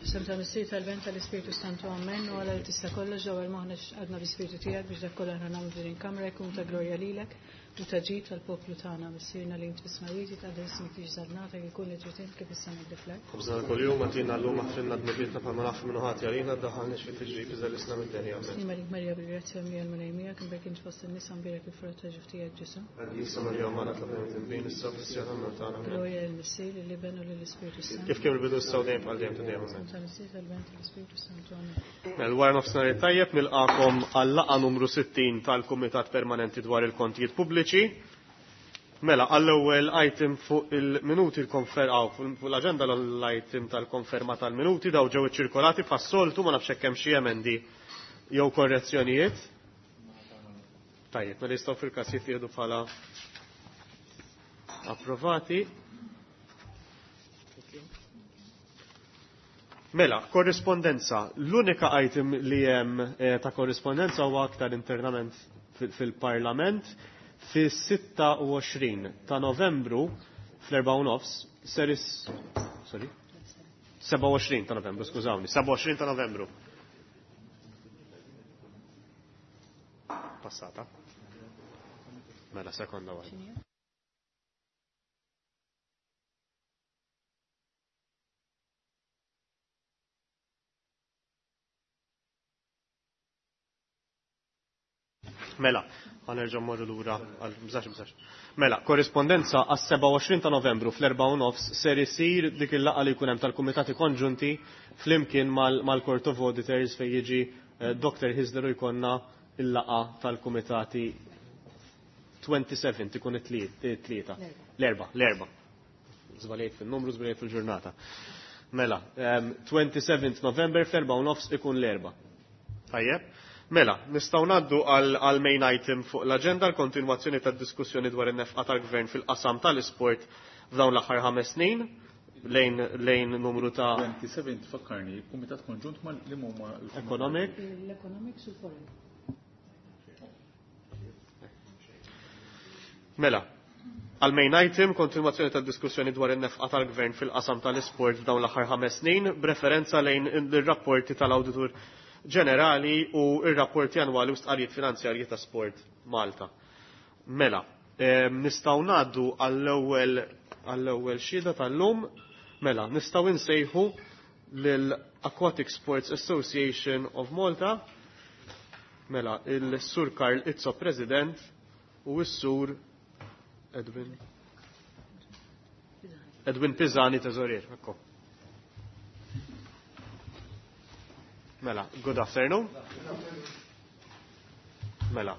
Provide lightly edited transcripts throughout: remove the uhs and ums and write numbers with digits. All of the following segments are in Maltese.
F'isem tal-Missier tal-Ben tal-Ispirtu Santu Amen u għala li tista' kollox ġewwa moħħna għadna bl-Ispirtu tiegħek biex dak kollha aħna nagħmlu din il-kamra jkun ta' glorja lilek u ta' ġid tal-poplu tagħna Missierna li int fis-smajjiet jitqaddes ismek tiġi żadnata jkun li trid int kif issa ngħidu fl-art. Ħobżna kuljum agħtina llum aħfrilna dnubietna bħalma naħfru minnu ħati għalina ddaħħalniex fit-tiġrib iżda ħlisna mid-deni. Amen. Slim għalik Marija bil-grazzja mlija l-Mulej miegħek imbierek int fost in-nisa mbierek il-frott ta' ġuf tiegħek Ġesù. Qaddisa Marija Omm Alla tlob lil midinbin issa u fis-siegħa tal-mewt tagħna. Amen. Glorja lill-Missier, lill-Iben u lill-Ispirtu s-Santu. Kif kien fil-bidu issa u dejjem bħal dejjem ta' dejjem. Amen. Tal-Missier, tal-Iben, tal-Ispirtu s-Santu. Amen. Mela wara nofsinhar it-tajjeb nilqakom għal-laqgħa numru 60 tal-Kumitat Permanenti dwar il-Kontijiet Pubbliċi. Mela, għall-ewwel item fuq il-minuti l-konfer fuq l-aġenda l-item tal-konferma tal-minuti daw ġew iċċirkolati bħas-soltu ma nafx hekk hemm xi emendi jew korrezzjonijiet. Tajjeb, mela jistgħu fil-każ jittieħdu bħala approvati. Mela, korrispondenza. L-unika item li hemm ta' korrispondenza huwa aktar internament fil-Parlament fis-26 ta' Novembru fl-4 nofs ser is sorry 27 ta' Novembru, skużawni, 27 ta' Novembru. Passata. Mela, sekonda waħda. Mela, ħanerġa' mmorru lura għal bżax bżax. Mela, korrispondenza għas-27 ta' Novembru fl-4 u nofs ser isir dik il-laqgħa li jkun hemm tal-Kumitati Konġunti flimkien mal-Court of Auditors fejn jiġi Dr. Hisler u jkollna il-laqgħa tal-Kumitati 27 ikun it-tlieta. L-erba, l-erba. Żbaljejt fil-numru, żbaljejt fil-ġurnata. Mela, 27 November fl-4 u nofs ikun l-erba. Tajjeb. Mela, nistgħu ngħaddu għal main item fuq l-aġenda l-kontinwazzjoni tad-diskussjoni dwar in-nefqa tal-Gvern fil-qasam tal-isport f'dawn l-aħħar 5 snin lejn lejn numru ta' 27 tfakkarni, Kumitat Konġunt ma li huma Economic. L-Economics u l-Foreign. Mela, għal main item, kontinwazzjoni tad-diskussjoni dwar in-nefqa tal-Gvern fil-qasam tal-isport f'dawn l-aħħar 5 snin, b'referenza lejn ir-rapporti tal-Awditur Ġenerali u r-rapporti annwali u stqarrijiet finanzjarji ta' Sport Malta. Mela, nistgħu ngħaddu għall-ewwel għall-ewwel xhieda tal-lum. Mela, nistgħu insejħu lil Aquatic Sports Association of Malta. Mela, il-Sur Karl Izzo President u s-Sur Edwin Edwin Pisani Teżorier. Ekko. Mela, good afternoon. Mela,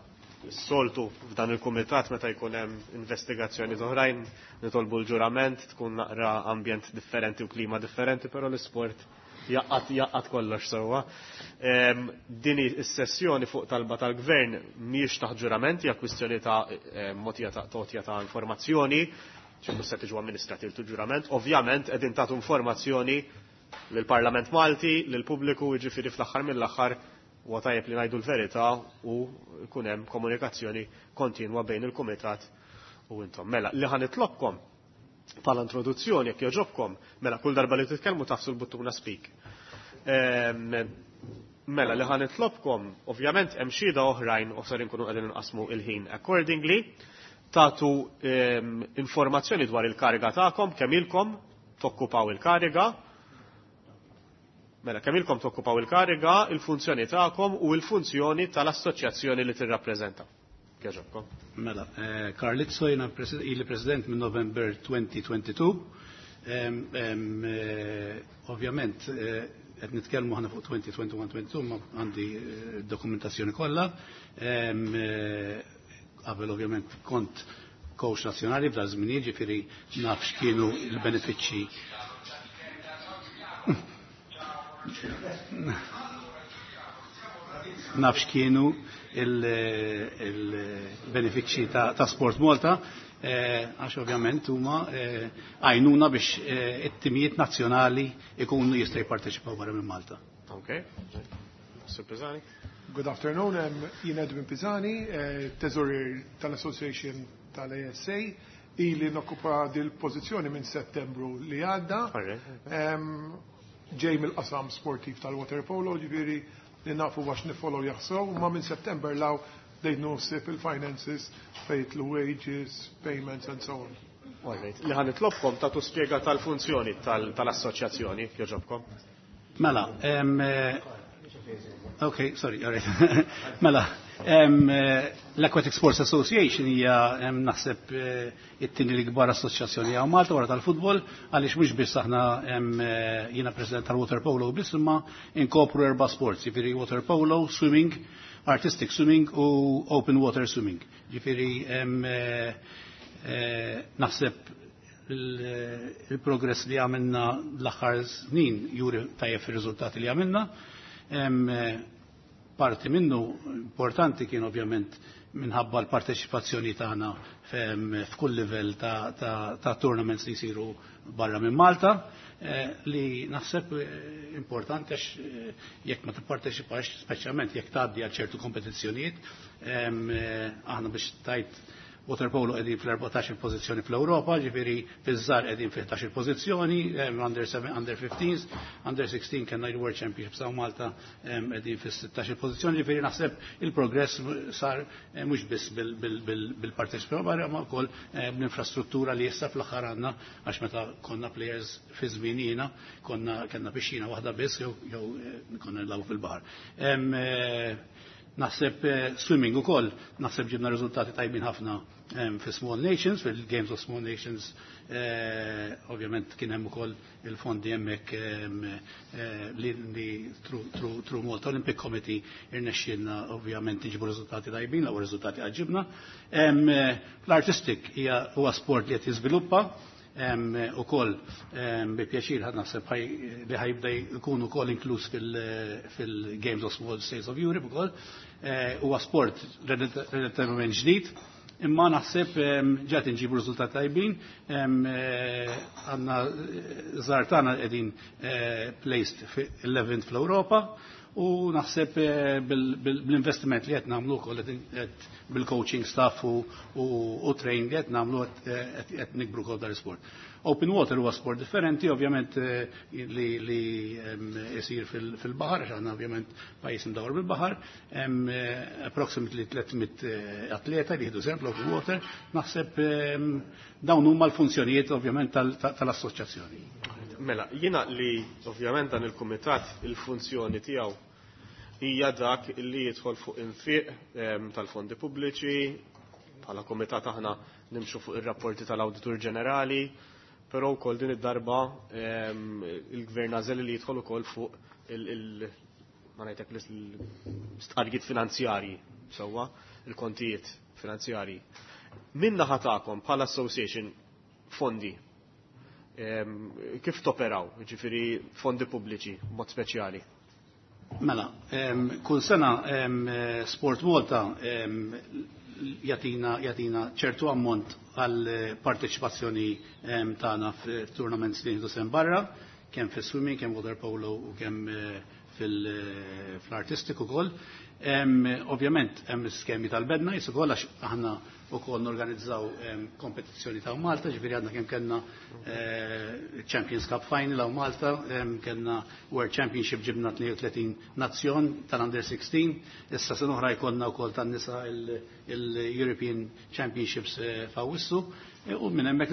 s-soltu f'dan il-kumitat meta jkun hemm investigazzjoni oħrajn nitolbu l-ġurament, tkun naqra ambjent differenti u klima differenti, però l-isport jaqqat jaqqat kollox sewwa. Din is-sessjoni fuq talba tal-gvern mhijiex taħt ġurament, hija kwistjoni ta' motija ta' totja ta' informazzjoni, ċi mhux se tiġu amministrati l-ġurament. Ovvjament qegħdin tagħtu informazzjoni lill-Parlament Malti, lill-pubbliku, jiġifieri fl-aħħar mill-aħħar huwa tajjeb li ngħidu l-verità u jkun hemm komunikazzjoni kontinwa bejn il-kumitat u intom. Mela, li ħa nitlobkom bħala introduzzjoni jekk jogħġobkom, mela kull darba li titkellmu tafsu l-buttuna speak. Mela li ħa nitlobkom, ovvjament hemm xhieda oħrajn u ser inkunu qegħdin inqasmu il-ħin accordingly, tagħtu informazzjoni dwar il-kariga tagħkom, kemm ilkom tokkupaw il-kariga, mela kemm ilkom tokkupaw il-kariga, il-funzjoni tagħkom u l-funzjoni tal-assoċjazzjoni li tirrappreżenta. Kieġobkom. Mela, Karl Izzo jiena ili president minn November 2022. Ovvjament, qed nitkellmu aħna fuq 2021-22, ma għandi dokumentazzjoni kollha. Qabel ovvjament kont coach nazzjonali f'dan żmien, ġifieri naf x'kienu l-benefiċċji. Naf x'kienu il-benefiċċji ta' Sport Malta, għax ovvjament huma għajnuna biex it-timijiet nazzjonali ikunu jistgħu jipparteċipaw barra minn Malta. Okay. Sir Pisani. Good afternoon, jien Edwin Pisani, teżorier tal-Association tal-ASA, ili nokkupa dil-pożizzjoni minn Settembru li għadda. Ġej mill-qasam sportiv tal-waterpolo, ġifieri li nafu għax nifollow jaħsew, ma minn September 'l hawn bdejt naħseb il-finances fejn wages, payments and so on. Alright. Li ħa nitlobkom tagħtu spjega tal-funzjoni tal-assoċjazzjoni, jogħġobkom. Mela, ok, sorry, all right. Mela, l-Aquatic Sports Association hija naħseb it-tieni l-ikbar assoċjazzjoni hawn Malta wara tal-futbol, għaliex mhux biss aħna jiena president tal-water polo biss, imma inkopru erba' sports, jiġifieri water polo, swimming, artistic swimming u open water swimming. Ġifieri naħseb il-progress li għamilna l-aħħar snin juri tajjeb fir-riżultati li għamilna. Parti minnu importanti kien ovvjament minħabba l-parteċipazzjoni tagħna f'kull livell ta' tournaments li jsiru barra minn Malta, li naħseb importanti għax jekk ma tipparteċipax, speċjalment jekk tgħaddi għal ċertu kompetizzjonijiet, aħna biex tajt waterpolo qegħdin fl-14 pożizzjoni fl-Ewropa, ġifieri fiż-żgħar qegħdin fil-11 pożizzjoni, under 7, under 15, under 16 kellna il-World Championships hawn Malta, qegħdin fis-16 pożizzjoni, ġifieri naħseb il-progress sar mhux biss bil-parteċipazzjoni, ma wkoll bl-infrastruttura li issa fl-aħħar għandna, għax meta konna players fi żminina konna kellna pixxina waħda biss jew konna nilagħbu fil-baħar. Naħseb swimming ukoll, naħseb ġibna riżultati tajbin ħafna fi Small Nations, fil-Games of Small Nations, ovvjament kien hemm ukoll il-fondi hemmhekk li through Malta Olympic Committee irnexxielna ovvjament nġibu riżultati tajbin, l-ewwel riżultati ġibna. L-artistic hija huwa sport li qed jiżviluppa, ukoll bi pjaċir ħad naħseb li ħa jibda jkun ukoll inkluż fil-Games of Small States of Europe ukoll. Huwa sport relativament ġdid, imma naħseb ġat nġibu riżultati tajbin, għandna żgħar tagħna qegħdin placed 11th fl-Ewropa, u naħseb bl-investiment li qed nagħmlu wkoll qed bil-coaching staff u train li qed nagħmlu qed nikbru wkoll dar sport. Open water huwa sport differenti, ovvjament li isir fil-baħar, għax aħna ovvjament pajjiż imdawar bil-baħar, hemm approximately 300 atleta li jieħdu sehem fl-open water, naħseb dawn huma l-funzjonijiet ovvjament tal-assoċjazzjoni. Mela, jiena li ovvjament dan il-kumitat il-funzjoni tiegħu hija dak li jidħol fuq infiq tal-fondi pubbliċi, bħala kumitat aħna nimxu fuq ir-rapporti tal-Awditur Ġenerali, però wkoll din id-darba il-Gvern għażel li jidħol ukoll fuq ma ngħidlek l-istqarrijiet finanzjarji, sewwa, il-kontijiet finanzjarji. Min naħa tagħkom bħala association fondi, kif toperaw, ġifieri fondi pubbliċi, mod speċjali? Mela, kull sena Sport Malta jatina ċertu ammont għal parteċipazzjoni tagħna f'tournaments li nieħdu sehem barra, kemm fis-swimming, kemm water polo u kemm fl-artistic ukoll. Ovvjament hemm skemi tal-bed nights ukoll, għax aħna ukoll norganizzaw kompetizzjoni ta' Malta, ġifieri għandna kemm kellna Champions Cup Final hawn Malta, kellna World Championship, ġibna 32 nazzjon tal-Under 16, issa sena oħra jkollna wkoll tan-nisa il-European Championships f'Awwissu. U minn hemmhekk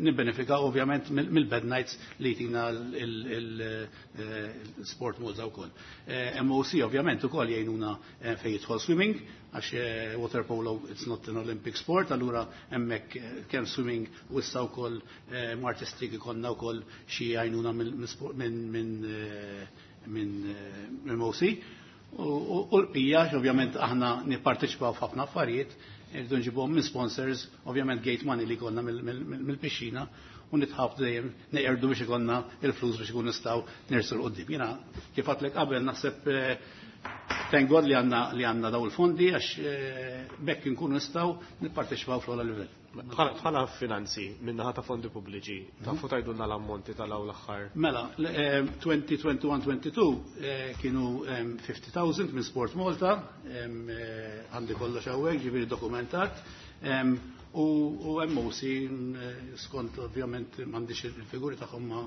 nibbenefika ovvjament mill-bed nights li jtina l-Sport Malta wkoll. MOC ovvjament ukoll jgħinuna fejn jidħol swimming, għax water polo it's not an Olympic sport, allura hemmhekk kemm swimming u issa wkoll artistic ikollna wkoll xi jgħinuna minn MOC. U l-bqija, ovvjament aħna nipparteċipaw f'ħafna affarijiet, irridu nġibuhom minn sponsors, ovvjament gate money li konna mill-pixxina, u nitħabtu dejjem neqerdu biex ikollna il-flus biex ikun nistgħu nersqu 'l quddiem. Jiena kif għedtlek qabel naħseb thank God li għandna daw il-fondi, għax bekk nkunu nistgħu nipparteċipaw fl-ogħla livell. Bħala finanzi minnaħa ta' fondi pubbliċi, tafu tgħidulna l-ammonti tal-aw l-aħħar? Mela, 2021-22 kienu 50,000 minn Sport Malta, għandi kollox hawnhekk, ġifieri dokumentat. U MOC skont ovvjament m'għandix il-figuri tagħhom, ma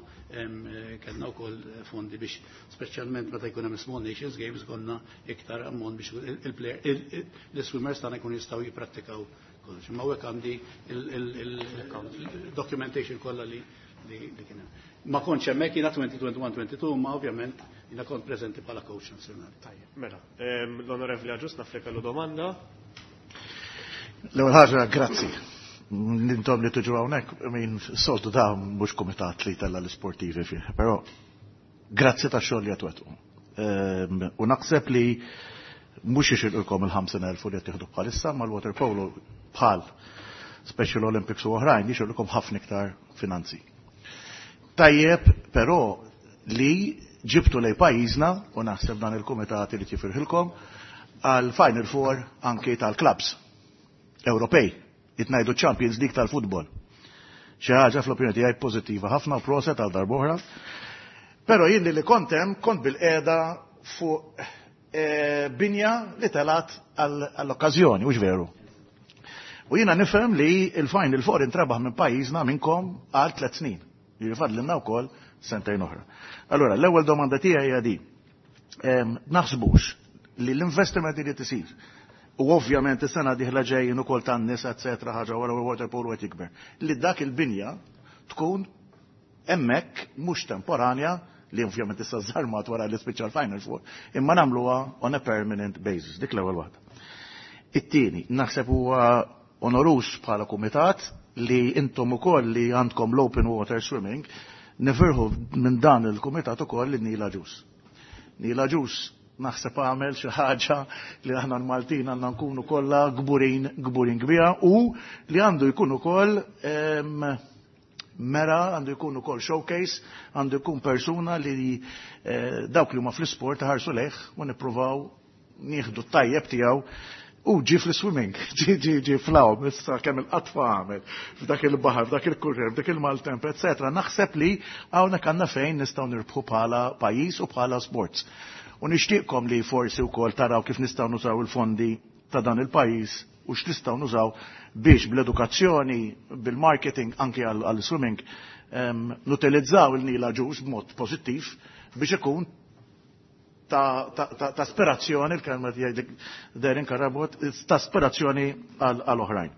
kellna wkoll fondi biex, speċjalment meta jkun hemm Small Nations Games, konna iktar ammont biex l-swimmers tagħna jkunu jistgħu jipprattikaw kollox. Imma hekk għandi il-documentation kollha li kien hemm. Ma kontx hemmhekk jiena 2021-22, ma ovvjament jiena kont preżenti bħala coach nazzjonali. Tajjeb, mela, l-Onorevoli Agius naf li kellu domanda. L-ewwel ħaġa, grazzi. Intom li tiġu hawnhekk, min soltu da mhux kumitat li tella l-isportivi fih, però grazzi ta' xogħol li qed. U naħseb li mhux jixirqilkom il-50,000 li qed tieħdu bħalissa, mal-water polo bħal Special Olympics u oħrajn jixirqilkom ħafna iktar finanzi. Tajjeb, però, li ġibtu lej pajjiżna, u naħseb dan il-kumitat li tifirħilkom għal Final Four anki tal-clubs Ewropej, jitnajdu Champions League tal-futbol. Xi ħaġa fl-opinjoni tiegħi pożittiva ħafna u proset għal darb'oħra. Però jien li kontem kont bil-qiegħda fuq binja li telat għall-okkażjoni, mhux veru? U jiena nifhem li il-Final Four intrebaħ minn pajjiżna minnkom għal 3 snin. Jiġi fadlilna wkoll sentejn oħra. Allora, l-ewwel domanda tiegħi hija di. Naħsbux li l-investiment li tisir u ovvjament is-sena dieħla ġejjin ukoll tan-nisa, eċetera, ħaġa wara water polo qed jikber, li dak il-binja tkun hemmhekk mhux temporanja, li ovvjament issa żarmat wara li spiċċa l-Final Four, imma nagħmluha on a permanent basis. Dik l-ewwel waħda. It-tieni, naħseb huwa onoruż bħala kumitat li intom ukoll li għandkom l-open water swimming, nifirħu minn dan il-kumitat ukoll li Neil Agius. Neil Agius naħseb għamel xi ħaġa li aħna l-Maltin għandna nkunu kollha kburin kburin kbira u li għandu jkun ukoll mera, għandu jkun ukoll showcase, għandu jkun persuna li dawk li huma fl-isport ħarsu lejh u nippruvaw nieħdu t-tajjeb tiegħu. U ġi fl-swimming, ġi ġi ġi fl-għawm, issa kemm il-qatfa għamel, f'dak il-baħar, f'dak il-kurrer, f'dak il-maltemp, etc. Naħseb li hawnhekk għandna fejn nistgħu nirbħu bħala pajjiż u bħala sports. U nixtieqkom li forsi wkoll taraw kif nistgħu nużaw il-fondi ta' dan il-pajjiż u x'nistgħu nużaw biex bl-edukazzjoni, bil-marketing anki għal-swimming, nutilizzaw il-Neil Agius b'mod pożittiv biex ikun ta' aspirazzjoni, il-kelma tiegħi Darren Carabott, ta' aspirazzjoni għal oħrajn.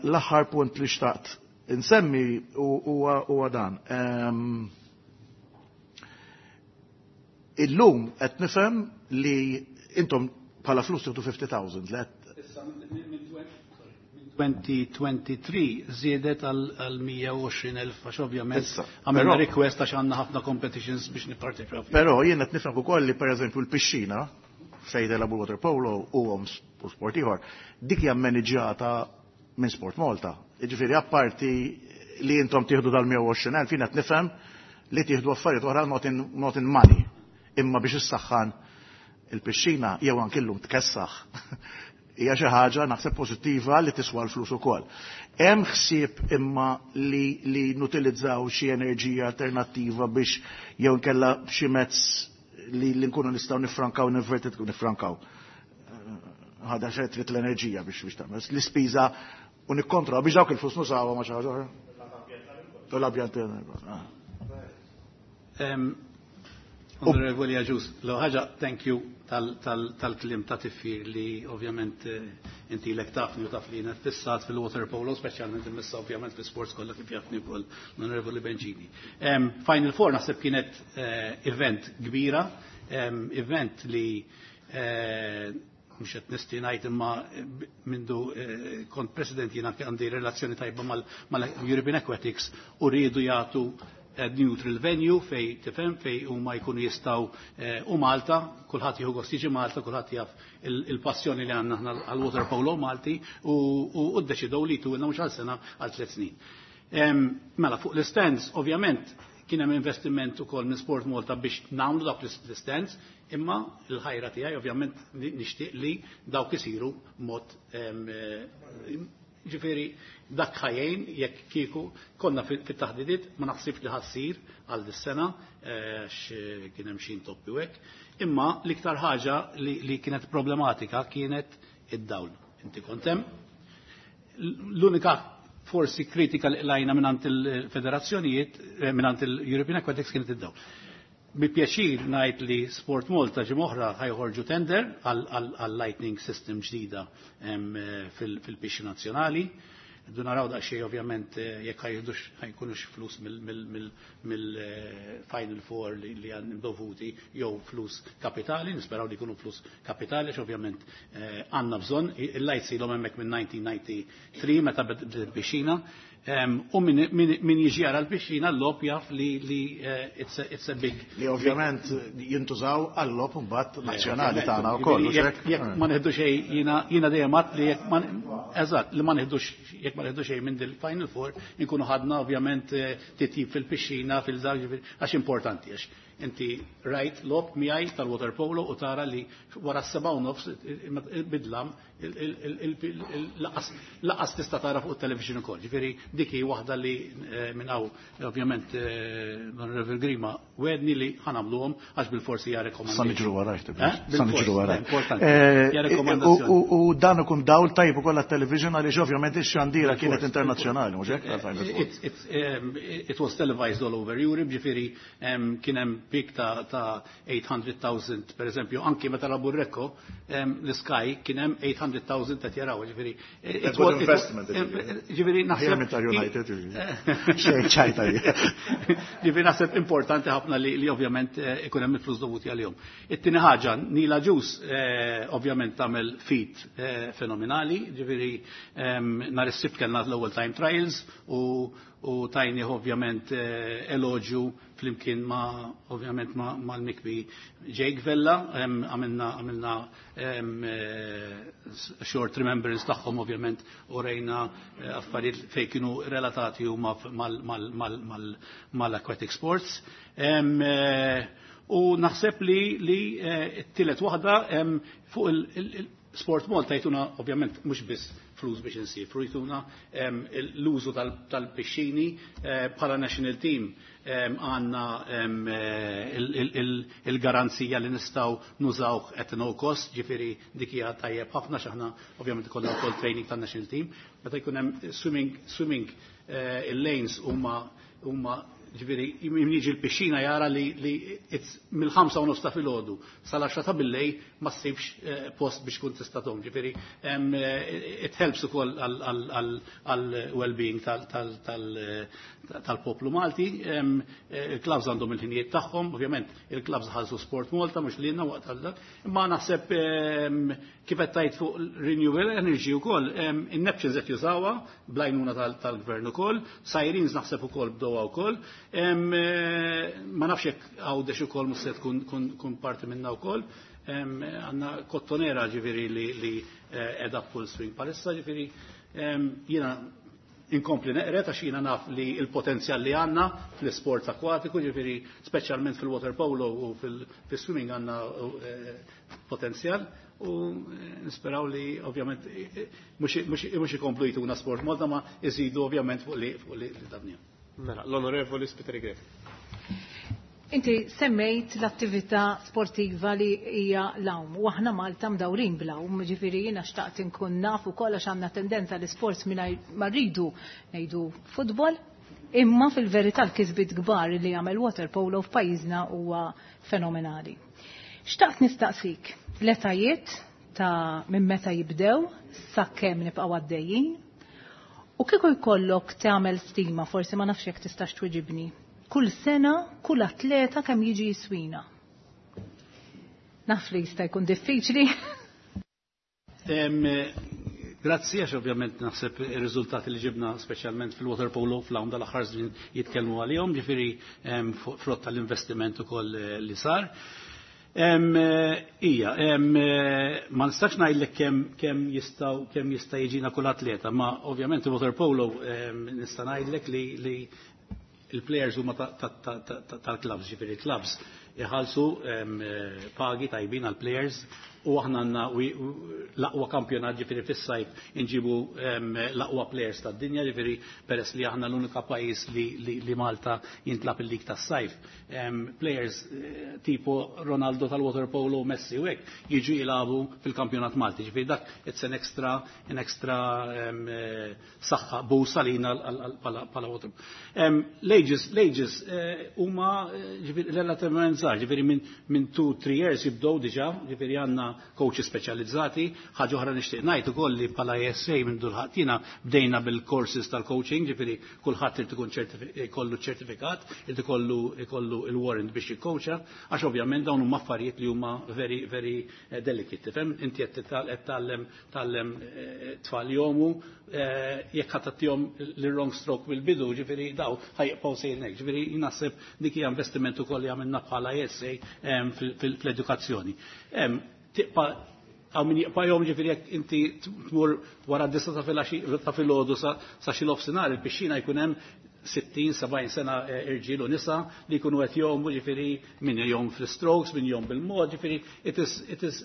L-aħħar punt li xtaqt insemmi huwa dan. Illum qed nifhem li intom bħala flus tieħdu 50,000 li qed Issa minn 2023 żiedet għal 120,000 għax ovvjament Issa, għamilna request għax għandna ħafna competitions biex nipparteċipaw fihom. Però jien qed nifhem ukoll li, pereżempju, l-pixxina fejn jilagħbu water polo u u sport ieħor, dik hija maniġġata minn Sport Malta. Jiġifieri apparti li intom tieħdu dal-120,000, jien qed nifhem li tieħdu affarijiet oħra, not in money. Imma biex issaħħan il-pixxina jew anke llum tkessaħ hija xi ħaġa naħseb pożittiva li tiswa l-flus ukoll. Hemm ħsieb imma li nutilizzaw xi enerġija alternattiva biex jew nkella xi mezz li nkunu nistgħu nifrankaw, ninvertit nifrankaw. Ħada xejn trid l-enerġija biex tagħmel l-ispiża u nikkontrolla biex dawk il-flus nużawha ma' xi ħaġa oħra. U l-ambjent. Onorevoli Agius, l ħaġa, thank you tal-kliem ta' tifħir li ovvjament inti l tafni u taf li jiena fissat fil-water polo, speċjalment immissa ovvjament fil-sports kollha kif jafni wkoll l-Onorevoli Bencini. Final Four naħseb kienet event kbira, event li mhux qed nisti ngħid, imma mindu kont president jiena għandi relazzjoni tajba mal-European Aquatics u rridu jagħtu neutral venue fej tifhem fej huma jkunu jistgħu u Malta, kulħadd jieħu gost jiġi Malta, kulħadd jaf il-passjoni li għandna aħna għal-water polo Malti u ddeċidew li jtulna mhux għal sena, għal 3 snin. Mela fuq l-stands, ovvjament kien hemm investiment ukoll minn Sport Malta biex nagħmlu dawk l-stands, imma l-ħajra tiegħi ovvjament nixtieq li dawk isiru mod ġifieri dak ħajjejn jekk kieku konna fit-taħdidiet, ma naħsibx li ħassir għal dis-sena għax kien hemm xi intoppi u hekk. Imma l-iktar ħaġa li kienet problematika kienet id-dawl. Inti kont hemm. L-unika forsi kritika li lajna minant il-federazzjonijiet, minant il-European Aquatics kienet id-dawl. Bi pjaċir ngħid li Sport Malta ġimgħa oħra ħajħorġu tender għal lightning system ġdida fil-pixxi nazzjonali. Du naraw daqsxejn ovvjament jekk ħajħdux ħajkunux flus mill-Final Four li għan dovuti jew flus kapitali, nisperaw li jkunu flus kapitali, għax ovvjament għandna bżonn, il-lights ilhom hemmhekk minn 1993 meta bdiet il-pixxina, u min jiġi jara l-pixxina l-logħob jaf li it's a big. Li ovvjament jintużaw għall-logħob mbagħad nazzjonali tagħna wkoll. Jekk ma neħdu xejn jiena dejjem għadt li jekk ma eżatt li ma neħdux jekk ma neħdu xejn minn dil-Final Four inkunu ħadna ovvjament titjib fil-pixxina fil-żar għax importanti għax inti rajt logħob miegħi tal-water polo u tara li wara s-7:30 bidlam laqas tista' tara fuq it-television ukoll. Ġifieri dik hi waħda li minn hawn ovvjament Onorevole Grima wedni li ħanamluhom għax bil-forsi hija rekomandazzjoni. Sa niġru warajk, Sa niġru warajk. Importanti. Hija rekomandazzjoni. U dan ikun dawl tajjeb ukoll għat-television għaliex ovvjament ix-xandira kienet internazzjonali, mhux hekk? It was televised all over Europe, ġifieri kien hemm peak ta' 800,000 per eżempju, anki meta lagħbu Recco, l-Sky kien hemm 800,000 qed jaraw, ġifieri. Good investment. Ġifieri naħseb. United. Xejn ċajta. Ġifieri naħseb importanti ħafna li ovvjament ikun hemm il-flus dovuti għalihom. It-tieni ħaġa, Nila Ġus ovvjament tagħmel feat fenomenali, ġifieri nhar is-Sibt kellna l-ewwel time trials u tajni ovvjament eloġju flimkien ma ovvjament mal-mikbi Jake Vella, għamilna short remembrance tagħhom ovvjament u rejna affarijiet fejn kienu relatati huma mal-aquatic sports. U naħseb li t-tielet waħda fuq il-Sport Malta jtuna ovvjament mhux biss flus biex insifru, jtuna l-użu tal-pixxini bħala national team għandna il-garanzija li nistgħu nużawh at no cost, ġifieri dik hija tajjeb ħafna x'aħna ovvjament ikollna wkoll training tan-national team. Meta jkun hemm swimming il-lanes huma ġifieri min jiġi l-pixxina jara li mill-5:30 ta' filgħodu sal-10 ta' billejl ma ssibx post biex tkun tista' tgħum. Ġifieri it helps ukoll għal well-being tal-poplu Malti. Il-clubs għandhom il-ħinijiet tagħhom, ovvjament il-clubs ħallsu Sport Malta mhux lilna waqt għal dak. Imma naħseb kif qed tgħid fuq renewable energy wkoll, in-Neptunes qed jużawha bl-għajnuna tal-gvern ukoll, Sirens naħseb ukoll bdewha wkoll. Ma nafx jekk Għawdex ukoll mhux se tkun parti minnha wkoll. Għandna Kottonera ġifieri li qiegħda full swing palissa, ġifieri jiena inkompli neqret għax jiena naf li l-potenzjal li għandna fl-isport akwatiku, ġifieri speċjalment fil-water polo u fil-swimming għandna potenzjal u nisperaw li ovvjament mhux ikomplu jtuna Sport Malta ma iżidu ovvjament fuq li dabnija. Mela, l-Onorevoli Spiteri Grech. Inti semmejt l-attività sportiva li hija l-għawm u aħna Malta mdawrin bl-għawm, ġifieri jiena xtaqt inkun naf ukoll għax għandna tendenza li sports mingħajr ma rridu ngħidu futbol, imma fil-verità l-kisbiet kbar li jagħmel water polo f'pajjiżna huwa fenomenali. Xtaqt nistaqsik l-etajiet ta' minn meta jibdew sakemm nibqgħu għaddejjin u kieku jkollok tagħmel stima, forsi ma nafx jekk tistax twiġibni. Kull sena, kull atleta kemm jiġi jiswina. Naf li jista' jkun diffiċli. Grazzi, għax ovvjament naħseb ir-riżultati li ġibna speċjalment fil-water polo fl-għawm dal-aħħar żmien jitkellmu għalihom, ġifieri frott tal-investiment ukoll li sar. Ija, ma nistax ngħidlek kemm jistgħu kemm jista' jiġina kull atleta, ma ovvjament il-water polo nista' ngħidlek li il-players huma tal-clubs, ġifieri clubs. iħallsu pagi tajbin għal players u aħna għandna l-aqwa kampjonat, ġifieri fis-sajf inġibu l-aqwa players tad-dinja, ġifieri peress li aħna l-unika pajjiż li Malta jintlab il-lig tas-sajf. Players tipo Ronaldo tal-water polo, Messi u hekk jiġu jilagħbu fil-kampjonat Malti. Ġifieri dak it's an extra saħħa boost għalina bħala water. L-ages huma ġifieri relativament żgħar, ġifieri minn 2-3 years jibdew diġà, ġifieri għandna coaches speċjalizzati. Ħaġa oħra nixtieq ngħid ukoll li bħala ASA minn dulħatina bdejna bil-courses tal-coaching, ġifieri kulħadd irid ikun ikollu ċertifikat, irid ikollu il-warrant biex jikkoċa, għax ovvjament dawn huma affarijiet li huma very, very delicate. Tifhem, inti qed tgħallem tgħallem tfal jgħumu, jekk ħadd tagħtihom l-wrong stroke bil-bidu, ġifieri daw ħa jibqgħu sejrin hekk. Ġifieri naħseb dik hija investiment ukoll li għamilna bħala ASA fl-edukazzjoni. Tibqa' hawn min jibqa' jgħum, ġifieri jekk inti tmur wara d-9 ta' filgħodu sa xi nofsinhar, il-pixxina jkun hemm 60-70 sena, irġiel u nisa li jkunu qed jgħumu, ġifieri min jgħum fl-strokes, min jgħum bil-mod, ġifieri it is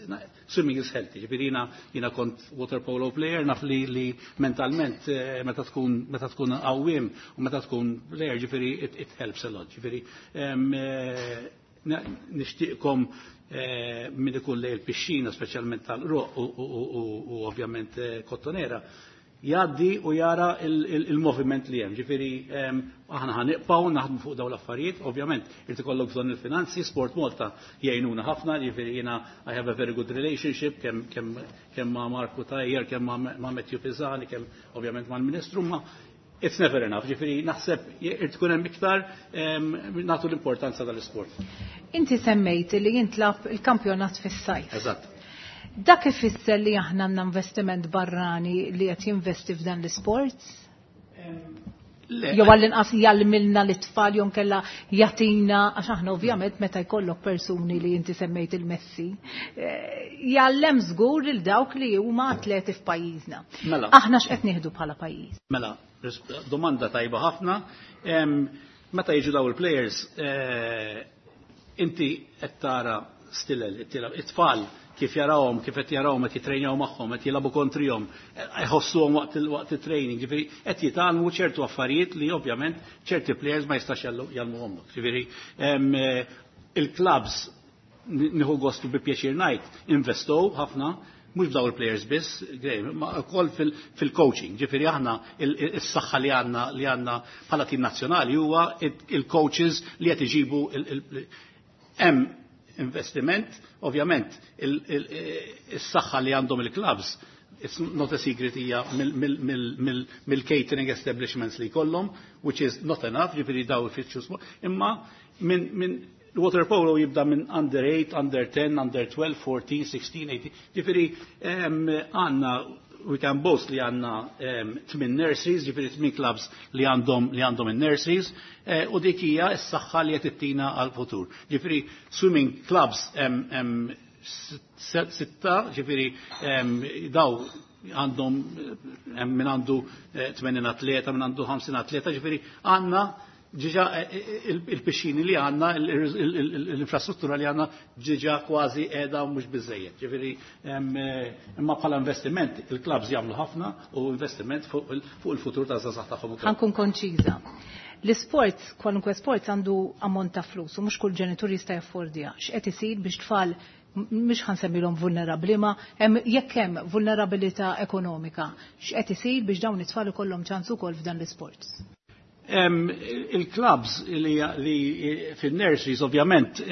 swimming is healthy. Ġifieri jiena kont water polo player, naf li mentalment meta tkun għawwiem u meta tkun player, ġifieri it helps a lot. Ġifieri nixtieqkom min ikun lejn il-pixxina, speċjalment tal-Qroqq u ovvjament Kottonera, jgħaddi u jara il-moviment li hemm. Ġifieri aħna ħa nibqgħu naħdmu fuq dawn l-affarijiet, ovvjament irid ikollok bżonn il-finanzi, Sport Malta jgħinuna ħafna, ġifieri jiena I have a very good relationship kemm ma' Marku Tajjer, kemm ma' Matthew Pisani, kemm ovvjament mal-Ministru, ma' it's never enough, ġifieri naħseb irid tkun hemm iktar nagħtu l-importanza tal-isport. Inti semmejt li jintlab il-kampjonat fis-sajf. Eżatt. Dak ifisser li aħna għandna investiment barrani li qed jinvesti f'dan l-isport? Le. Jew għall-inqas jgħallimilna l-itfal jew kella jagħtina, għax aħna ovvjament meta jkollok persuni li inti semmejt il-Messi, jgħallem żgur lil dawk li huma atleti f'pajjiżna. Mela. Aħna x'qed nieħdu bħala pajjiż? Mela, domanda tajba ħafna. Meta jiġu daw il-players, inti qed tara stilel, it-tfal kif jarawhom, kif qed jarawhom qed jitrejnjaw magħhom, qed jilagħbu kontrihom, jħossuhom waqt it-training, ġifieri qed jitgħallmu ċertu affarijiet li ovvjament ċerti players ma jistax jgħallmuhom. Ġifieri il-clubs, nieħu gostu bi pjaċir ngħid, investow ħafna, mhux b'daw il-players biss, ma wkoll fil-coaching. Ġifieri aħna is-saħħa li għandna bħala tim nazzjonali huwa il-coaches li qed iġibu. Hemm investiment, ovvjament is-saħħa li għandhom il-clubs, it's not a secret, hija mill-catering establishments li jkollhom, which is not enough, ġifieri daw ifittxu imma minn water polo jibda minn under 8, under 10, under 12, 14, 16, 18. Ġifieri għandna, we can boast li għandna tmin nurseries, ġifieri tmin clubs li għandhom in-nurseries, u dik hija s-saħħa li qed ittina għal-futur. Ġifieri swimming clubs hemm sitta, ġifieri daw għandhom hemm min għandu 80 atleta, min għandu 50 atleta, ġifieri għandna diġà il-pixxini li għandna, l-infrastruttura li għandna diġà kważi qiegħda mhux biżejjed. Ġifieri imma bħala investiment il-clubs jagħmlu ħafna u investiment fuq il-futur ta' żgħażagħ tagħhom ukoll. Ħa nkun konċiża. L-isport, kwalunkwe sport għandu ammont ta' flus u mhux kull ġenitur jista' jaffordja. X'qed isir biex tfal, mhux ħa nsemmilhom vulnerabbli, ma jekk hemm vulnerabilità ekonomika, x'qed isir biex dawn it-tfal ikollhom ċans ukoll f'dan l-isport? Il-clubs li fil-nurseries ovvjament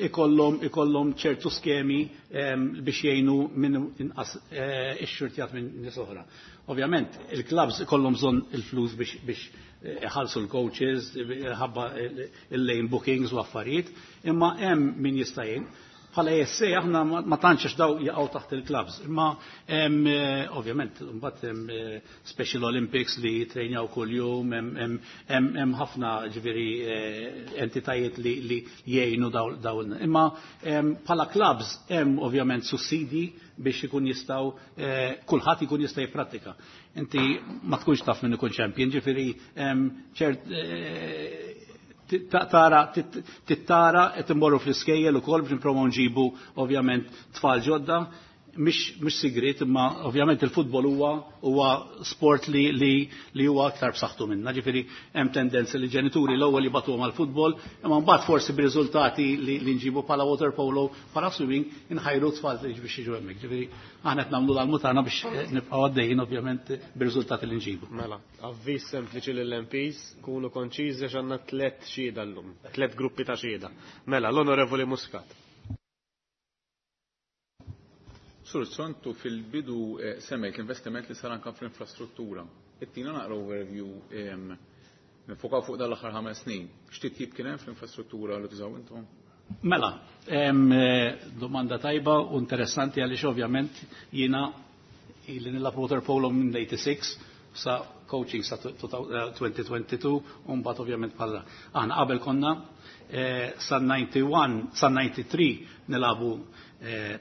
ikollhom ċertu skemi biex jgħinu minn inqas ixxurtjat minn nies oħra. Ovvjament il-clubs ikollhom bżonn il-flus biex iħallsu l-coaches, ħabba il-lane bookings u affarijiet, imma hemm min jista' jgħin. Bħala ASA aħna ma tantx, għax daw jaqgħu taħt il-clubs. Imma hemm ovvjament mbagħad hemm Special Olympics li jitrejnjaw kuljum, hemm ħafna ġifieri entitajiet li jgħinu dawn. Imma bħala clubs hemm ovvjament sussidi biex ikun jistgħu kulħadd ikun jista' jipprattika. Inti ma tkunx taf min ikun champion, ġifieri ċert. Tara tittara qed immorru fl-iskejjel ukoll biex nipprovaw nġibu ovvjament tfal ġodda mhix sigriet imma ovvjament il-futbol huwa sport li huwa aktar b'saħħtu minna. Ġifieri hemm tendenza li ġenituri l-ewwel jibgħatuhom għall-futbol, imma mbagħad forsi b'riżultati li nġibu bħala water polo, bħala swimming, inħajru tfal biex jiġu hemmhekk. Ġifieri aħna qed nagħmlu l-almu tagħna biex nibqgħu għaddejjin ovvjament bir-riżultati li nġibu. Mela, avviż sempliċi lill-MPs, kunu konċiżi għax għandna tliet xhieda llum, tliet gruppi ta' xhieda. Mela, l-Onorevoli Muscat. Sur Sontu fil-bidu semmejt l-investiment li sar anka fl-infrastruttura. Ittina naqra overview nifokaw fuq dal-aħħar 5 snin. X'titjib kien hemm fl-infrastruttura li tużaw intom? Mela, domanda tajba u interessanti għaliex ovvjament jiena ili nilgħab water polo minn 86 sa coaching sa 2022 u mbagħad ovvjament bħala. Aħna qabel konna sa 91, sa 93 nilagħbu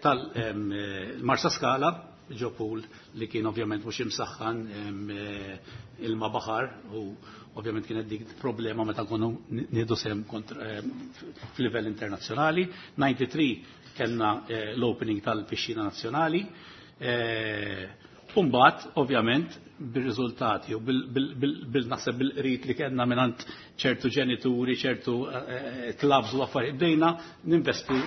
tal-Marsa Skala ġo pool li kien ovvjament mhux imsaħħan ilma baħar u ovvjament kienet dik problema meta kunu nieħdu sehem f'livell internazzjonali. 93 kellna l-opening tal-pixxina nazzjonali. Umbat, ovvjament, bil-riżultati u bil-naħseb bil-qrit li kellna mingħand ċertu ġenituri, ċertu clubs u affarijiet, bdejna ninvestu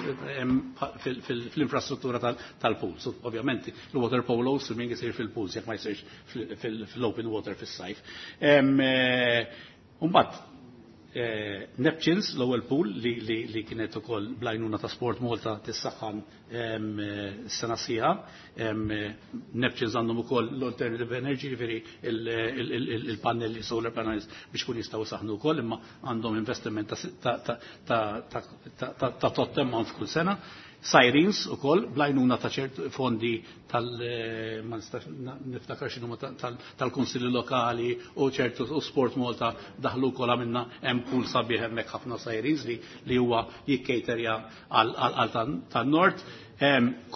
fl-infrastruttura tal-pools. Ovvjament, il-water polo swimming isir fil-pools, jekk ma jsirx fil-open water fis-sajf. Umbat, Neptunes, l-ewwel pool li kienet ukoll bl-għajnuna ta' Sport Malta tissaħħan sena sħiħa. Neptunes għandhom ukoll l-alternative energy, ġifieri il-pannelli solar panels biex kun jistgħu saħnu wkoll, imma għandhom investiment ta' tot amount f'kull sena. Sirens ukoll bl-għajnuna ta' ċert fondi tal ma nistax niftakar x'inhuma tal-kunsilli lokali u ċertu u Sport Malta daħlu wkoll għamilna hemm pool sabiħ hemmhekk ħafna sirens li huwa jikkejterja għal tan-nord.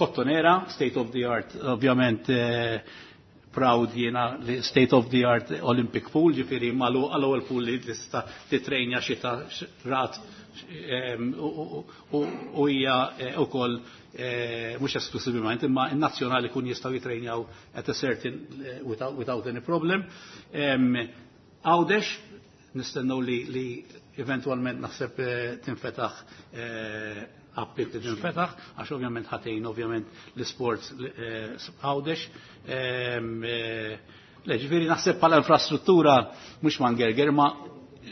Kottonera, state of the art, ovvjament proud jiena li state of the art Olympic pool, ġifieri malu għal-ewwel pool li tista' titrejnja xita rat u hija ukoll mhux esklusivament imma n-nazzjonali kun jistgħu jitrejnjaw at a certain without any problem. Għawdex nistennew li eventualment naħseb tinfetaħ appik li tinfetaħ, għax ovvjament ħatejn ovvjament l-sports Għawdex. Le, ġifieri naħseb bħala infrastruttura mhux ma ngerger, ma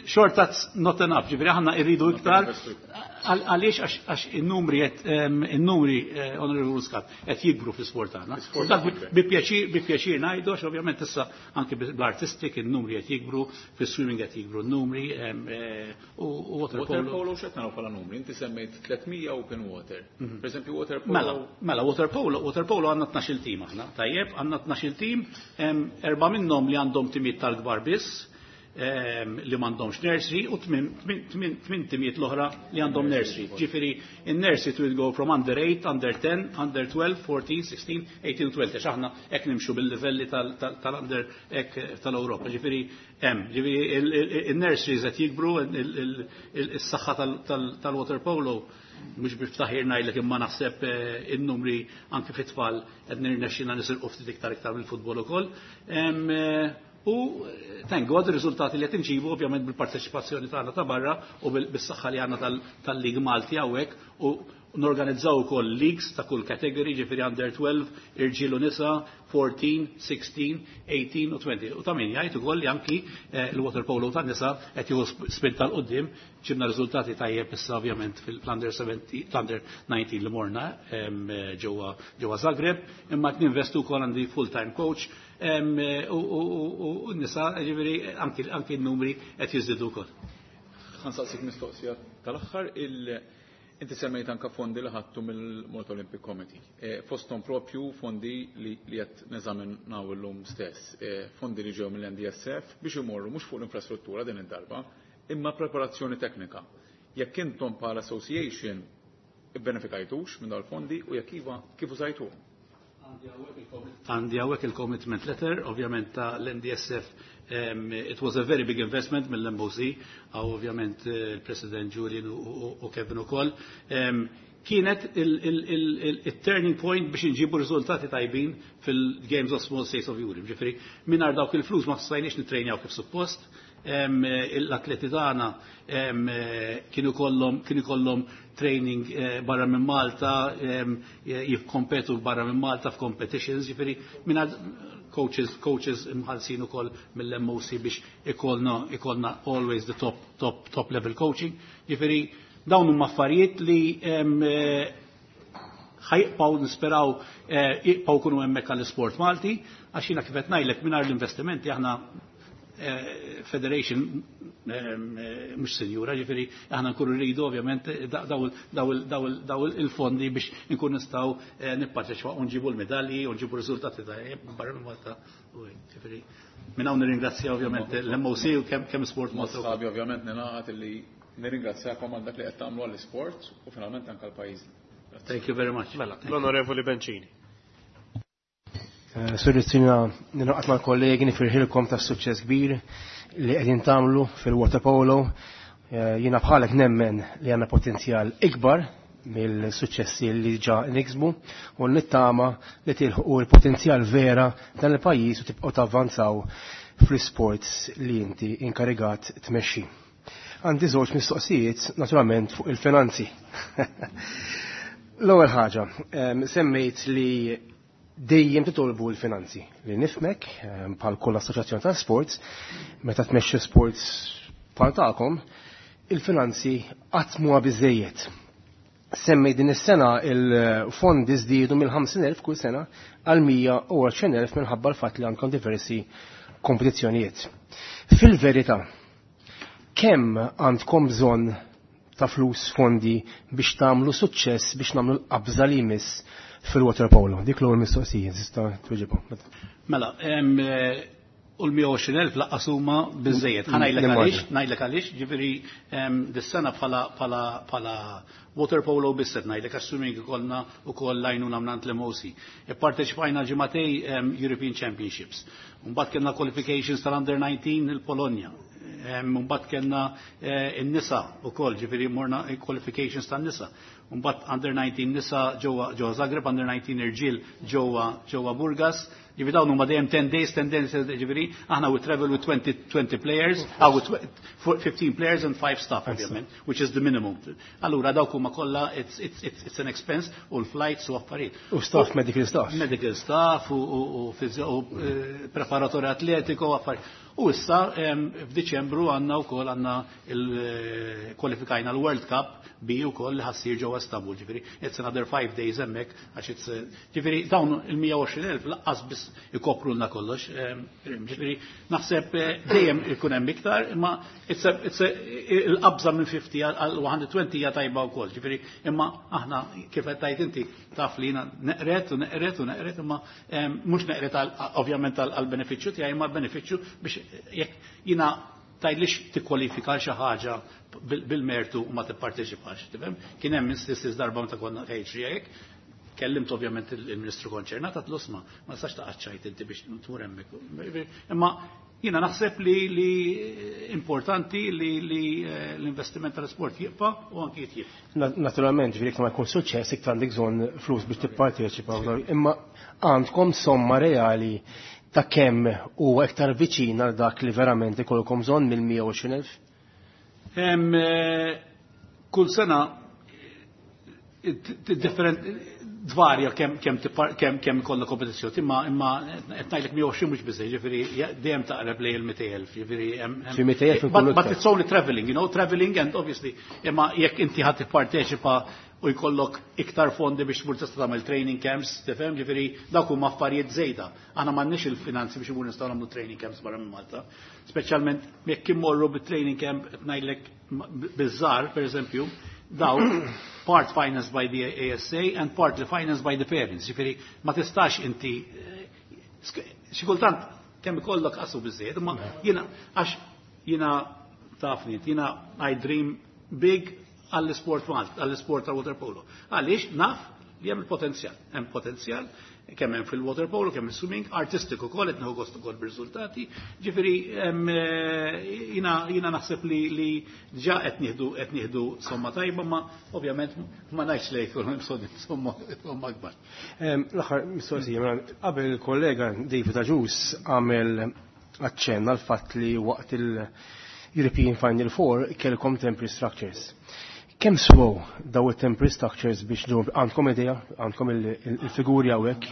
short that's not enough, ġifieri aħna irridu iktar għaliex għax in-numri Honorable Muscat qed jikbru fl-isport tagħna. Dak bi pjaċir ngħidu għax ovvjament issa anke bl-artistic in-numri qed jikbru, fis-swimming qed jikbru n-numri u water polo. Water polo x'qed naraw bħala numri? Inti semmejt 300 open water. Per eżempju water polo. Mela, mela water polo, water polo għandna 12 tim aħna. Tajjeb, għandna 12 tim, erba' minnhom li għandhom timiet tal-kbar biss li m'għandhomx nursery u tmien timiet l-oħra li għandhom nursery. Ġifieri in-nursery will go from under 8, under 10, under 12, 14, 16, 18 20. Għax aħna hekk nimxu bil-livelli tal-under hekk tal-Ewropa. Ġifieri hemm, ġifieri in-nurseries qed jikbru, is-saħħa tal-water polo mhux biftaħir ngħidlek imma naħseb in-numri anke fit-tfal qed nirnexxina nisirqu ftit iktar iktar mill-futbol ukoll. U thank God ir-riżultati li qed inġibu ovvjament bil-parteċipazzjoni tagħna ta' barra u bis-saħħa li għandna tal-Lig Malti hawnhekk u norganizzaw ukoll leagues ta' kull category, ġifieri under 12, irġiel u nisa, 14, 16, 18 u 20. U ta' min jgħid ukoll li anki l-water polo tan nisa qed jieħu spinta 'l quddiem, ġibna riżultati tajjeb issa ovvjament fil-under 17, under 19 li morna ġewwa Zagreb, imma qed ninvestu wkoll għandi full-time coach u n-nisa, ġifieri anki n-numri qed jiżdiedu wkoll. Ħa nsaqsik mistoqsija tal-aħħar inti semmejt anka fondi li ħadtu mill-Malta Olympic Committee. Fosthom propju fondi li qed neżaminaw illum stess, fondi li ġew mill-NDSF biex imorru mhux fuq l-infrastruttura din id-darba, imma preparazzjoni teknika. Jekk intom bħala association ibbenefikajtux minn dawn il-fondi u jekk iva kif użajtuhom? Għandi hawnhekk il-commitment letter, ovvjament ta' l-MDSF. It was a very big investment mill-MOC, għaw ovvjament il-President Julian u Kevin ukoll. Kienet il-turning point biex nġibu riżultati tajbin fil-Games of Small States of Europe. Ġifieri, mingħajr dawk il-flus ma stajniex nitrejnjaw kif suppost. L-atleti tagħna kienu kollhom training barra minn Malta, jikkompetu barra minn Malta f'competitions, ġifieri mingħajr coaches imħallsin ukoll mill-MOC biex ikollna always the top top top level coaching. Ġifieri dawn huma affarijiet li ħa jibqgħu, nisperaw jibqgħu kunu hemmhekk għall-isport Malti, għax jiena kif qed ngħidlek, mingħajr l-investimenti aħna federation mhux sinjura, ġifieri aħna nkunu rridu ovvjament daw il-fondi biex nkun nistgħu nipparteċipaw u nġibu l-medalji u nġibu riżultati ta' barra minn Malta. U ġifieri minn hawn nirringrazzja ovvjament l-MOC u kemm Sport Malta. Sabi ovvjament ninaqat illi nirringrazzjakom għal dak li qed tagħmlu għall-isport u finalment anke l-pajjiż. Thank you very much. Mela, l-Onorevoli Bencini. Sur Rizzo, ningħaqad mal-kollegi nifirħilkom ta' suċċess kbir li qegħdin tagħmlu fil-waterpolo. Jiena bħalek nemmen li għandna potenzjal ikbar mill-suċċessi li ġa niksbu u nittama li tilħu l-potenzjal vera dan il-pajjiż u tibqgħu tavvanzaw fl-sports li inti inkarigat tmexxi. Għandi żewġ mistoqsijiet naturalment fuq il-finanzi. L-ewwel ħaġa, semmejt li dejjem titolbu l-finanzi li nifhmek bħal kull assoċjazzjoni ta' sports, meta tmexxi sports bħal tagħkom, il-finanzi qatt mhuwa biżejjed. Semmej din is-sena il-fondi żdiedu mill-50,000 kull sena għal 120,000 minħabba l-fatt li għandkom diversi kompetizzjonijiet. Fil-verità, kemm għandkom bżonn ta' flus, fondi biex tagħmlu suċċess, biex nagħmlu l-qabża li jmiss fil-water polo? Dik l-ewwel mistoqsija, tista' tweġibha. Mela, u l-120,000 lanqas huma biżejjed. Ħa ngħidlek għaliex, ngħidlek għaliex, ġifieri dis-sena bħala water polo biss qed ngħidlek, assuming ikollna wkoll l-għajnuna mingħand l-MOC. Ipparteċipajna ġimagħtejn European Championships. Mbagħad kellna qualifications tal-Under 19 il-Polonja. Mbagħad kellna in-nisa wkoll, ġifieri morna qualifications tan-nisa. Mbagħad Under 19 nisa ġewwa Zagreb, Under 19 irġiel ġewwa Burgas. Ġifieri dawn huma dejjem 10 days, 10 days, ġifieri aħna we travel with 20 players, with 15 players and 5 staff ovvjament, which is the minimum. Allura dawk huma kollha it's an expense u l-flights u affarijiet. U staff, medical staff. Medical staff u preparatori atletico u affarijiet. U issa f'Diċembru għandna wkoll għandna il-kwalifikajna l-World Cup bi wkoll li ħa ssir ġewwa Istanbul, ġifieri it's another 5 days hemmhekk għax it's ġifieri dawn il-120,000 lanqas biss ikoprulna kollox. Ġifieri naħseb dejjem ikun hemm iktar, imma il-qabża minn 50 għal 120 hija tajba wkoll, ġifieri imma aħna kif qed tgħid inti taf li jiena neqret u neqret u neqret, imma mhux neqret ovvjament għal benefiċċju tiegħi, imma benefiċċju biex jekk jiena tgħidlix tikkwalifika xi ħaġa bil-mertu u ma tipparteċipax, tifhem? Kien hemm instances darba meta konna ħejġ hekk, kellimt ovvjament il-Ministru konċernat, għedtlu, "Isma', ma nistax taqaċċajt inti biex tmur hemmhekk." Imma jiena naħseb li importanti li l-investiment tal-sport jibqa' u anki jitjib. Naturalment, ġifieri ma jkun suċċess iktar għandek bżonn flus biex tipparteċipa, imma għandkom somma reali ta' kemm huwa iktar viċin għal dak li verament ikolkom bżonn mill-120,000? Kull sena different, tvarja kemm ikollna kompetizzjoni, imma qed ngħidlek 120 mhux biżejjed, ġifieri dejjem taqreb lejn il-200,000, ġifieri Xi 200,000 But it's only traveling, traveling and obviously imma jekk inti ħadd tipparteċipa u jkollok iktar fondi biex tmur tista' tagħmel training camps, tifhem, ġifieri dawk huma affarijiet żejda. Aħna m'għandniex il-finanzi biex imur nistgħu nagħmlu training camps barra minn Malta. Speċjalment jekk immorru bit-training camp, qed ngħidlek biż-żgħar, pereżempju, daw part financed by the ASA and partly financed by the parents. Ġifieri ma tistax inti xi kultant kemm ikollok qasu biżejjed, imma jiena għax jiena tafni, jiena I dream big għall-sport Malta, għall-sport tal waterpolo. Għaliex naf li hemm il-potenzjal. Hemm potenzjal kemm hemm fil-waterpolo, kemm swimming, artistiku ukoll qed nieħu gost ukoll bir-riżultati. Ġifieri jiena naħseb li ġa qed nieħdu qed nieħdu somma tajba, ma ovvjament ma ngħidx li jkun hemm somma akbar. L-aħħar mistoqsija, mela, qabel il-kollega David Agius għamel aċċenn għal fatt li waqt il-European Final Four kellkom temporary structures. Kemm swew daw it-temporary structures biex ġew għandkom idea, għandkom il-figuri hawnhekk?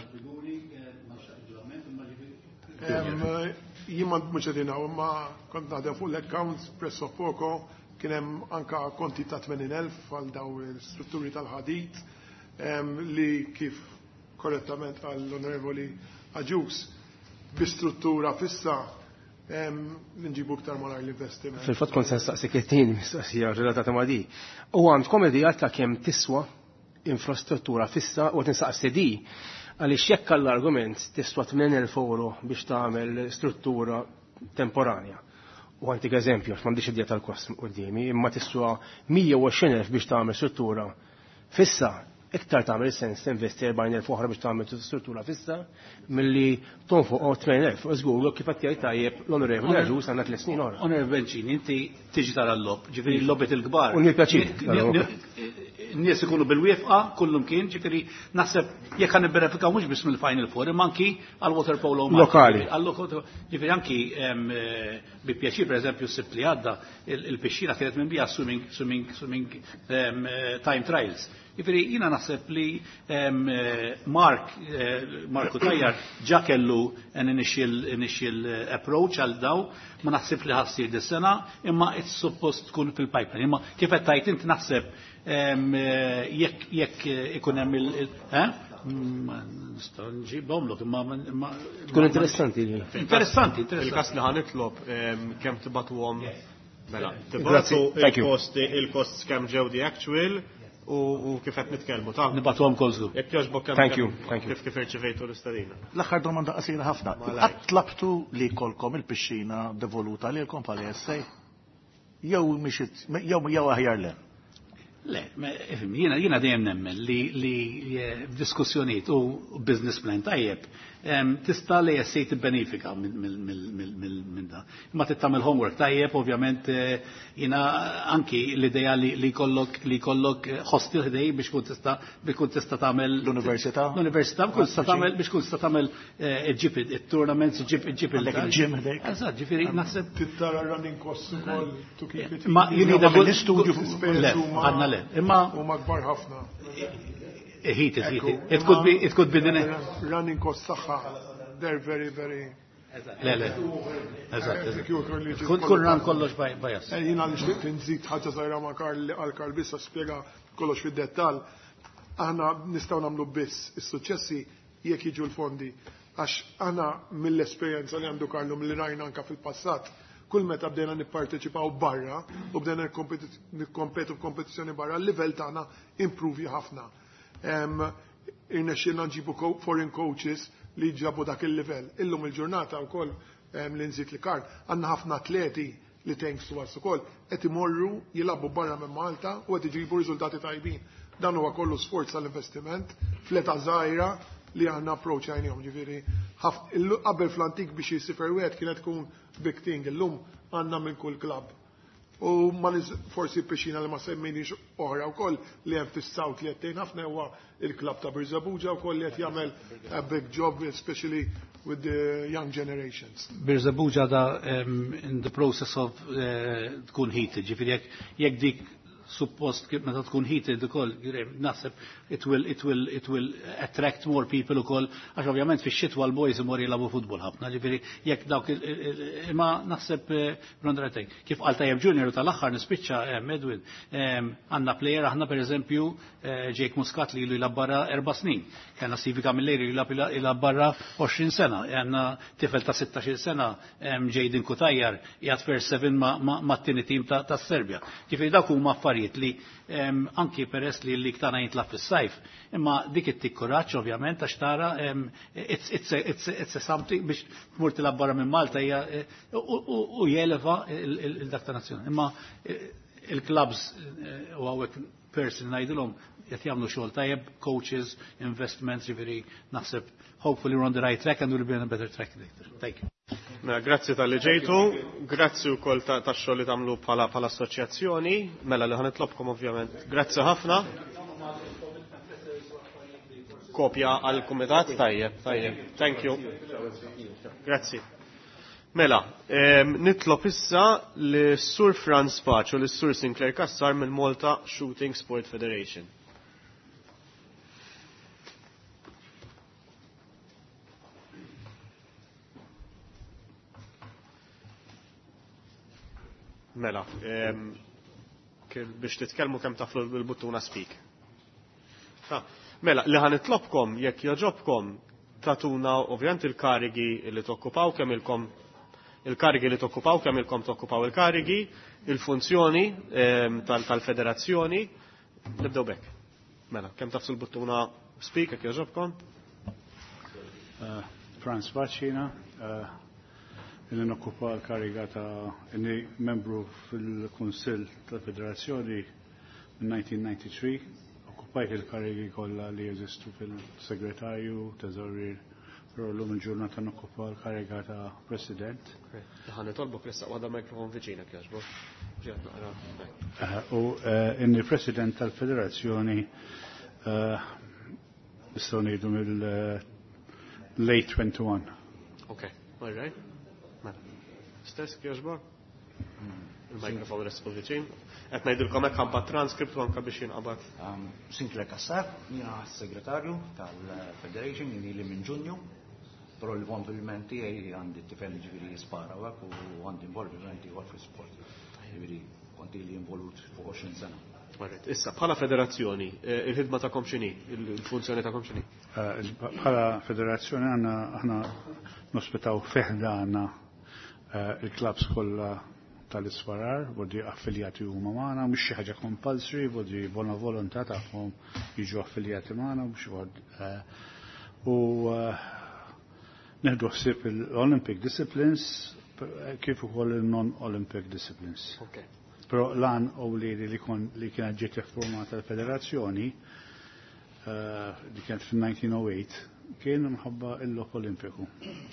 Jien ma mhux qegħdin hawn, imma kont naħdem fuq l-accounts presso poco kien hemm anka konti ta' 80,000 għal daw l-strutturi tal-ħadid li kif korrettament għall-Onorevoli Agius bi struttura fissa nġibu iktar malajr l-investiment. Fil-fatt kont se nistaqsik it-tieni mistoqsija relatata ma' di. U għandkom idea ta' kemm tiswa infrastruttura fissa u tinsaqsi di għaliex jekk għall-argument tiswa 8,000 euro biex tagħmel struttura temporanja. U għantik eżempju, għax m'għandix idea tal-kost quddiemi, imma tiswa 120,000 biex tagħmel struttura fissa, iktar tagħmel sens tinvesti 40,000 oħra biex tagħmel struttura fissa milli tonfoq 80,000. Żgur kif qed jgħid tajjeb l-Onorevoli Agius għandna tliet snin oħra. Onorevoli Bencini, inti tiġi tara l-logħob, ġifieri l-logħbiet il-kbar. U pjaċir. N-nies ikunu bil-wieqfa kullum kien, ġifieri naħseb jekk ħa nibbenefikaw mhux biss mill-Final Four, imma anki għal water polo lokali. Ġifieri anki bi pjaċir pereżempju s-sibt li għadda il-pixxina kienet minn bija swimming, swimming, swimming time trials. Ġifieri jiena naħseb li Mark, Marku Tajjar ġa kellu an initial approach għal daw, ma naħseb li ħa ssir dis-sena, imma it's supposed tkun fil-pipeline. Imma kif qed tajt inti naħseb jekk ikun hemm il Nista' nġibhomlok imma Tkun interessanti. Interessanti, interessanti. Il-każ li ħa nitlob kemm tibagħtuhom mela, tibagħtu il-kosti il-costs kemm ġew the actual u kif qed nitkellmu ta' Nibagħtuhom kollu. Jekk jogħġbok kemm Thank you, thank you. kif irċivejtu l-istedina. L-aħħar domanda qasira ħafna. Qatt tlabtu li jkollkom il-pixxina devoluta lilkom bħala ESA? Jew mhix jew aħjar le? Le, jiena dejjem nemmen li f'diskussjonijiet u business plan tajjeb tista' li jessej tibbenefika minn da. Imma tagħmel homework tajjeb, ovvjament jiena anki l-idea li jkollok li jkollok hostel ħdej biex kun tista' tagħmel l-università. L-università biex tista' tagħmel biex kun tista' tagħmel iġġib it-tournaments, iġġib iġġib il-gym ħdejk. Eżatt, ġifieri naħseb Tittara running costs ukoll to keep it. Ma you need a good studio Le, għadna le. Imma huma kbar ħafna. Heated, heated. It could be the running costs tagħha. They're very, very Le, le. Eżatt. Kun ran kollox bias. Jiena li xtiqt nżid ħaġa żgħira ma' Karl li għal Karl bissa spjega kollox fid-dettall. Aħna nistgħu nagħmlu biss is-suċċessi jekk jiġu l-fondi. Għax aħna mill-esperjenza li għandu Karlu mill rajna anka fil-passat, kull meta bdejna nipparteċipaw barra u bdejna nikkompetu f'kompetizzjoni barra, l-livell tagħna improvi ħafna. Irnexxielna nġibu foreign coaches li ġabu dak il-livell. Illum il-ġurnata wkoll li nżid li Karl, għandna ħafna atleti li thanks to us ukoll qed imorru jilagħbu barra minn Malta u qed iġibu riżultati tajbin. Dan huwa kollu sforz tal-investiment fl-età żgħira li aħna approach għajnihom, ġifieri qabel fl-antik biex jisifer wieħed kienet tkun big thing, illum għandna minn kull klabb. U ma forsi pixxina li ma semmejniex oħra wkoll li hemm fis-South li qed ħafna huwa il-klabb ta' Birżebbuġa wkoll li qed jagħmel a big job, especially with the young generations. Birżebbuġa da in the process of tkun heated, ġifieri jekk dik suppost kif meta tkun heated ukoll naħseb it will attract more people ukoll għax ovvjament fix-xitwa l-boys imur jilagħbu futbol ħafna, ġifieri jekk dawk imma naħseb Rondratej. Kif qal tajjeb Junior tal-aħħar nispiċċa Edwin, għandna player aħna pereżempju Jake Muscat li ilu jilgħab barra 4 snin. Kellna Stevie Camilleri li jilgħab barra 20 sena. Għandna tifel ta' 16 sena Jaden Cutajar qiegħed first seven ma' tieni team ta' Serbja. Ġifieri dawk huma affarijiet li anki peress li l-lig tagħna jintlagħab fis-sajf, imma dik ittik kuraġġ ovvjament għax tara it's a something biex tmur tilgħab barra minn Malta hija u jeleva il-dak ta' nazzjoni. Imma il-clubs u hawnhekk person ngħidilhom qed jagħmlu xogħol tajjeb, coaches, investments, ġifieri naħseb hopefully we're on the right track and we'll be on a better track later. Thank you. Mela, grazzi tal-li ġejtu, grazzi wkoll tax-xogħol li tagħmlu bħala assoċjazzjoni, mela li ħanitlobkom ovvjament. Grazzi ħafna. Kopja għal kumitat tajjeb, tajjeb. Thank you. Grazzi. Mela, nitlob issa li Sur Franz Paċ u li Sur Sinclair Kassar mill Malta Shooting Sport Federation. Mela, biex titkellmu kemm taflu l-buttuna speak. Mela, li ħanitlobkom jekk joġobkom tatuna ovvjament il-karigi li tokkupaw kemm ilkom il-karigi li tokkupaw kemm ilkom tokkupaw il-karigi, il-funzjoni tal-federazzjoni. Nibdew bekk. Mela, kemm tafsu l-buttuna speak jekk joġobkom? Franz Bacina, illi nokkupa l-kariga ta' inni membru fil-Kunsill tal-Federazzjoni minn 1993, okkupajt il-karigi kollha li jeżistu fil-segretarju, teżorier, però llum il-ġurnata nokkupa l-kariga ta' President. Ħa nitolbok ressaq waħda mikrofon viċinek jogħġbok. Ġiet naqra. U inni President tal-Federazzjoni nistgħu ngħidu mill-late 21. Ok, all right. Mela. Stess jogħġbok? Il-mikrofon ressqu viċin. Qed ngħidilkom hekk ħampa transkript u anke biex jinqabad. Sinclair Kassar, jiena segretarju tal-Federation, jien ili minn Ġunju, però l-involviment tiegħi għandi t-tifel ġifieri jispara u hekk u għandi involviment ieħor fl-sport. Ġifieri kont ili involut fuq 20 sena. Alright. Issa, bħala federazzjoni, il-ħidma tagħkom x'inhi? Il-funzjoni tagħkom x'inhi? Bħala federazzjoni għandna aħna nospitaw fiħdana il-klabs kollha tal-isparar, vodi affiljati huma magħna, mhux xi ħaġa compulsory, vodi bona volontà tagħhom jiġu affiljati magħna, mhux u neħdu ħsieb il-Olympic disciplines kif ukoll il-non-Olympic disciplines. Okay. Però lan u li li kon li kienet ġiet iffurmata l-federazzjoni li kienet fil-1908 kien mħabba il-logħob Olimpiku.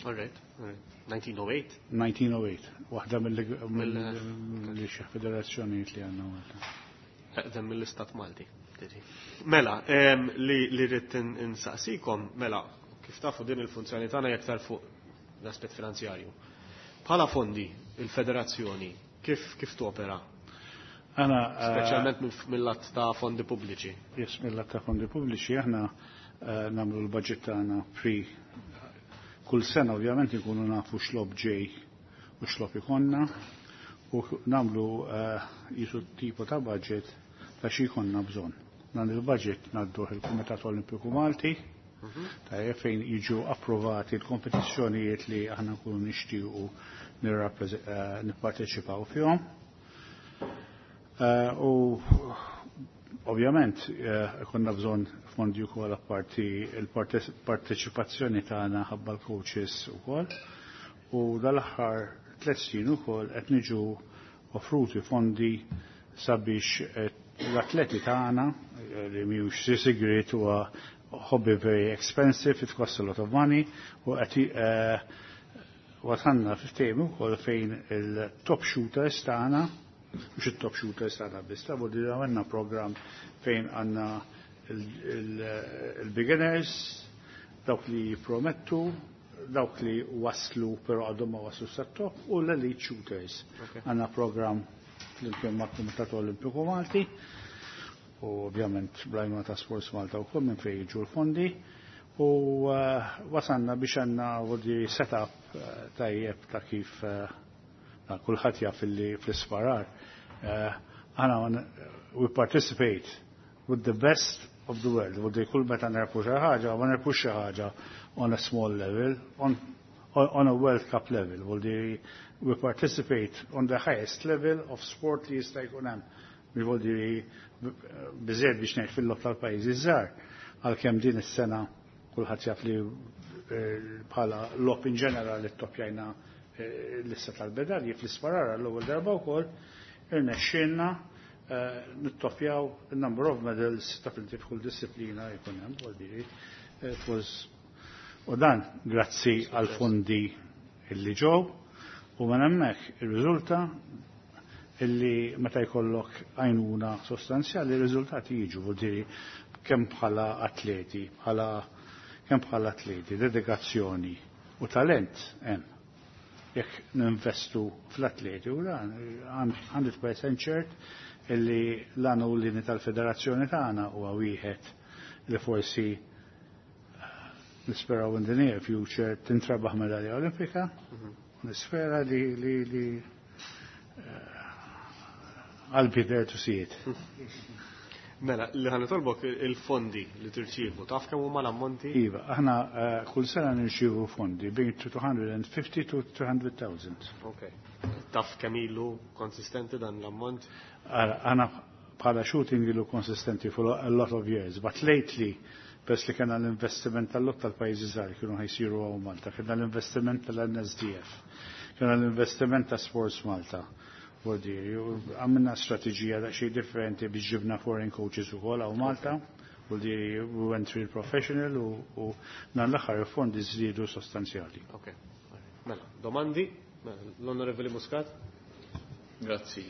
All right, all right. 1908? 1908, waħda mill xi federazzjonijiet li għandna Malta. Eqdem mill-Istat Malti. Mela, li rrid insaqsikom, mela, kif tafu din il-funzjoni tagħna hija aktar fuq l-aspett finanzjarju. Bħala fondi, il-federazzjoni, kif topera? Għana, Speċjalment mill-lat ta' fondi pubbliċi. Yes, mill-lat ta' fondi pubbliċi, aħna nagħmlu l-budget tagħna pre kull sena ovvjament ikunu nafu x'logħob ġej u x'logħob ikonna u nagħmlu jisu tipo ta' budget ta' xi jkollna bżonn. Dan il-budget ngħadduh il-Kumitat Olimpiku Malti, tajjeb fejn jiġu approvati l-kompetizzjonijiet li aħna nkunu nixtiequ nipparteċipaw fihom. U ovvjament konna bżonn fondi wkoll apparti il-parteċipazzjoni tagħna ħabba l-coaches ukoll. U dal-aħħar 3 snin ukoll qed niġu offruti fondi sabiex l-atleti tagħna li mhijiex sigriet huwa hobby very expensive, it costs a lot of money, u qed wasanna ftehim ukoll fejn il-top shooters tagħna, mhux it-top shooters tagħna biss, ta' di għandna program fejn għandna il-beginners, dawk li jippromettu, dawk li waslu però għadhom ma waslu sat-top, u l-elite shooters. Għandna program flimkien mal-Kumitat Olimpiku Malti, u ovvjament bl-għajnuna ta' Sports Malta u kull minn fejn jiġu l-fondi, u wasanna biex għandna vodi setup tajjeb ta' kif kulħadd jaf li fl-isparar. Aħna we participate with the best of the world. Vodi kull meta nerpu xi ħaġa, ma nerpux xi ħaġa on a small level, on a World Cup level. Vodi we participate on the highest level of sport li jista' jkun hemm. Vodi biżejjed biex ngħid fil-logħob tal-pajjiżi żgħar, għalkemm din is-sena kulħadd jaf li bħala logħob in ġenerali ttopjajna l-lista tal-medalji fl-isparar l-ewwel darba wkoll irnexxielna nittopjaw il-number of medals ta' inti f'kull disciplina jkun hemm, vuol it was u dan grazzi għal fondi illi ġew u minn hemmhekk irriżulta illi meta jkollok għajnuna sostanzjali r-riżultati jiġu, vuol dire kemm bħala atleti, bħala kemm bħala atleti, dedikazzjoni u talent hemm. Jekk ninvestu fl-atleti u dan 100% ċert illi l-għanu l tal-federazzjoni tagħna huwa wieħed li forsi nisperaw in the near future tintrabaħ medalja olimpika. Nispera li li li I'll be there to see it. Mela, li ħa nitolbok il-fondi li tirċievu, taf kemm huma l-ammonti? Iva, aħna kull sena nirċievu fondi bejn 250 to 300,000. Ok. Taf kemm ilu konsistenti dan l-ammont? Aħna bħala shooting ilu konsistenti for a lot of years, but lately, pers li kena l-investiment tal-lot tal-pajjiżi żgħar kienu ħa jsiru hawn Malta, kena l-investiment tal-NSDF, kena l-investiment ta' Sports Malta. Vuol dire, għamilna strategija daqsxejn differenti biex ġibna foreign coaches ukoll hawn Malta. Vuol dire, we went real professional u dan l-aħħar fondi żdiedu sostanzjali. Ok. Mela, domandi? Mela, l-Onorevoli Muscat? Grazzi.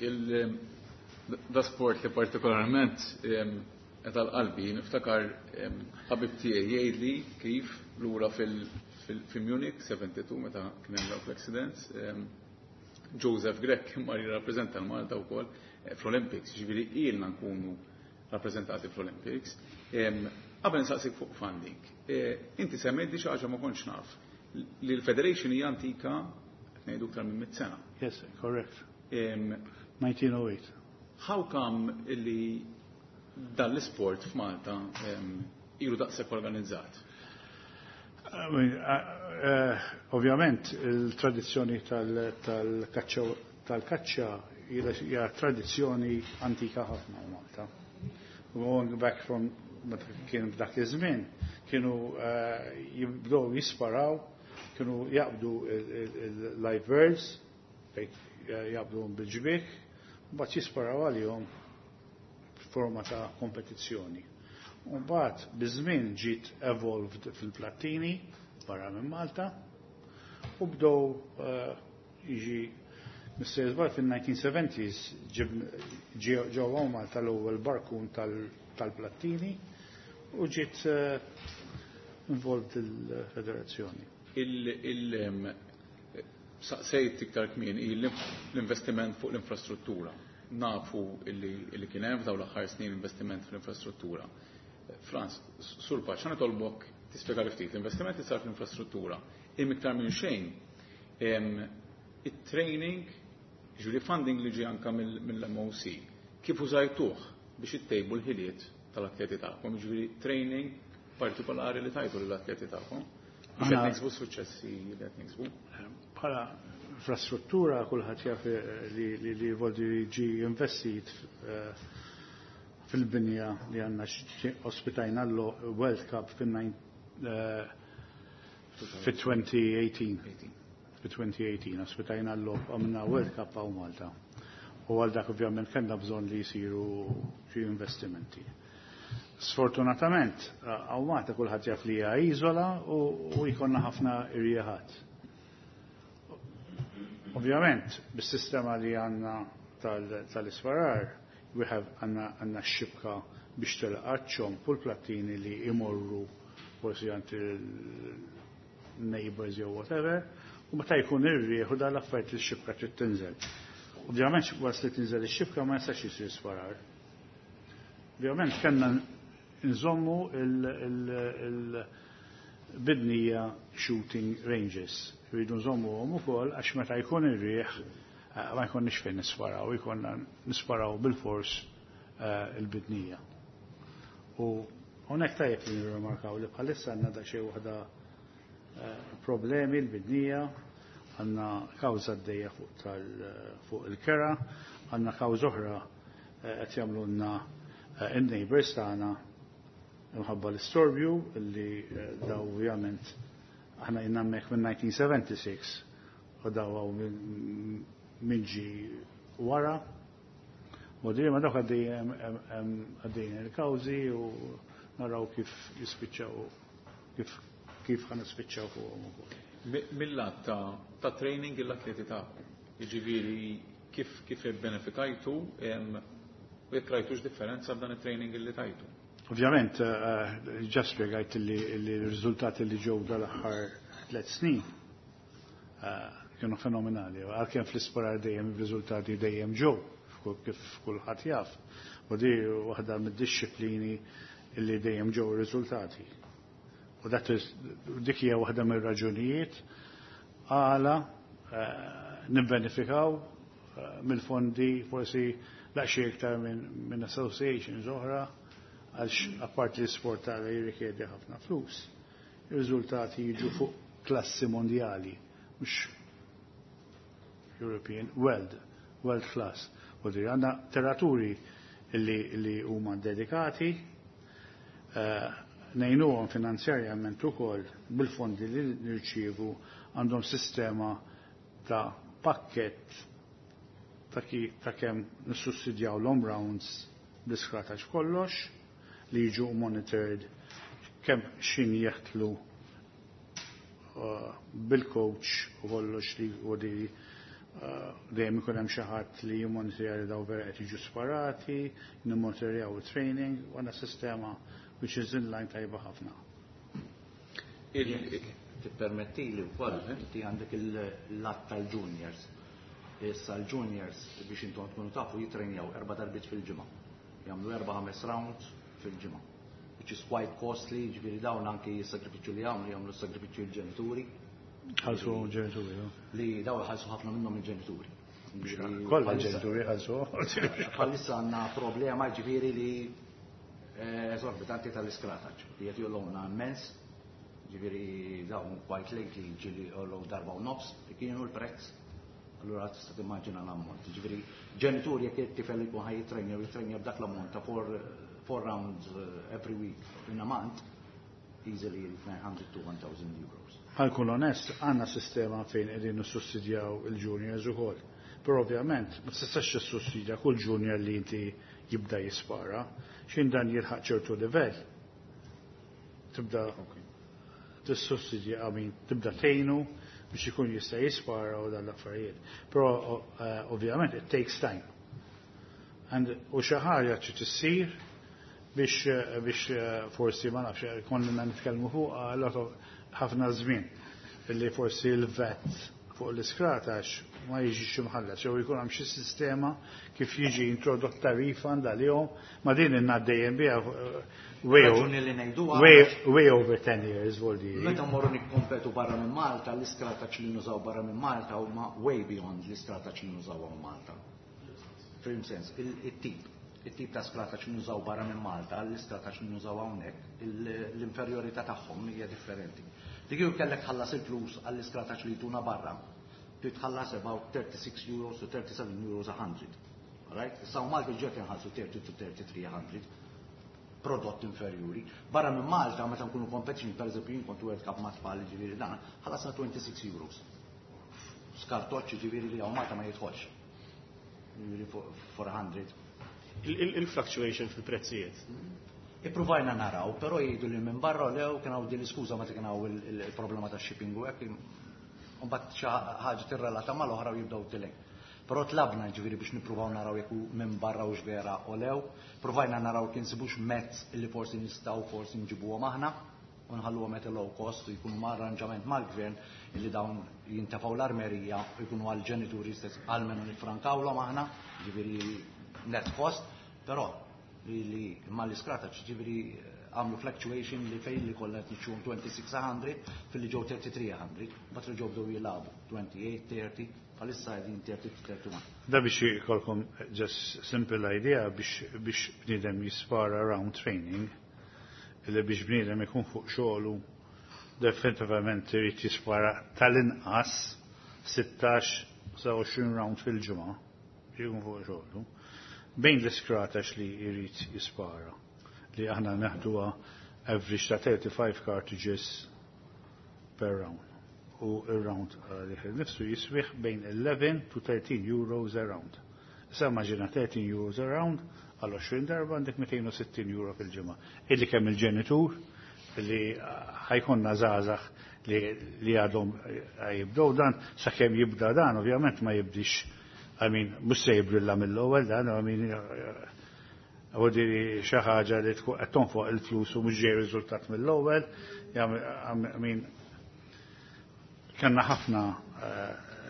Da sport li partikolarment qed għal-qalbi, niftakar ħabib tiegħi jgħidli kif lura fil-Munich 72 meta kien hemm dawk l-accidents, Joseph Grech mar jirrappreżenta l-Malta wkoll fl-Olympics, ġifieri ilna nkunu rappreżentati fl-Olympics. Qabel nsaqsik fuq funding, inti semmejt di xi ħaġa ma kontx naf li l-Federation hija antika, qed ngħidu iktar minn 100 sena. Yes, correct. 1908. How come illi dan l-sport f'Malta ilu daqshekk organizzat? I mean, ovvjament il-tradizzjoni tal-kaċċa hija tradizzjoni antika ħafna Malta. Going back from meta kien f'dak iż-żmien, kienu jibdew jisparaw, kienu jaqbdu il-live birds, jaqbduhom bil-ġbik, mbagħad jisparaw għalihom f'forma ta' kompetizzjoni. U mbagħad biż-żmien ġiet evolved fil-plattini barra minn Malta u bdew jiġi Mr. Żball fil-1970s ġew Malta l-ewwel barkun tal-plattini u ġiet involved il-federazzjoni. Saqsejt iktar kmieni l-investiment fuq l-infrastruttura. Nafu illi kien hemm f'dawn l-aħħar snin investiment fl-infrastruttura. Franz, Sur Pace, ħa nitolbok tispjega ftit l-investiment li sar fl-infrastruttura. Im iktar minn xejn it-training, ġifieri funding li ġie anka mill-MOC, kif użajtuh biex ittejbu l-ħiliet tal-atleti tagħkom, ġifieri training partikolari li tajtu lill-atleti tagħkom biex qed niksbu suċċessi li qed niksbu. Bħala infrastruttura kulħadd jaf li voldi ġi investit fil-binja li għandna ospitajna l-World Cup fil-2018. Fi-2018 ospitajna l-logħob, għamilna World Cup hawn Malta. U għal dak ovvjament kellna bżonn li jisiru xi investimenti. Sfortunatament, hawn Malta kulħadd jaf li hija iżola u jkollna ħafna irjieħat. Ovvjament, bis-sistema li għandna tal-isparar, we have għandna xibka biex tilqa' ċomp u l-plattini li imorru forsi għand il-neighbors jew whatever, u meta jkun ir-rieħ u dan l-affarijiet li x-xibka trid tinżel. Ovvjament waqt li tinżel ix-xibka ma jistax jisir sparar. Ovvjament kellna nżommu il-bidnija shooting ranges. Rridu nżommuhom ukoll għax meta jkun ir-rieħ ma jkunniex fejn nisparaw, jkollna nisparaw bil-fors il-bidnija. U hawnhekk tajjeb li nirrimarkaw li bħalissa għandna daqsxejn waħda problemi l-bidnija, għandna kawża għaddejja fuq il-kera, għandna kawża oħra qed jagħmlulna in-neighbors tagħna imħabba l-istorbju li daw ovvjament aħna ilna hemmhekk minn 1976 u daw hawn minn ġi wara. Modiri ma dawk għaddejjin il-kawżi u naraw kif jispiċċaw kif kif ħa nispiċċaw fuqhom ukoll. Mill-lat ta' training l-atleti tagħkom, jiġifieri kif kif ibbenefikajtu u jekk rajtux differenza f'dan it-training li tajtu. Ovvjament, ġa spjegajt li r-riżultati li ġew dal-aħħar 3 snin kienu fenomenali. Għalkemm fl-isparar dejjem ir-riżultati dejjem ġew, kif kulħadd jaf. U di waħda mid-dixxiplini li dejjem ġew ir-riżultati. U dak dik hija waħda mir-raġunijiet għala nibbenefikaw mill-fondi forsi daqsxejn iktar minn associations oħra, għax apparti l-isport tagħna jirrikjedi ħafna flus. Ir-riżultati jiġu fuq klassi mondjali, mhux European, world class. U di għandna tiraturi li huma dedikati, ngħinuhom finanzjarjament ukoll bil-fondi li nirċievu, għandhom sistema ta' pakket ta' kemm nissussidjaw l rounds bl-iskrataċ kollox li jiġu monitored kemm xin jeħtlu bil-coach u kollox li u di dejjem ikun hemm xi ħadd li jimmonitorja li daw vera qed jiġu sparati, nimmonitorjaw training, u għandna sistema which is in line tajba ħafna. Tippermetti li wkoll inti għandek il-lat tal-juniors. Issa l-juniors, biex intom tkunu tafu, jitrenjaw erba' darbiet fil-ġimgħa. Jagħmlu 4-5 rounds fil-ġimgħa. Which is quite costly, ġifieri dawn anki s-sagrifiċċju li jagħmlu, jagħmlu s-sagrifiċċju l-ġenituri. Ħalsu ġenituri, no? Li daw ħalsu ħafna minnhom il-ġenituri. Kollha ġenituri ħalsu. Bħalissa għandna problema, ġifieri li esorbitanti tal-iskrataċ. Li qed jogħluna immens, ġifieri dawn quite lately ġieli jogħlew darba u nofs li kienu l-prezz. Allura tista' timmaġina l-ammont. Ġifieri ġenituri jekk it-tifel jkun ħaj jitrenja u jitrenja b'dak l-ammont ta' four rounds every week in a month, easily 900 to 1000 euros. Ħa nkun onest, għandna sistema fejn qegħdin nissussidjaw il-juniors ukoll. Però ovvjament ma tistax tissussidja kull junior li inti jibda jispara, xin dan jilħaq ċertu livell. Tibda tissussidja, I mean, tibda tgħinu biex ikun jista' jispara u dan l-affarijiet. Però ovvjament it takes time. And u xi ħaġa trid issir biex forsi ma nafx konna nitkellmu fuq lot ħafna żmien illi forsi l-VAT fuq l-iskratax ma jiġix imħallas, jew jkun hemm xi sistema kif jiġi introdotta refund għalihom, ma din inna dejjem biha way, Raġuni li ngħiduha way, way over 10 years, vuol dire. Meta mmorru nikkompetu barra minn Malta, l-iskrataċ li nużaw barra minn Malta huma way beyond l-iskrataċ li nużaw hawn Malta. Fim sens, il-tip ta' skrataċ li nużaw barra minn Malta, l-iskrataċ li nużaw hawnhekk, l-inferjorità tagħhom hija differenti. Dik jew kellek tħallas il-flus għall-iskrataċ li jtuna barra, trid tħallas about 36 euros to 37 euros 100. Alright? Issa u Malta ġiet inħallsu 30 to 3300 prodott inferjuri. Barra minn Malta, meta nkunu competition, per eżempju, jien kont World Cup ma' tfal, ġifieri dan, ħallasna 26 euros. Skartoċċi, ġifieri li hawn Malta ma jidħolx. Ġifieri 400. Il-fluctuation fil-prezzijiet. Ippruvajna naraw, però jgħidu li minn barra lew kien hawn din l-iskuża meta kien hawn il-problema ta' shipping u hekk, u mbagħad xi ħaġa tirrelata mal-oħra u jibdew tilej. Però tlabna, ġifieri, biex nippruvaw naraw jekk hu minn barra u vera o lew, provajna naraw kien sibux mezz li forsi nistgħu forsi nġibuhom aħna u nħalluhom at a low cost u jkunu ma' arranġament mal-gvern illi dawn jintefgħu l-armerija u jkunu għal-ġenituri stess, almenu nifrankawlhom aħna, ġifieri net cost, però li ma l-iskrata, ġifieri għamlu fluctuation li fejn li kollha qed nixtruhom 2600 fil-li ġew 3300, mbagħad reġgħu bdew jilagħbu 28, 30, bħalissa qegħdin 30 to 31. Da biex jkollkom just simple idea biex bniedem jispara round training, illi biex bniedem ikun fuq xogħlu definitivament irid jispara tal-inqas 16 sa 20 round fil-ġimgħa biex ikun fuq xogħlu. Bejn l-iskratax li jrid jispara li aħna neħduha average ta' 35 cartridges per round. U il-round li nifsu jiswih bejn 11 to 13 euros a round. Issa immaġina €13 around għal 20 darba għandek €260 fil-ġimgħa. Illi kemm il-ġenitur li ħajkonna żgħażagħ li għadhom jibdew dan, sakemm jibda dan, ovvjament ma jibdix, I mean, mhux se jibrilla mill-ewwel dan, I mean, għodiri xi ħaġa li tkun qed tonfoq il-flus u mhux ġej riżultat mill-ewwel, I mean, kellna ħafna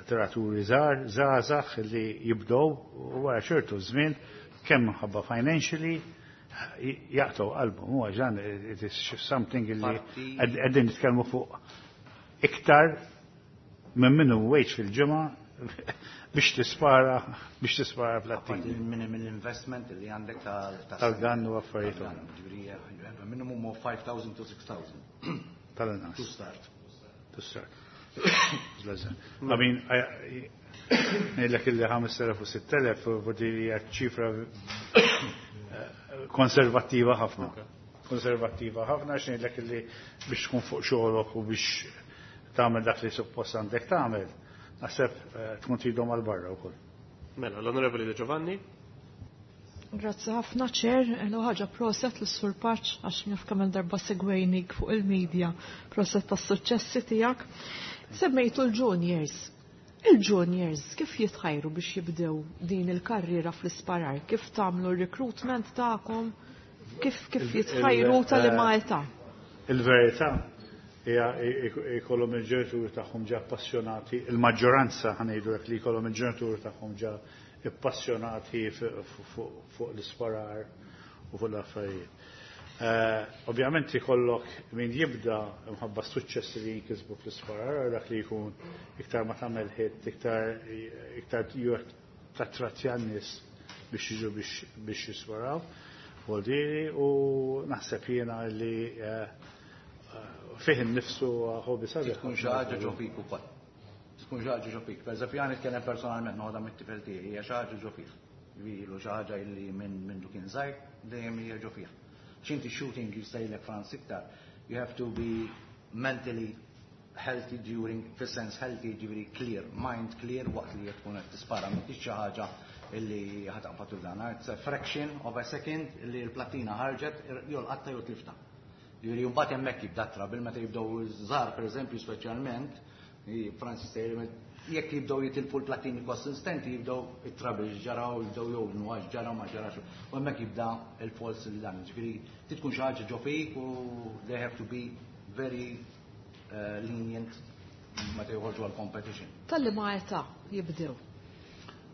tiraturi żgħar, żgħażagħ li jibdew u wara ċertu żmien kemm minħabba financially jaqtgħu qalbhom. Huwa ġan it is something li qegħdin nitkellmu fuq iktar minn minimum wage fil-ġimgħa biex tispara plattin. Il-minimum investment li għandek tal-gun u affarijiet. Ġifieri, minimum of 5,000 to 6,000. Tal-inqas. To start. To start. I mean, ngħidlek illi 5,000 u 6,000 u hija ċifra konservattiva ħafna. Konservattiva ħafna għax ngħidlek illi biex tkun fuq xogħolok u biex tagħmel dak li suppost għandek tagħmel, naħseb tkun tridhom għal barra wkoll. Mela, l-Onorevoli De Giovanni. Grazzi ħafna, Chair, l ħaġa proset lis-Sur Pace għax naf kemm darba segwejnik fuq il-medja, proset tas-suċċessi tiegħek. Semmejtu l-juniors. Il-juniors kif jitħajru biex jibdew din il-karriera fl-isparar? Kif tagħmlu r-recruitment tagħkom? Kif jitħajru tal-liema età? Il-verità hija jkollhom il-ġenituri tagħhom ġa appassjonati, il-maġġoranza ħa ngħidu hekk li jkollhom il-ġenituri tagħhom ġa appassjonati fuq l-isparar u fuq l-affarijiet. Ovvjament ikollok min jibda mħabba suċċessi li jinkisbu fl-isparar, dak li jkun iktar ma tagħmel hit, iktar tattratti għan-nies biex jiġu biex jisparaw. Voldiri u naħseb jiena li fih innifsu hobby sabiħ. Tkun xi ħaġa ġo fik ukoll. Tkun xi ħaġa ġo fik. Per eżempju, jien nitkellem personalment noħodha mit-tifel tiegħi, hija xi ħaġa ġo fih. Ilu xi ħaġa illi minn kien żgħir dejjem hija ġo fih. X'inti shooting jistajlek Frans iktar, you have to be mentally healthy during, fis-sens healthy ġifieri clear, mind clear waqt li tkun qed tispara, m'intix xi ħaġa illi ħa taqbad dan. It's a fraction of a second illi l-platina ħarġet jew l-qatta jew tlifta. Ġifieri mbagħad hemmhekk jibda trouble meta jibdew żgħar pereżempju speċjalment, Francis sejjer jekk jibdew jitilfu l-platini konsistenti jibdew it-trouble ġaraw, jibdew jgħodnu għax ġaraw ma ġarax. U hemmhekk jibda il-false li dan. Ġifieri tkun xi ħaġa ġo fik u they have to be very lenient meta joħorġu għal competition. Tal-liema età jibdew?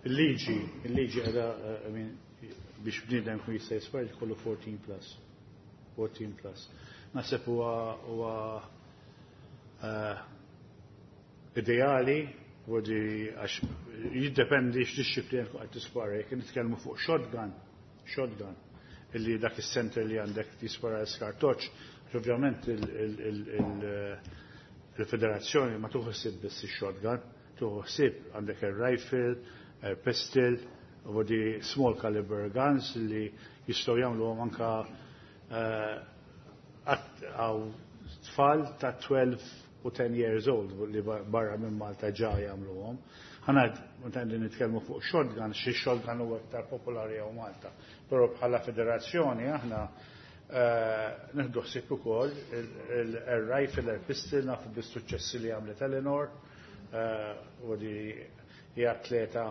Il-liġi għada, I mean, biex bniedem kun jista' jispara jkollu 14 plus. 14 plus. Naħseb huwa ideali, għodi għax jiddependi x'dixxiplina tkun qed tispara. Jekk nitkellmu fuq shotgun, illi dak is-center li għandek tispara l-skartoċ, ovvjament il-federazzjoni ma tieħu ħsieb biss ix-shotgun, tieħu ħsieb għandek il-rifle, il-pistol, u di small caliber guns li jistgħu jagħmlu anka għaw tfal ta' 12 u 10 years old li barra minn Malta ġa jagħmluhom. Ħana meta nitkellmu fuq shotgun, xi shotgun huwa iktar popolari hawn Malta. Però bħala federazzjoni aħna nieħdu ħsieb ukoll il-rifle, il-pistol, nafu bis-suċċessi li għamlet Eleanor, u di hija atleta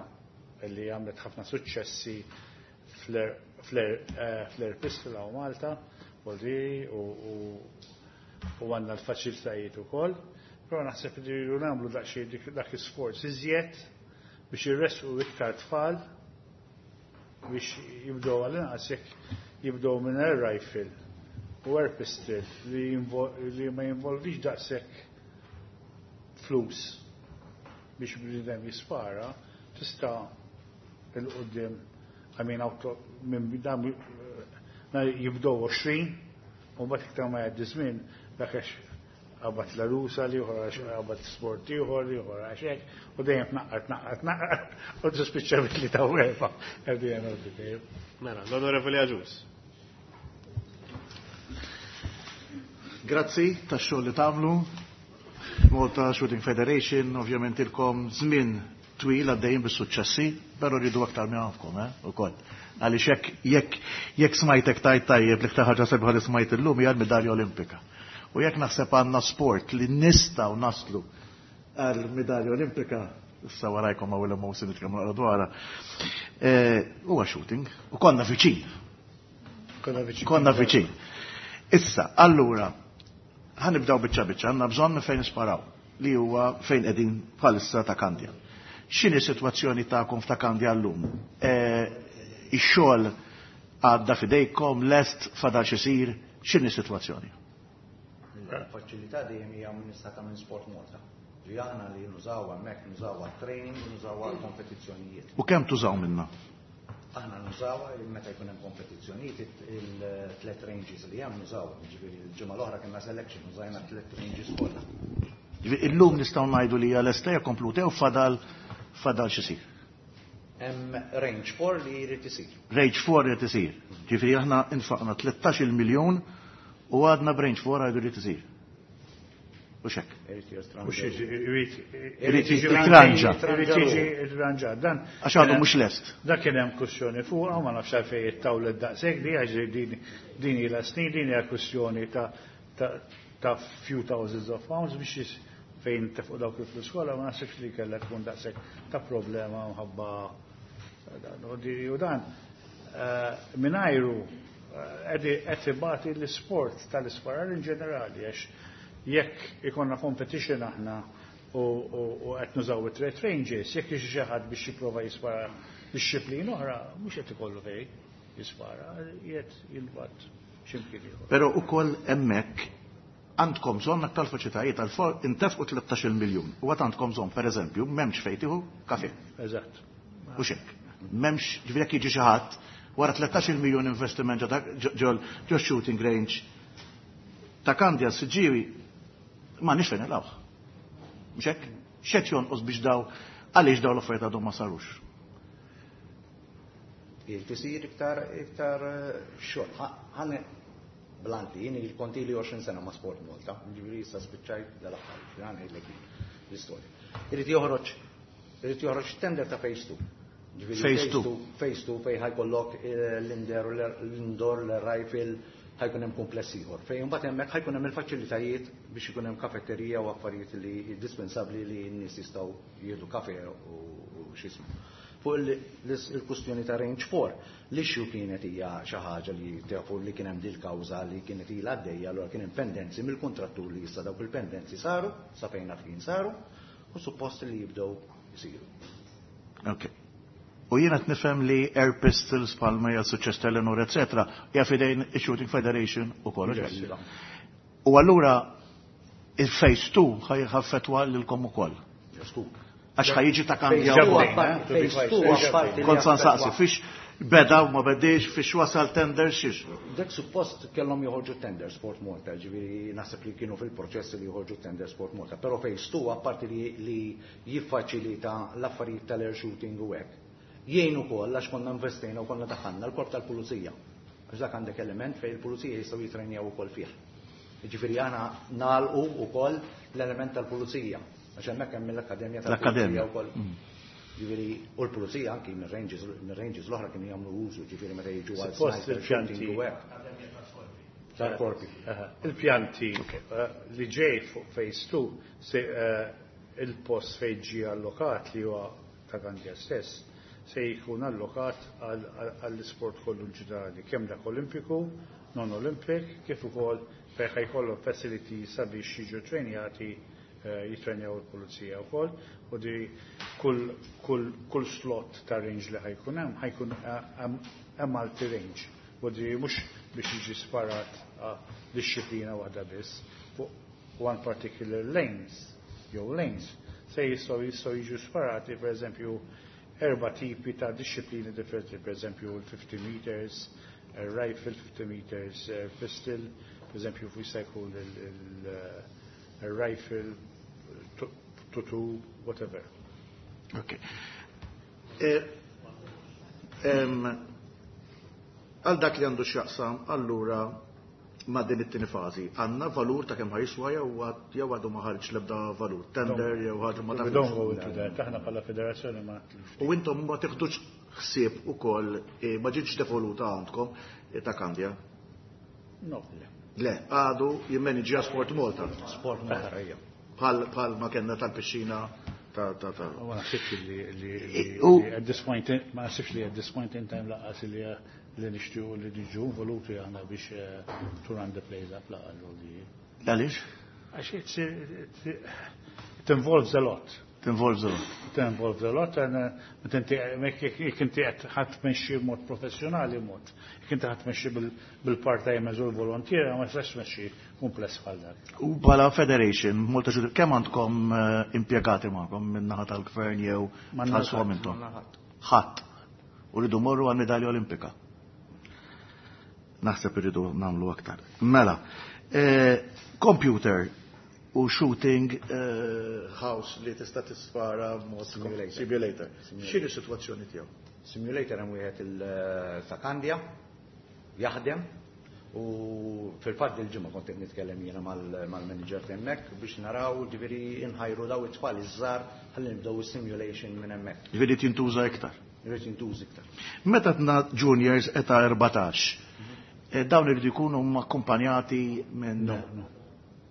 li għamlet ħafna suċċessi fl-air pistol hawn Malta, u u għandna l-faċilitajiet ukoll. Però naħseb li rridu nagħmlu daqsxejn dak isforz iżjed biex irresqu iktar tfal biex jibdew għal-inqas jekk jibdew minn air rifle u air pistol li ma jinvolvix daqshekk flus biex bniedem jispara, tista' il-qudiem, I mean, auto, minn dan jibdew 20 u mbagħad iktar ma jgħaddi żmien dak għax qabad l-arusa li ieħor għax qabad sport ieħor li ieħor għax hekk u dejjem tnaqqar tnaqqar tnaqqar u tispiċċa bitli ta' erba' at the end of the day. Mela, l-Onorevoli Agius. Grazzi tax-xogħol li tagħmlu. Malta Shooting Federation, ovvjament ilkom żmien twil għaddejjin bis-suċċessi, però rridu aktar minn għandkom, eh, ukoll. Għaliex jekk jekk jekk smajtek tajt tajjeb li ħaġa sebħa li smajt illum hija l-midalja Olimpika. U jekk naħseb għandna sport li nistgħu naslu għal midalja Olimpika, issa warajkom għaw il-emosi nitkellmu naqra dwarha, huwa shooting. U konna viċin. Konna viċin. Konna viċin. Issa, allura, ħanibdaw biċċa biċċa, għandna bżonn fejn nisparaw li huwa fejn qegħdin bħalissa ta' Kandja. X'inhi s-sitwazzjoni tagħkom f'ta' Kandja llum? Ix-xogħol għadda fidejkom, lest, fadal x'isir, x'inhi s-sitwazzjoni? Il-faċilità dejjem hija amministrata minn Sport Malta. Ġi aħna li nużaw hemmhekk, nużaw għat-training, nużaw għall-kompetizzjonijiet. U kemm tużaw minna? Aħna nużaw meta jkun hemm kompetizzjonijiet il-tlet ranges li hemm nużaw. Ġifieri l-ġimgħa l-oħra kellna selection, użajna tlet ranges kollha. Ġifieri illum nistgħu ngħidu li hija lesta hija kompluta jew fadal fadal x'isir. Hemm range 4 li jrid isir. Range 4 jrid isir. Ġifieri aħna infaqna 13 miljun u għadna b'range 4 għajdu jrid isir. U xek. Mhux irid Irid jitranġa. Irid jiġi irranġat. Dan Għax għadu mhux lest. Dak kien hemm kwestjoni fuqha ma nafx għalfejn ittawlet daqshekk di għax din din ilha snin din hija kwestjoni ta' ta' ta' few thousands of pounds biex fejn tefqu dawk il-flus kollha ma naħsibx li kellha tkun daqshekk ta' problema mħabba dan u di- u dan mingħajru qed ibati l-isport tal-isparar in ġenerali għax jekk ikonna competition aħna u qed nużaw it-tret ranges, jekk jiġi xi ħadd biex jipprova jispara disċiplina oħra, mhux qed ikollu fejn jispara, qiegħed jilbat x'imkien ieħor. Però ukoll hemmhekk għandkom bżonn aktar faċilitajiet għal for intefqu 13 miljun. U għad għandkom bżonn, pereżempju, m'hemmx fejn tieħu kafe. Eżatt. U xek. M'hemmx, ġifieri jekk jiġi xi ħadd wara 13 miljun investiment ġo shooting range ta' Kandja Siġġiewi ma nix fejn nilgħu. Mhux hekk? X'qed jonqos biex daw għaliex daw l-affarijiet għadhom ma sarux? Irid isir iktar iktar xogħol. Ħa blanti, jien il-konti li 20 sena ma' Sport Malta, ġifieri issa spiċċajt dal-aħħar, ġifieri ngħidlek l-istorja. Irid joħroġ irid joħroġ tender ta' phase 2. Ġifieri Phase 2. Phase 2 fejn ħajkollok l-indoor, l-indoor, l-rifle, ħajkun hemm kumpless ieħor. Fejn imbagħad hemmhekk ħajkun hemm il-faċilitajiet biex ikun hemm kafetterija u affarijiet li indispensabbli li n-nies jistgħu jieħdu kafe u x'ismu. Fuq il-kustjoni ta' range 4, l-issue kienet hija xi ħaġa li tafu li kien hemm dil-kawża li kienet ilha għaddejja, allura kien hemm pendenzi mill-kontrattur li issa dawk il-pendenzi saru, sa fejn naf kien saru, u suppost li jibdew isiru. Ok. U jiena qed nifhem li Air Pistols palma hija suċċess Telenor, eccetera, hija fidejn il-Shooting Federation u kollox. Yes. U allura il-Phase 2 ħaffetwa lilkom ukoll. Għax ħajġi ta' Kandja Phase two wkoll. Phase 2 apparti li Kont sa nsaqsi, affettwa. fiex beda u ma bediex, fiex wasal tender xiex. Dak suppost kellhom joħorġu tender Sport Malta, ġifieri naħseb li kienu fil-proċess li joħorġu tender Sport Malta, però Phase 2 apparti li jiffaċilita l-affarijiet tal-air shooting u hekk. Jgħin ukoll għax konna investejna u konna daħħalna l-korp tal-pulizija. Għax dak għandek element fejn il-pulizija jistgħu jitrenjaw ukoll fih. Ġifieri aħna nagħlqu ukoll l-element tal-pulizija. Għax hemmhekk hemm l-akkademja tal-pulizija L-akkademja. wkoll. Ġifieri u l-pulizija anki mir-ranges l-oħra kienu jagħmlu użu, ġifieri meta jiġu għal Suppost sniper il-pjanti. shooting u hekk. Tal-korpi. Il-pjanti li ġej fuq Phase 2 se il-post fejn ġie allokat li huwa ta' Kandja stess se jkun allokat għall-isport kollu ġenerali, kemm dak olimpiku, non olimpik, kif ukoll fejn ħajkollu facility sabiex jiġu trenjati jitrenjaw il-pulizija wkoll u di kull slot ta' range li ħajkun hemm ħajkun hemm multi range. U di mhux biex jiġi sparat disċiplina waħda biss fuq one particular lanes jew lanes se jistgħu jiġu sparati pereżempju erba' tipi ta' disċiplini differenti, pereżempju l-50 meters, rifle 50 meters, pistol, pereżempju fuq jista' jkun il-rifle, tutu, whatever. Ok. Għal dak li għandu x'jaqsam, allura Ma' din it-tieni fażi, għandna valur ta' kemm ħa jiswa jew jew għadu ma ħareġ l-ebda valur, tender jew ħaġa ma We don't go into that. Aħna bħala federazzjoni ma U intom ma tiħdux ħsieb ukoll ma ġietx devoluta għandkom ta' Kandja? No. Le, għadu jimmaniġġja Sport Malta. Sport Malta, ejja. Bħal ma kellna tal-pixxina ta' ta' ta' Ma naħsibx li at this point ma naħsibx li at this point in time lanqas li nixtiequ li niġu involuti aħna biex to run the place up lanqas li. Għaliex? Għax it involves a lot. It involves a lot. It involves a lot and meta inti jekk inti qed ħadd tmexxi b'mod professjonali mod. Jekk inti ħadd tmexxi bil-part-timers u l-volontiera ma tistax tmexxi kumpless bħal dak. U bħala federation, Malta Shooting, kemm għandkom impjegati magħkom min-naħa tal-gvern jew tħallsuhom intom? Ħadd. U rridu morru għal medalja olimpika. Naħseb irridu nagħmlu aktar. Mela, computer u shooting house li tista' tispara mod simulator. X'inhi s-sitwazzjoni tiegħu? Simulator hemm wieħed ta' Kandja jaħdem u fil-fatt il-ġimgħa kont qed nitkellem jiena mal-manager hemmhekk biex naraw ġifieri inħajru daw it-tfal iż-żgħar ħalli nibdew is-simulation minn hemmhekk. Ġifieri tintuża iktar. Irid jintuża iktar. Meta tna juniors età 14, dawn iridu jkunu akkumpanjati minn No, no.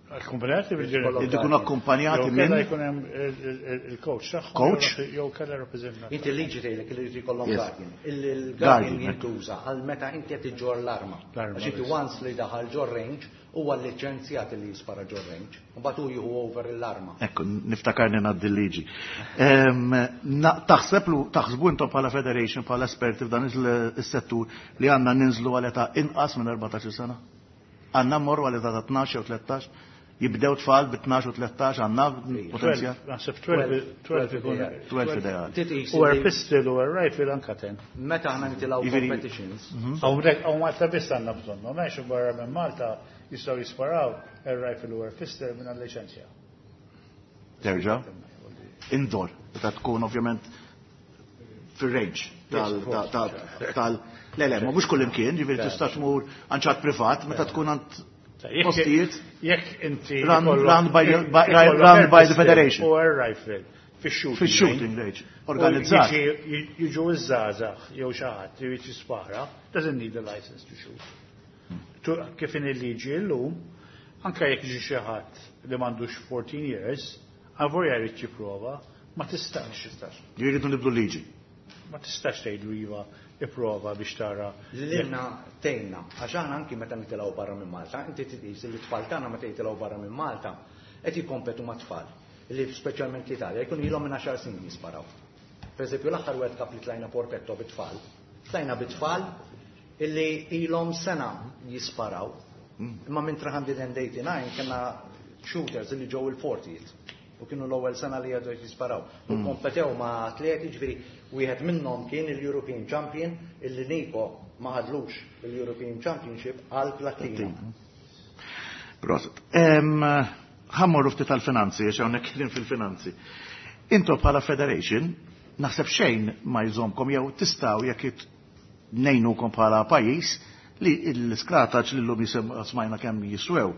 Akkumpanjati bil-ġenituri. Iridu jkunu akkumpanjati minn Jew jkun hemm il-coach tagħhom. Coach? Jew kellha rappreżentant. Inti l-liġi tgħidlek li jrid jkollhom guardian. Il-guardian jintuża għal meta inti qed iġġorr l-arma. Għax inti once li daħal ġor range huwa liċenzjat li jispara ġor range. Mbagħad hu jieħu over l-arma. Ekku, niftakarni ngħaddi l-liġi. Taħseb taħsbu intom bħala federation, bħala esperti f'dan is-settur li għandna ninżlu għal età inqas minn 14 sena? Għandna mmorru għal età ta' 12 jew 13? Jibdew tfal bi 12 u 13 għandna potenzjal? Naħseb 12 ikun. 12 ideali. U air pistol u air rifle anka 10. Meta aħna nitilgħu competitions. Hawnhekk hawn Malta biss għandna bżonnhom, għax barra minn Malta jistgħu jisparaw air rifle u air pistol minn liċenzja. Terġa' indoor, meta tkun ovvjament fir-range tal Le, le, ma mhux kull imkien, ġifieri tista' tmur għand ċat privat meta tkun għand postijiet. Jekk inti run by run by the federation. U air rifle fix-shooting. Fix-shooting range. Organizzat. Jiġu iż-żgħażagħ jew xi ħadd li jrid jispara, doesn't need a license to shoot. Kif in il-liġi llum, anke jekk jiġi xi ħadd li m'għandux 14 years, avolja jrid jipprova, ma tistax. Jridu nibdu liġi. Ma tistax tgħidlu iva ipprova biex tara. Lilna tgħinna, għax aħna anki meta nitilgħu barra minn Malta, inti titqis li t-tfal tagħna meta jitilgħu barra minn Malta qed jikkompetu ma' tfal li speċjalment l-Italja jkunu ilhom minn 10 snin jisparaw. Per eżempju, l-aħħar World Cup li tlajna Porpetto bit-tfal, tlajna bit-tfal illi ilhom sena jisparaw. Imma minn 389 kellna shooters illi ġew il-40th u kienu l-ewwel sena li għadu jisparaw. U kompetew ma' atleti, ġifieri wieħed minnhom kien il-European Champion illi Niko ma ħadlux il-European Championship għal plattina. Prosit. Ħa mmorru ftit tal-finanzi, għax hawnhekk kien fil-finanzi. Intom bħala federation, naħseb xejn ma jżomkom jew tistgħu jekk ngħinukom bħala pajjiż li l-iskrataċ li llum smajna kemm jiswew.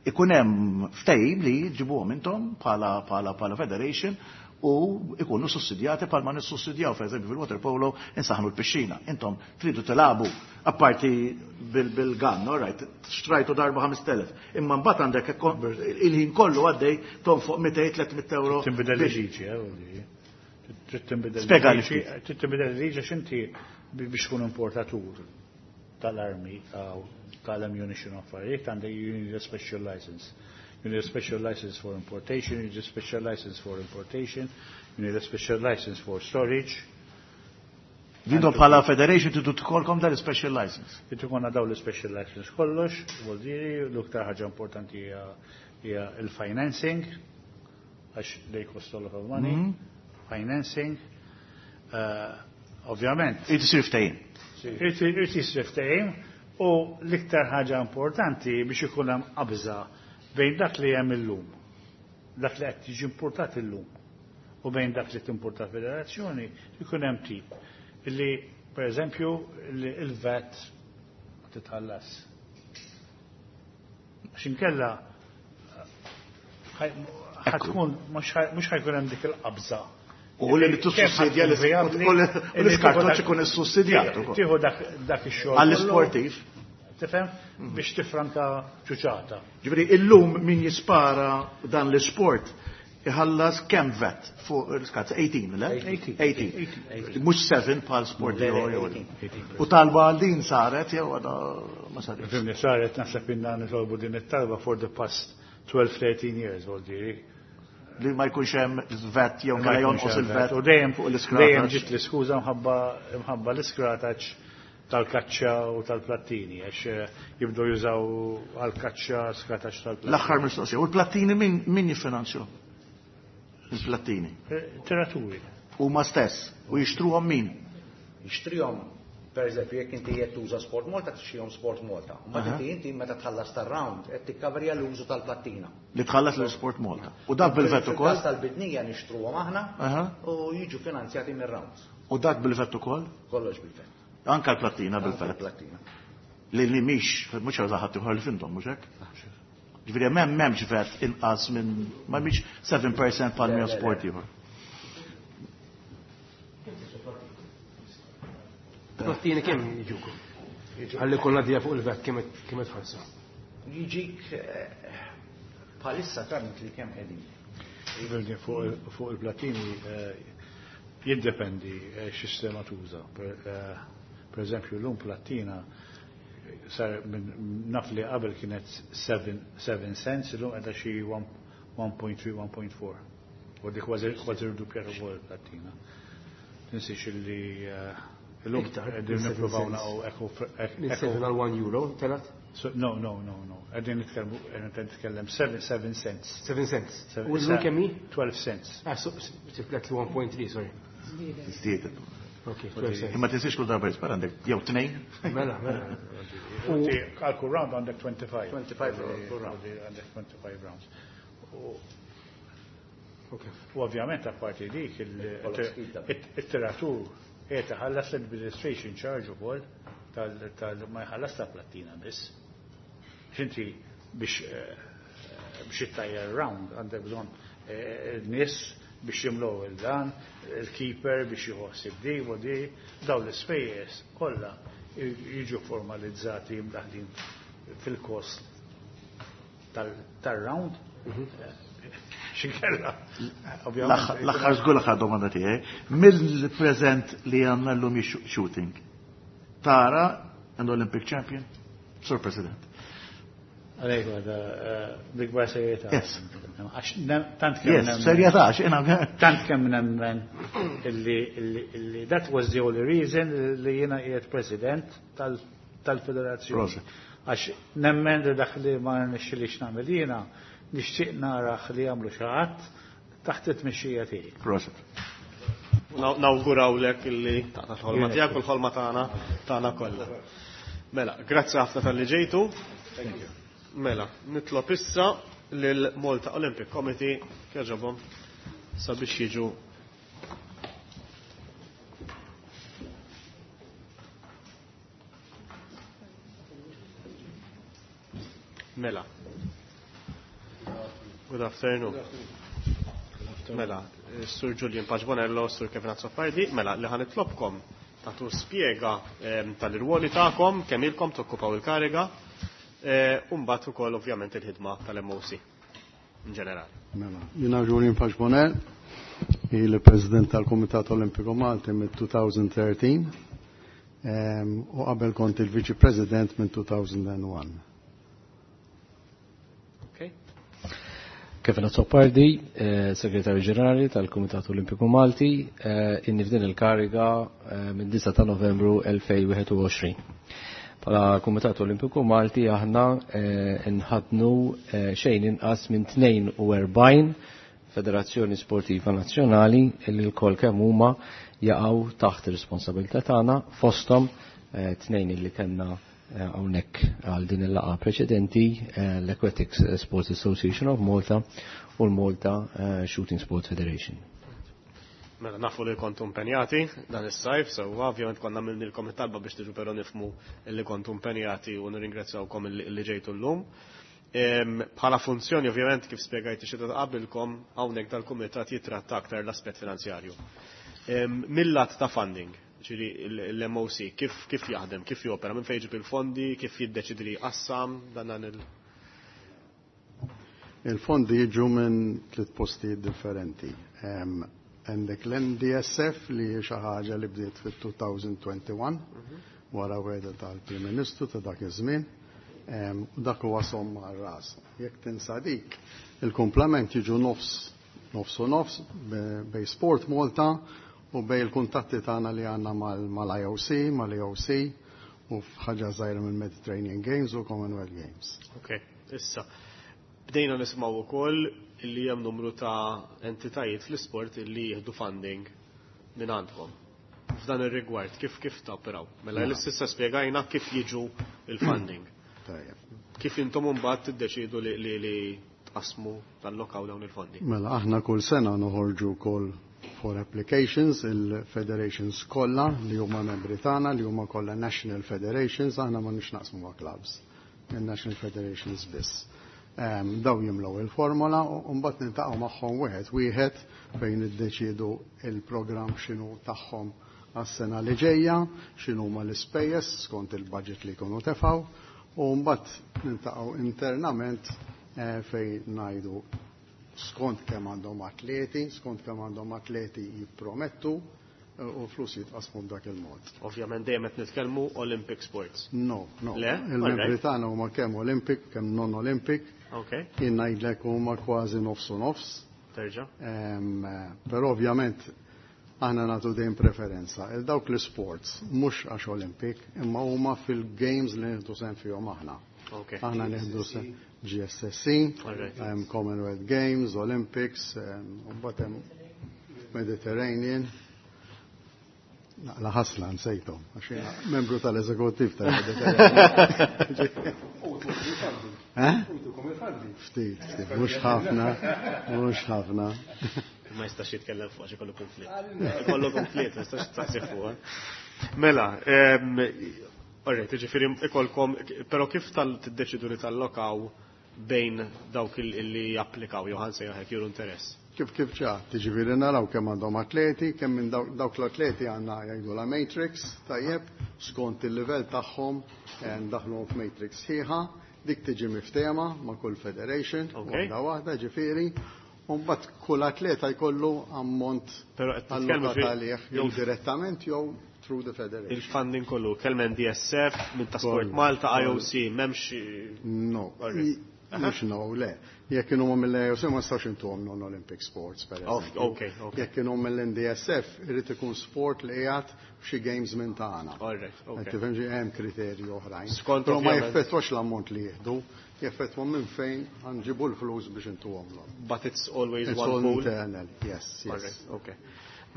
Ikun hemm ftehim li ġibuhom intom bħala federation u ikunu sussidjati bħalma nissussidjaw, per eżempju fil-water polo insaħnu l-pixxina. Intom tridu tilagħbu apparti bil-gun, all right, xtrajtu darba 5,000. Imma mbagħad għandek il-ħin kollu għaddej tonfoq 200-300 euro. Tinbidel il-liġi, trid tinbidel Spjega li il-liġi, ftit. trid tinbidel il-liġi għax inti biex tkun importatur tal-armi tal-ammunition affarijiet għandek you need a special license. You need a special license for importation, you need a special license for importation, you need a special license for storage. Jintom bħala federation tridu tkollkom dal special license. Tridu konna daw l-special license kollox, vuol dire, l-iktar ħaġa importanti hija il-financing, għax they cost a lot of money. Financing, ovvjament. Irid isir ftehim. Irid isir ftehim u l-iktar ħaġa importanti biex ikun hemm qabża bejn dak li hemm illum, dak li qed tiġi importat illum, u bejn dak li timporta federazzjoni, ikun hemm tip li, per eżempju, il-VAT titħallas. Għax inkella ħa tkun mhux ħa jkun hemm dik il-qabża. U li tissussidja l-iskartoċ ikun issussidjat. Tieħu dak ix-xogħol. Għall-isportiv. Tifhem? Biex tifranka ċuċata. Ġifieri illum min jispara dan l-isport iħallas kemm VAT fuq l-iskart? 18, le? 18. Mhux 7 bħal sport ieħor. U talba għal din saret jew għadha ma saret. Fimni saret naħseb inna nitolbu din it-talba for the past 12-13 years, vol diri. Li ma jkunx hemm VAT jew kellha jonqos il-VAT U dejjem fuq l-iskrataċ. Dejjem ġiet l-iskuża mħabba l-iskrataċ tal-kaċċa u tal-plattini, għax jibdew jużaw għal-kaċċa skrataċ tal-plattini. L-aħħar mistoqsija, u l-plattini min jiffinanzju? Il-plattini. Tiraturi. Huma stess. U jixtruhom min? Jixtrihom, per eżempju, jekk inti qed tuża Sport Malta, tixtrihom Sport Malta. Ma inti meta tħallas tar-round qed tikkaverja l-użu tal-plattina. Li tħallas l Sport Malta. U dak bil-VAT ukoll? Fil-każ tal-bidnija nixtruhom aħna u jiġu finanzjati mir-rounds. U dak bil-VAT ukoll? Kollox bil-VAT. Anka l-plattina bil-VAT. Plattina. Li mhix, mhux għal ħadd ieħor li fintom, mhux hekk? Ġifieri m'hemmx VAT inqas minn ma mhix 7% bħal mija sport ieħor. Plattini kemm jiġuku? Ħalli kollha dija fuq il-VAT kemm qed tħallsu. Jiġik bħalissa tant li kemm qegħdin. Ġifieri fuq il-plattini jiddependi x'sistema tuża. Per eżempju, l-lum plattina sar naf li qabel kienet 7 cents, illum qiegħda xi 1.3, 1.4. U dik kważi rduppjat ukoll il-plattina. Tinsiex illi illum qegħdin nippruvaw naqgħu eco Minn 7 għal 1 euro, telat? No, no, no, no. Qegħdin nitkellmu, qegħdin nitkellem 7 cents. 7 cents. U llum kemm hi? 12 cents. Ah, tiflet li 1.3, sorry. Żdiedet. Ok, 12 cents. Imma tinsiex kull darba jispara għandek jew tnejn. Mela, mela. Għal kull round għandek 25. 25 kull round. Għandek 25 rounds. U ovvjament apparti dik il-tiratur qiegħed iħallas l-administration charge ukoll tal ma jħallas ta' plattina biss. X'inti biex ittajjar round għandek bżonn nies biex jimlow il-dan, il-keeper biex jħossib di u di, daw l-ispejjeż kollha jiġu formalizzati mdaħlin fil-kost tal-round. X'inkella, ovvjament. L-aħħar żgur l-aħħar domanda tiegħi. Mill-preżent li għandna llum shooting. Tara an Olympic champion, Sur President. Għalejk għada, bikbar serjetà. Yes. Għax tant kemm Yes, serjetà, għax jiena Tant kemm nemmen illi that was the only reason li jiena qiegħed president tal-federazzjoni. Għax nemmen li dak li ma nixxilix nagħmel jiena, nixtieq narax li jagħmlu xi ħadd taħt it-tmexxija tiegħi. Proset. Nawgurawlek illi taqta' l-ħolma tiegħek u l-ħolma tagħna kollha. Mela, grazzi ħafna talli ġejtu. Thank you. Mela, nitlob issa lil Malta Olympic Committee kieġobhom sabiex jiġu Mela. Good afternoon. Mela, Sur Julian Pace Bonello, Sur Kevin Azzopardi, mela, li ħa nitlobkom tagħtu spjega tal-irwoli tagħkom, kemm ilkom tokkupaw il-kariga, u mbagħad ukoll ovvjament il-ħidma tal-MOC in ġenerali. Mela, jiena Julian Pace Bonello, il-President tal-Kumitat Olimpiku Malti mill-2013, u qabel kont il-Viċi President minn 2001. Kevin Azzopardi, Segretarju Ġenerali tal-Kumitat Olimpiku Malti, inni f'din il-kariga minn 9 ta' Novembru 2021. Bħala Kumitat Olimpiku Malti aħna nħadnu xejn inqas minn 42 Federazzjoni Sportiva Nazzjonali li l-kol kemm huma jaqgħu taħt ir-responsabilità tagħna, fosthom tnejn illi kellna hawnhekk għal din il-laqgħa preċedenti, l-Aquatics Sports Association of Malta u l-Malta Shooting Sports Federation. Mela nafu li kontu impenjati dan is-sajf, sewwa ovvjament konna għamilnilkom it-talba biex tiġu però nifhmu li kontu impenjati u nirringrazzjawkom li ġejtu llum. Bħala funzjoni ovvjament kif spjegajt ix-xita ta' qabilkom hawnhekk dal-kumitat jitratta aktar l-aspett finanzjarju. Mill-lat ta' funding, ġifieri l-MOC, kif kif jaħdem, kif jopera, minn fejn jġib il-fondi, kif jiddeċidi li jqassam dan dan il- Il-fondi jiġu minn tliet postijiet differenti. Għandek l-NDSF li hi xi ħaġa li bdiet fit-2021 wara wegħda tal-Prim Ministru ta' dak iż-żmien. U dak huwa somma għar-ras. Jekk tinsa dik, il-kumplament jiġu nofs nofs u nofs bejn Sport Malta u bejn il-kuntatti tagħna li għandna mal-IOC, mal-EOC u f'ħaġa żgħira mill-Mediterranean Games u Commonwealth Games. Ok, issa. Bdejna nisimgħu wkoll li hemm numru ta' entitajiet fl-isport li jieħdu funding minn għandkom. F'dan ir-rigward, kif kif taperaw? Mela l-istessa spjegajna kif jiġu il-funding. Tajjeb. Kif intom imbagħad tiddeċidu li tqasmu tallokaw dawn il-fondi? Mela aħna kull sena noħorġu call for applications il-federations kollha li huma membri tagħna li huma kollha national federations, aħna ma nix naqsmu ma' clubs, il-national federations biss. Daw jimlew il-formola u mbagħad niltaqgħu magħhom wieħed wieħed fejn niddeċiedu il-programm x'inhu tagħhom għas-sena li ġejja, x'inhuma l-ispejjeż skont il-budget li jkunu tefgħu, u mbagħad niltaqgħu internament fejn ngħidu skont kemm għandhom atleti, skont kemm għandhom atleti jippromettu u flus jitqasmu b'dak il-mod. Ovvjament dejjem qed nitkellmu Olympic sports. No. Le? Il-membri tagħna huma kemm Olympic, kemm non-Olympic. Jien ngħidlek huma kważi nofs u nofs. Terġa'. Però ovvjament aħna nagħtu dejjem preferenza il dawk l-sports mhux għax Olympic, imma huma fil-games li nieħdu sehem fihom aħna. Aħna nieħdu sehem GSSC, Commonwealth Games, Olympics, u mbagħad hemm Mediterranean. La ħasla nsejthom, għax jiena membru tal-eżekuttiv tal-Mediterranean. Eh? Ftit, ftit, mhux ħafna, mhux ħafna. Ma jistax jitkellem fuq għax ikollu konflitt. Ikollu konflitt, ma jistax taqsi fuq. Mela, alright, jiġifieri ikolkom, però kif tal-tiddeċidu li tallokaw bejn dawk li japplikaw jew ħa nsejjaħ juru interess? Kif ċa, tiġifieri naraw kemm għandhom atleti, kemm minn dawk l-atleti għandna jgħidu la matrix, tajjeb, skont il-livell tagħhom ndaħluhom f'matrix sħiħa, dik tiġi miftehma ma' kull federation, waħda waħda, ġifieri, u mbagħad kull atleta jkollu ammont Però qed titkellmu allokat għalih, jew direttament jew through the federation. Il-funding kollu, kemm NDSF, minn ta' Sport Kollu. Malta, IOC, m'hemmx No. Alright. Mhux no, le. Jekk kienu mill-IOC ma nistgħux intuhom non-Olympic sports, per eżempju. Jekk kienu mill-NDSF, irid ikun sport li qiegħed f'xi games minn tagħna. Qed tifhem xi hemm kriterji oħrajn. Skont Però ma ovvjament. jeffettwax l-ammont li jieħdu, jeffettwa minn fejn ħanġibu l-flus biex intuhom l But it's always It's one all pool. internal, yes. Alright, okay.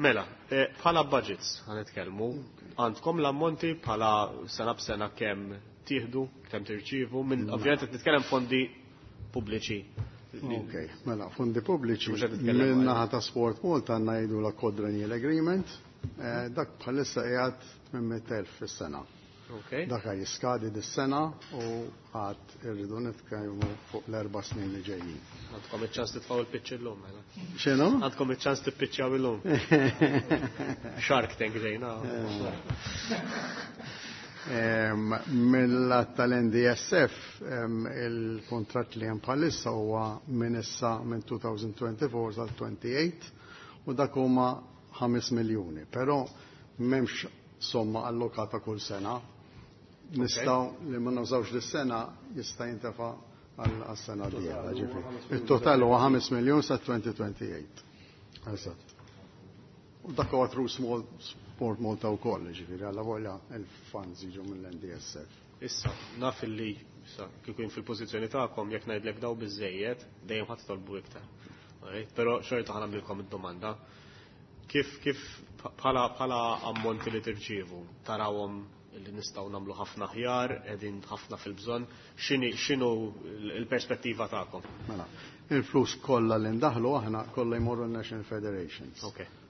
Mela, bħala budgets ħa nitkellmu, għandkom l-ammonti bħala sena b'sena kemm tieħdu, kemm tirċievu, minn ovvjament qed nitkellem fondi pubbliċi. Ok, mela, fondi pubbliċi, Mhux qed nitkellem minn għal- naħa ta' Sport Malta għandna jgħidu la quadrennial agreement, dak bħalissa qiegħed 800,000 fis-sena. Dak jiskadi dis-sena u għad irridu nitkellmu fuq l-4 snin li ġejjin. Għandkom iċ-ċans titfgħu il-pitch illum, mela. X'inhu? Għandkom iċ-ċans tippiċċjaw illum. Shark Tank ġejna. Mill-att tal-NDSF, il-kontratt li hemm bħalissa huwa minn issa minn 2024 sal 28 u dak huma 5 miljuni, però m'hemmx somma allokata kull sena. Nistgħu li ma nużawx dis-sena jista' jintefa' għas-sena d-dieħla, ġifieri. Il-total huwa 5 miljun sa 2028. Eżatt. U dak huwa through small Sport Malta wkoll, ġifieri, alla volja il-funds jiġu mill-NDSF. Issa, naf illi, issa, kieku jien fil-pożizzjoni tagħkom jekk ngħidlek daw biżejjed, dejjem ħadd tolbu iktar. Alright? Però xorta ħa nagħmlilkom id-domanda. Kif bħala ammonti li tirċievu, tarawhom li nistgħu nagħmlu ħafna aħjar, qegħdin ħafna fil-bżonn, x'inhu l-perspettiva tagħkom? Mela, il-flus kollha li ndaħlu aħna kollha jmorru n-National Federations.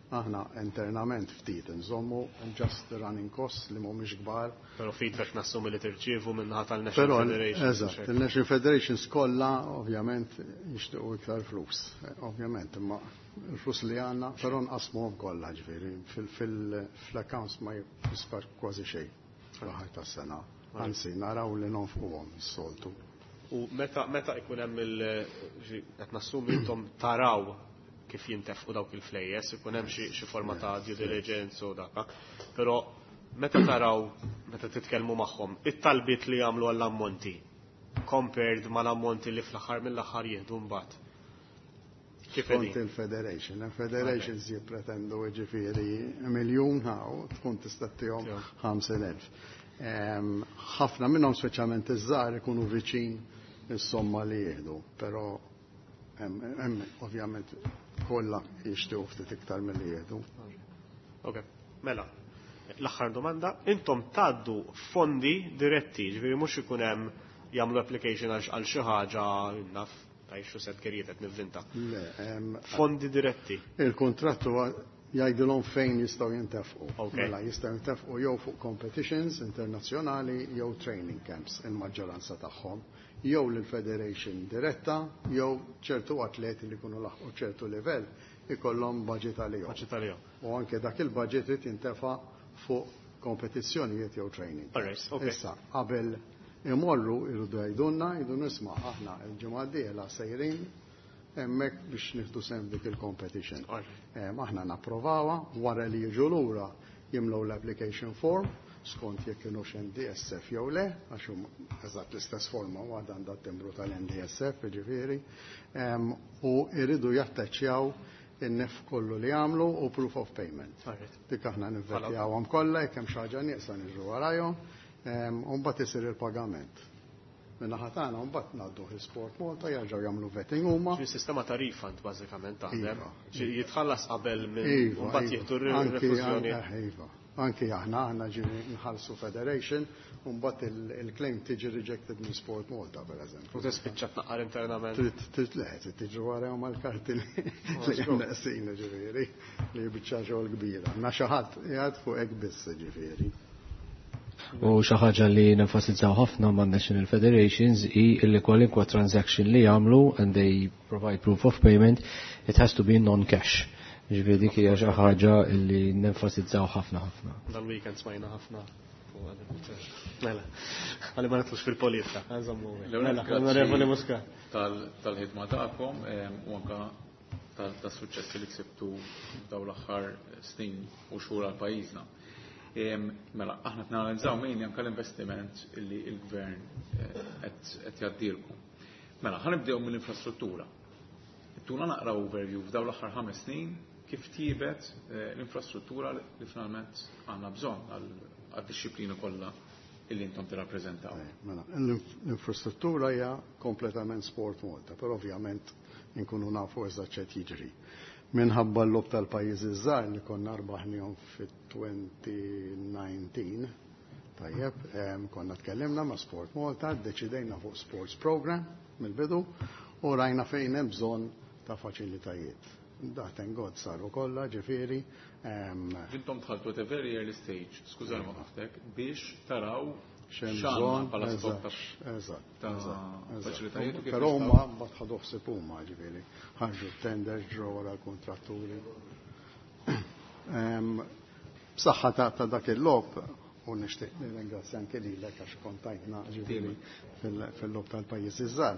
Aħna internament ftit nżommu just running costs li mhumiex kbar. Però feedback nassumi li tirċievu min-naħa tal-National Federation. Eżatt, il-National Federations kollha ovvjament jixtiequ iktar flus. Ovvjament, imma il-flus li għandna, però nqasmuhom kollha ġifieri fil-accounts ma jisfar kważi xejn fl-aħħar tas-sena. Anzi, naraw li nonfquhom is-soltu. U meta meta ikun hemm il qed nassumi intom taraw kif jintefqu dawk il-flejjes, ikun hemm xi forma ta' due diligence u daka. Però meta taraw, meta titkellmu magħhom, it-talbiet li jagħmlu għall-ammonti compared mal-ammonti li fl-aħħar mill-aħħar jieħdu mbagħad. Kif Skont il-Federation. Il-Federations jippretendu ġifieri miljun hawn tkun tista' ttihom 50,000. Ħafna minnhom speċjalment iż-żgħar ikunu viċin is-somma li jieħdu, però hemm ovvjament kollha jixtiequ ftit iktar milli jieħdu. Ok, mela. L-aħħar domanda, intom tgħaddu fondi diretti, ġifieri mhux ikun hemm jagħmlu application għal xi ħaġa naf tajxu set kerijiet qed nivvinta. Le, Fondi diretti. Il-kuntratt huwa jgħidilhom fejn jistgħu jintefqu. Mela jistgħu jintefqu jew fuq competitions internazzjonali jew training camps il-maġġoranza tagħhom, jew lill-federation diretta, jew ċertu atleti li jkunu laħqu ċertu livell ikollhom budget għalihom. Budget għalihom. U anke dak il-budget irid jintefa' fuq kompetizzjonijiet jew training. Issa, qabel imorru irridu jgħidulna, jgħidu nisma' aħna l-ġimgħa d-dieħla sejrin hemmhekk biex nieħdu sehem dik il-competition. Aħna napprovawha wara li jiġu lura jimlew l-application form skont jekk kienux NDSF jew le, għax huma eżatt l-istess forma u għad għandha t-timbru tal-NDSF, jiġifieri, u jridu jattaċċjaw in-nef kollu li għamlu u proof of payment. Dik aħna nivvettjawhom kollha, jekk hemm xi ħaġa nieqsa niġru warajhom, u mbagħad isir il-pagament. Min-naħa tagħna mbagħad ngħaddu Sport Malta jerġgħu jagħmlu vetting huma. Ġi sistema ta' refund bażikament taħdem. Iva. Ġi jitħallas qabel minn Iva, mbagħad iva. jieħdu Anki, r-refużjoni. anke, iva. Anki aħna, aħna ġi nħallsu Federation u mbagħad il-claim tiġi rejected minn Sport Malta, per eżempju. U tispiċċa tnaqqar internament. Trid le, trid tiġi warahom mal-karti li hemm neqsin, ġifieri, li biċċa xogħol kbira. Ma xi ħadd qiegħed fuq hekk biss, ġifieri. U xi ħaġa li nenfasizzaw ħafna man National Federations hi li kwalinkwa transaction li jagħmlu and they provide proof of payment, it has to be non-cash. Ġifieri dik hija xi ħaġa li nenfasizzaw ħafna ħafna. Dal-weekend smajna ħafna fuq għad il-punt. Mela, għalli ma nidħlux fil-politika, għanżommu. Mela, Onorevoli Muscat. Tal-ħidma tagħkom u anka tas-suċċessi li ksibtu dawn l-aħħar snin u xhur għal pajjiżna. Mela, aħna tnanalizzaw min anka l-investiment li l-gvern qed jgħaddilkom. Mela, ħanibdew mill-infrastruttura. Tuna naqra overview f'dawn l-aħħar 5 snin kif tibet l-infrastruttura li finalment għandna bżonn għad-disciplina kollha illi intom tirrappreżentaw. Mela, l-infrastruttura hija kompletament Sport Malta, però ovvjament inkunu nafu eżatt x'qed jiġri. Minħabba l-logħob tal-pajjiżi żgħar li konna rbaħnihom fit-2019, tajjeb, konna tkellimna ma' Sport Malta, ddeċidejna fuq Sports Program mill-bidu u rajna fejn hemm bżonn ta' faċilitajiet. Da, thank God, saru kollha, ġifieri. Intom dħaltu at a very early stage, skużani ma waqaftek, biex taraw X'hemm x'għandna bżonn, bħala stok ta' faċilitajiet u kif Però nistgħu. huma mbagħad ħadu ħsieb huma, ġifieri, ħarġu tenders, ġrew wara l-kontratturi. B'saħħa ta' dak il-logħob, u nixtieq nirringrazzja anke lilek għax kontajtna ġifieri fil-logħob tal-pajjiżi żgħar.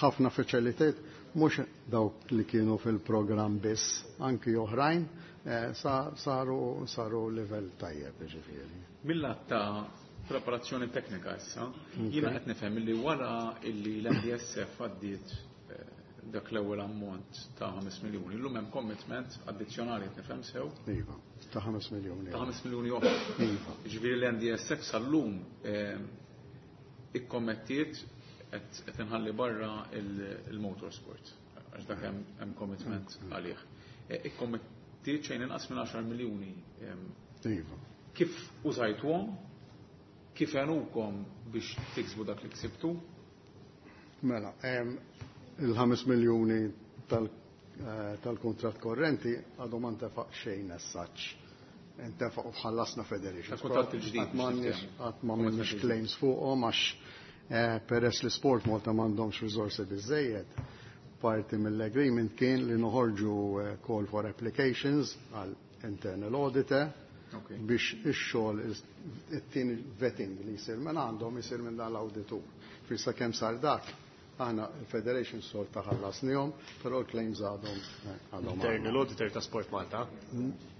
Ħafna faċilitajiet mhux dawk li kienu fil-programm biss, anki oħrajn, saru livell tajjeb ġifieri. Mill-lat ta' preparazzjoni teknika issa, jiena qed nifhem li wara illi l-NDSF għaddiet dak l-ewwel ammont ta' 5 miljuni, illum hemm commitment addizzjonali qed nifhem sew. Iva, ta' 5 miljuni. Ta' 5 miljuni oħra. Iva. Ġifieri l-NDSF sal-lum ikkommettiet qed inħalli barra il-motorsport, għax dak hemm commitment għalih. Ikkommettiet xejn inqas minn 10 miljuni. Iva. Kif użajtuhom? Kif għenukom biex tiksbu dak li ksibtu? Mela, il-5 miljuni tal-kuntratt korrenti għadu ma ntefaq xejn as such. Intefaq u ħallasna federation. Tal-kuntratt il-ġdid, Qatt m'għandniex biex qatt m'għamilniex claims fuqhom għax peress li Sport Malta m'għandhomx riżorsi biżejjed. Parti mill-agreement kien li noħorġu call for applications għal internal auditor biex ix-xogħol it-tieni vetting li jsir minn għandhom isir minn dan l-awditur. Fissa kemm sar dak, aħna il-Federation sol ta' ħallasnihom, però l-claims għadhom. Internal auditor ta' Sport Malta?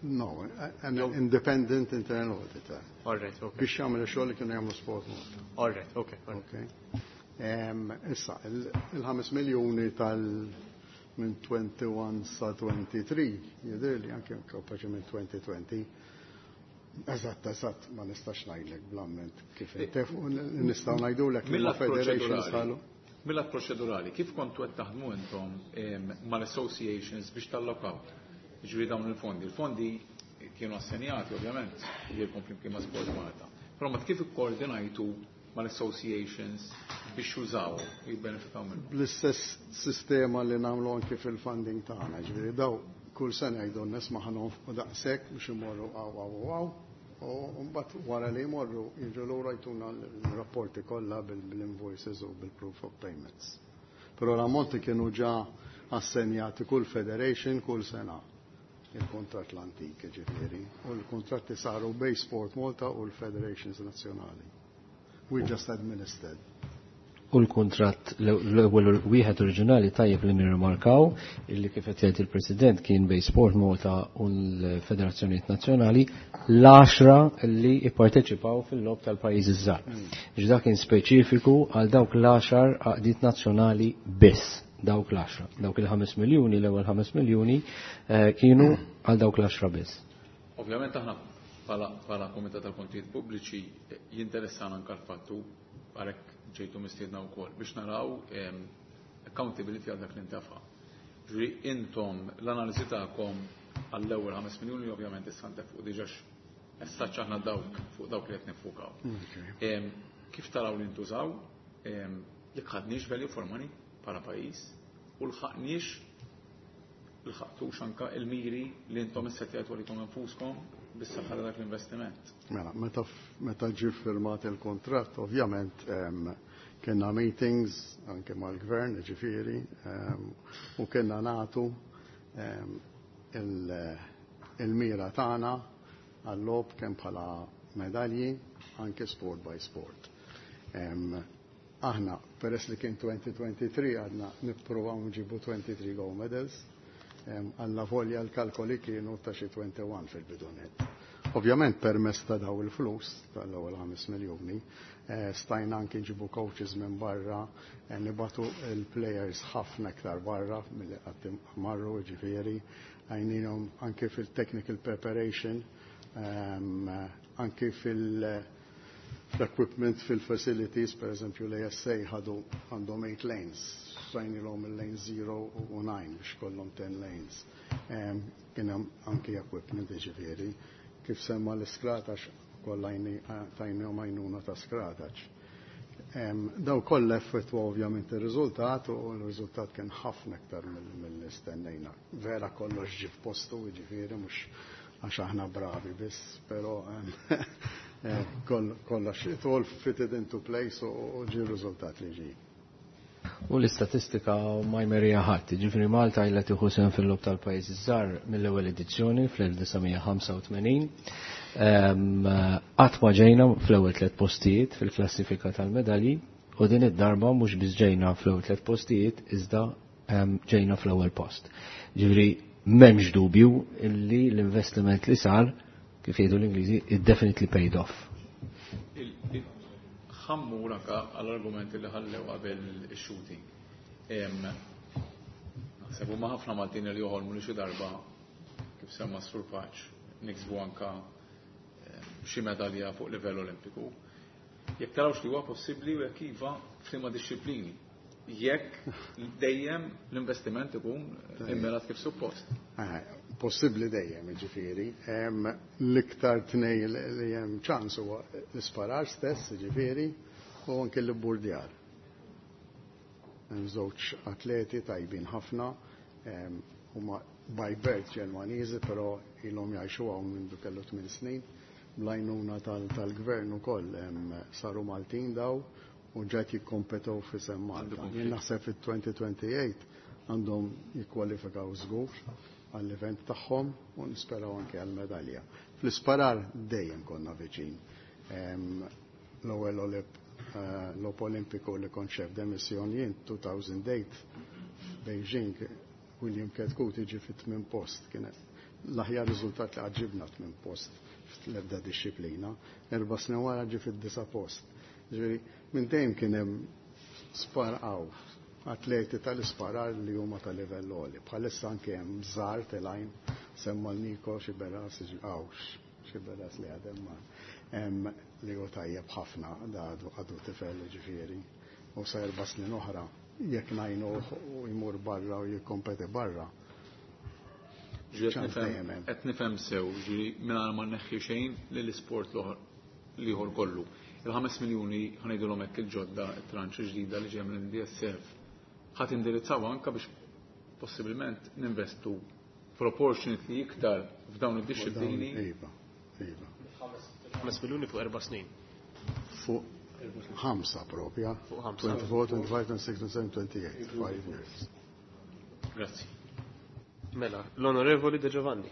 No, an independent internal auditor. All right, okay. Biex jagħmel ix-xogħol li kienu jagħmlu Sport Malta. All right, okay. All right. Okay. Issa, il-5 miljuni tal minn 21 sa 23, jidher li anke kapaċi minn 2020. Eżatt, ma nistax ngħidlek bl-amment kif intefqu, nistgħu ngħidulek li ma Mill-att federations proċedurali. ħalu. Mill-att proċedurali, kif kontu qed taħdmu intom mal-associations biex tallokaw? Ġifieri dawn il-fondi. Il-fondi kienu assenjati ovvjament lilkom flimkien ma' Sport Malta. Però ma kif ikkoordinajtu mal-associations biex jużaw, jibbenefikaw minnhom? Bl-istess sistema li nagħmlu anke fil-funding tagħna, ġifieri daw kull sena jgħidu nisma' ħa nonfqu daqshekk biex imorru għaw għaw għaw, u mbagħad wara li jmorru jiġu lura jtuna l-rapporti kollha bil-invoices u bil-proof of payments. Però l-ammonti kienu ġa assenjati kull federation kull sena il-kontrat l-antik ġifieri, u l-kontratti saru bej Sport Malta u l-Federations Nazzjonali. We just administered. U l-kontrat l-ewwel wieħed oriġinali tajjeb li nirrimarkaw illi kif qed jgħid il-President kien bej Sport Malta u l-Federazzjonijiet Nazzjonali l-10 li ipparteċipaw fil-logħob tal-pajjiżi żgħar. Ġda kien speċifiku għal dawk l-10 għaqdiet nazzjonali biss, dawk l-10. Dawk il-5 miljuni, l-ewwel 5 miljuni kienu għal dawk l-10 biss. Ovvjament aħna bħala Kumitat tal-Kontijiet Pubbliċi jinteressana anke l-fattu għalhekk ġejtu mistiedna wkoll biex naraw accountability għal dak li ntafa. Ġifieri intom l-analiżi tagħkom għall-ewwel 5 miljuni ovvjament issa ntefqu diġà essaċ aħna dawk fuq dawk li qed nifukaw. Kif taraw li ntużaw, jekk ħadniex value for money bħala pajjiż u lħaqtux anka il-miri li intom issettjajtu għalikom infuskom bis-saħħa ta' dak l-investiment. Mela, meta ġie firmat il-kontratt, ovvjament kellna meetings anke mal-gvern, ġifieri, u kellna nagħtu il-mira tagħna għall-logħob kemm bħala medalji anke sport by sport. Aħna, peress li kien 2023, għadna nippruvaw nġibu 23 gold medals, għalla volja l-kalkoli kienu ta' xi 21 fil-bidunet. Ovvjament permess ta' daw il-flus tal-ewwel 5 miljuni, stajna anke nġibu coaches minn barra, nibatu il-players ħafna iktar barra milli qatt marru, ġifieri, għajninhom anke fil-technical preparation, anke fil-equipment, fil-facilities, per eżempju l-ASA ħadu għandhom 8 lanes, stajnilhom il-lane 0 u 9 biex kollhom 10 lanes. Kien hemm anke equipment, ġifieri, kif semma l-iskratax, kollha tajnihom għajnuna ta' skratax. Daw kollha effettwa ovvjament ir-riżultat u l-riżultat kien ħafna iktar mill-istennejna. Vera kollox ġie f'postu, ġifieri, mhux għax aħna bravi biss, però kollox it all fitted into place u ġie r-riżultat li ġie. U l-istatistika ma jmerija ħadd, ġifieri Malta ilha tieħu sehem fil-logħob tal-pajjiżi żgħar mill-ewwel edizzjoni fl-1985. Qatt ma ġejna fl-ewwel 3 postijiet fil-klassifika tal-medalji u din id-darba mhux biss ġejna fl-ewwel 3 postijiet iżda ġejna fl-ewwel post. Ġifieri m'hemmx dubju illi l-investiment li sar, kif jgħidu l-Ingliżi, it definitely paid off. Ħammur anka għall-argumenti li ħallew qabel ix-shooting. Naħseb huma ħafna Maltin li joħolmu li xi darba kif semma s-Sur Paċ niksbu anka xi medalja fuq livell olimpiku. Jekk tarawx li huwa possibbli u jekk iva f'liema disċiplini. Jekk dejjem l-investiment ikun immirat kif suppost. Possibbli dejjem, ġifieri. L-iktar tnej li hemm ċans huwa l-isparar stess, ġifieri, u anke l-burdjar. Hemm żewġ atleti tajbin ħafna, Huma by birth Ġermaniżi, però ilhom jgħixu hawn minn kellu 8 snin. Bl-għajnuna tal-gvern ukoll saru Maltin daw u ġed jikkompetu f'isem Malta. Jien naħseb fit-2028 għandhom jikkwalifikaw żgur għall-event tagħhom u nisperaw anke għall-medalja. Fl-isparar dejjem konna viċin. L-ewwel logħob Olimpiku li kont chef de mission jien 2008 Beijing, William Chetcuti ġie fit-tmien post, kienet l-aħjar riżultat li qatt ġibna, tmien post fl-ebda dixxiplina. 4 snin wara ġie fid-disa' post. Ġifieri minn dejjem kien hemm sparqaw atleti tal-isparar li huma ta' livell għoli. Bħalissa anke hemm żgħar telgħin, semma l-Niko Xiberas, għawx, Xiberas li għadem ma li hu tajjeb ħafna, da għadu tifel ġifieri. U sa 4 snin oħra, jekk ngħinu u jmur barra u jikkompeti barra. Qed nifhem sew, ġifieri mingħajr ma nneħħi xejn lill-isport l-ieħor kollu. Il-5 miljuni, ħa ngħidulhom hekk, il-ġodda, it-tranche ġdida li ġej mill-NDSF, ħa tindirizzaw anka biex possibilment ninvestu proportionately iktar f'dawn id-disciplini. Iva. 5 miljuni fuq 4 snin. Fuq 5 propja. Fuq 5. 24, 25, 26, 27, 28. 5 years. Grazzi. Mela, l-Onorevoli De Giovanni.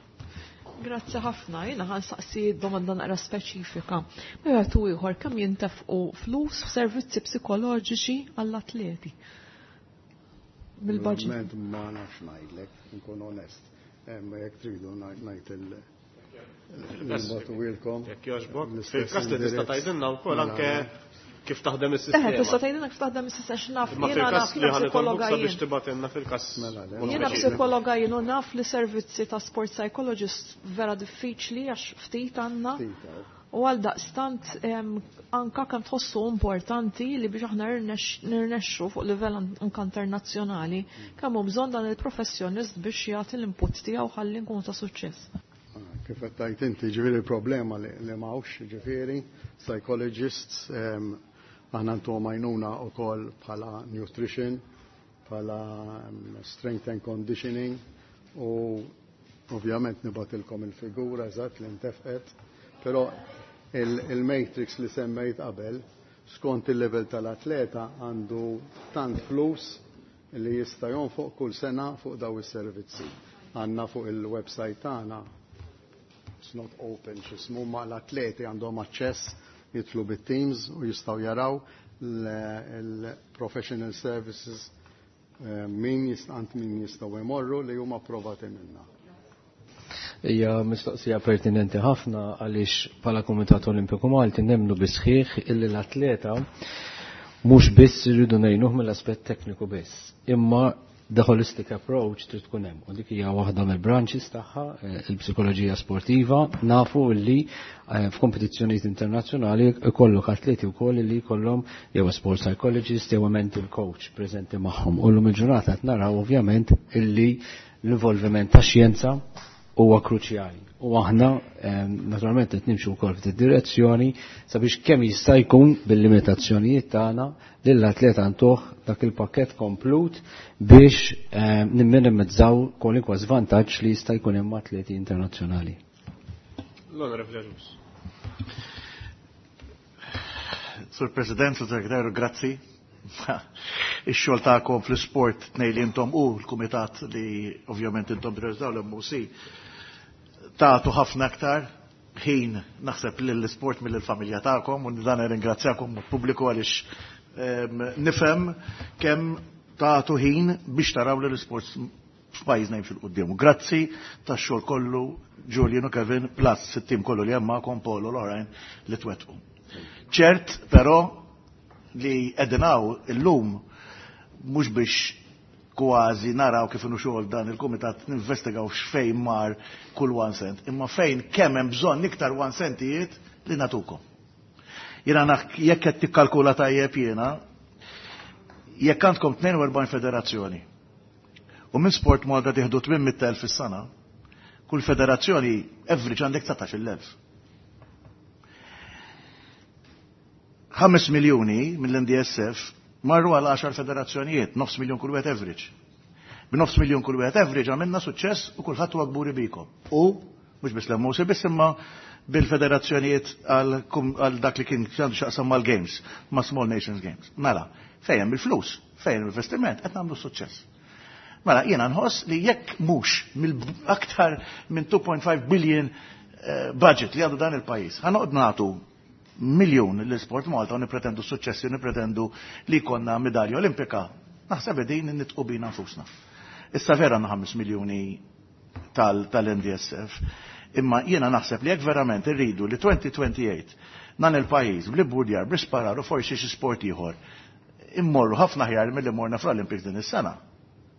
Grazzi ħafna, jiena ħa nsaqsi domanda naqra speċifika. Wieħed u ieħor, kemm jintefqu flus f'servizzi psikoloġiċi għall-atleti? Mill-budget. Verament ma nafx ngħidlek, nkun onest. Ma jekk tridu ngħid il-nibagħtuhielkom. Jekk jogħġbok. Fil-każ li tista' tgħidilna wkoll anke kif taħdem is-sistema. Tista' tgħidilna kif taħdem is-sistema, x'naf Imma jiena fil-każ naf li jiena ħa nitolbuk psikologa sabiex jien. tibgħatilna fil-każ. Jiena psikologa jien u naf li servizzi ta' sport psychologist vera diffiċli għax ftit għandna. U għal daqstant anka kemm tħossu importanti li biex aħna nirnexxu fuq livell anka internazzjonali, kemm hu bżonn dan il-professjonist biex jagħti l-input tiegħu ħalli nkunu ta' suċċess. Kif qed tgħid inti, ġifieri il-problema li m'hawnx, ġifieri psychologists, aħna ntuhom għajnuna wkoll bħala nutrition, bħala strength and conditioning u ovvjament nibgħatilkom il-figura eżatt li ntefqet, però il-matrix li semmejt qabel, skont il-level tal-atleta għandu tant flus li jista' jonfoq kull sena fuq daw is-servizzi. Għandna fuq il-website tagħna, it's not open x'ismu, ma l-atleti għandhom aċċess jidħlu bit-teams u jistgħu jaraw il-professional services min għand min jistgħu jmorru li huma approvati minna. Hija mistoqsija pertinenti ħafna għaliex bħala Kumitat Olimpiku Malti nemnu bis-sħiħ illi l-atleta mhux biss irridu ngħinuh mill-aspett tekniku biss, imma the holistic approach trid tkun hemm. U dik hija waħda mill-branches tagħha, il-psikoloġija sportiva. Nafu li f'kompetizzjonijiet internazzjonali ikollok atleti wkoll li jkollhom jew sport psychologist jew mental coach preżenti magħhom. U llum il-ġurnata qed naraw ovvjament illi l-involviment ta' xjenza huwa kruċjali. U aħna naturalment qed nimxu wkoll f'din direzzjoni sabiex kemm jista' jkun bil-limitazzjonijiet tagħna lill-atleta ntuh dak il-pakkett komplut biex nimminimizzaw kwalunkwe żvantaġġ li jista' jkun hemm atleti internazzjonali. L-Onorevoli Agius. Sur President, Sur Segretarju, grazzi. Ix-xogħol tagħkom fl-isport tnej li intom u l-kumitat li ovvjament intom direzzaw l-MOC tagħtu ħafna aktar ħin naħseb lill-isport mill-familja tagħkom u dan ringrazzjakom pubbliku għaliex nifhem kemm tagħtu ħin biex taraw li l-isport f'pajjiżna jimxi 'l quddiem. Grazzi tax-xogħol kollu, Julian u Kevin, plus it-tim kollu li hemm magħkom, Paul u l-oħrajn li twettqu. Ċert però li qegħdin hawn illum mhux biex kważi naraw kif inhu xogħol dan il-kumitat, ninvestigaw x'fejn mar kull one cent, imma fejn kemm hemm bżonn iktar one centijiet li natukom. Jiena jekk qed tikkalkula tajjeb jiena, jekk għandkom 42 federazzjoni u minn Sport Malta tieħdu 800,000 fis-sena, kull federazzjoni average għandek 19,000. 5 miljuni mill-NDSF marru għal 10 federazzjonijiet, nofs miljon kull wieħed average. B'nofs miljun kull wieħed average għamilna suċċess u kulħadd huwa kburi bikom. U mhux biss l-MOC biss imma bil-federazzjonijiet għal dak li kien għandu x'jaqsam mal-Games, ma' Small Nations Games. Mela, fejn hemm il-flus, fejn hemm investiment, qed nagħmlu suċċess. Mela, jiena nħoss li jekk mhux mill-aktar minn 2.5 billion budget li għandu dan il-pajjiż, ħa noqgħod nagħtu miljun l-Sport Malta u nipretendu suċċessi, nipretendu li jkollna medalja olimpika, naħseb qegħdin nitqu bina nfusna. Issa vera għandna 5 miljuni tal-NDSF, imma jiena naħseb li jekk verament irridu li 2028 dan il-pajjiż bl-ibburdjar, bl-isparar u forsi xi sport ieħor immorru ħafna ħjar milli morna fl-Olympics din is-sena.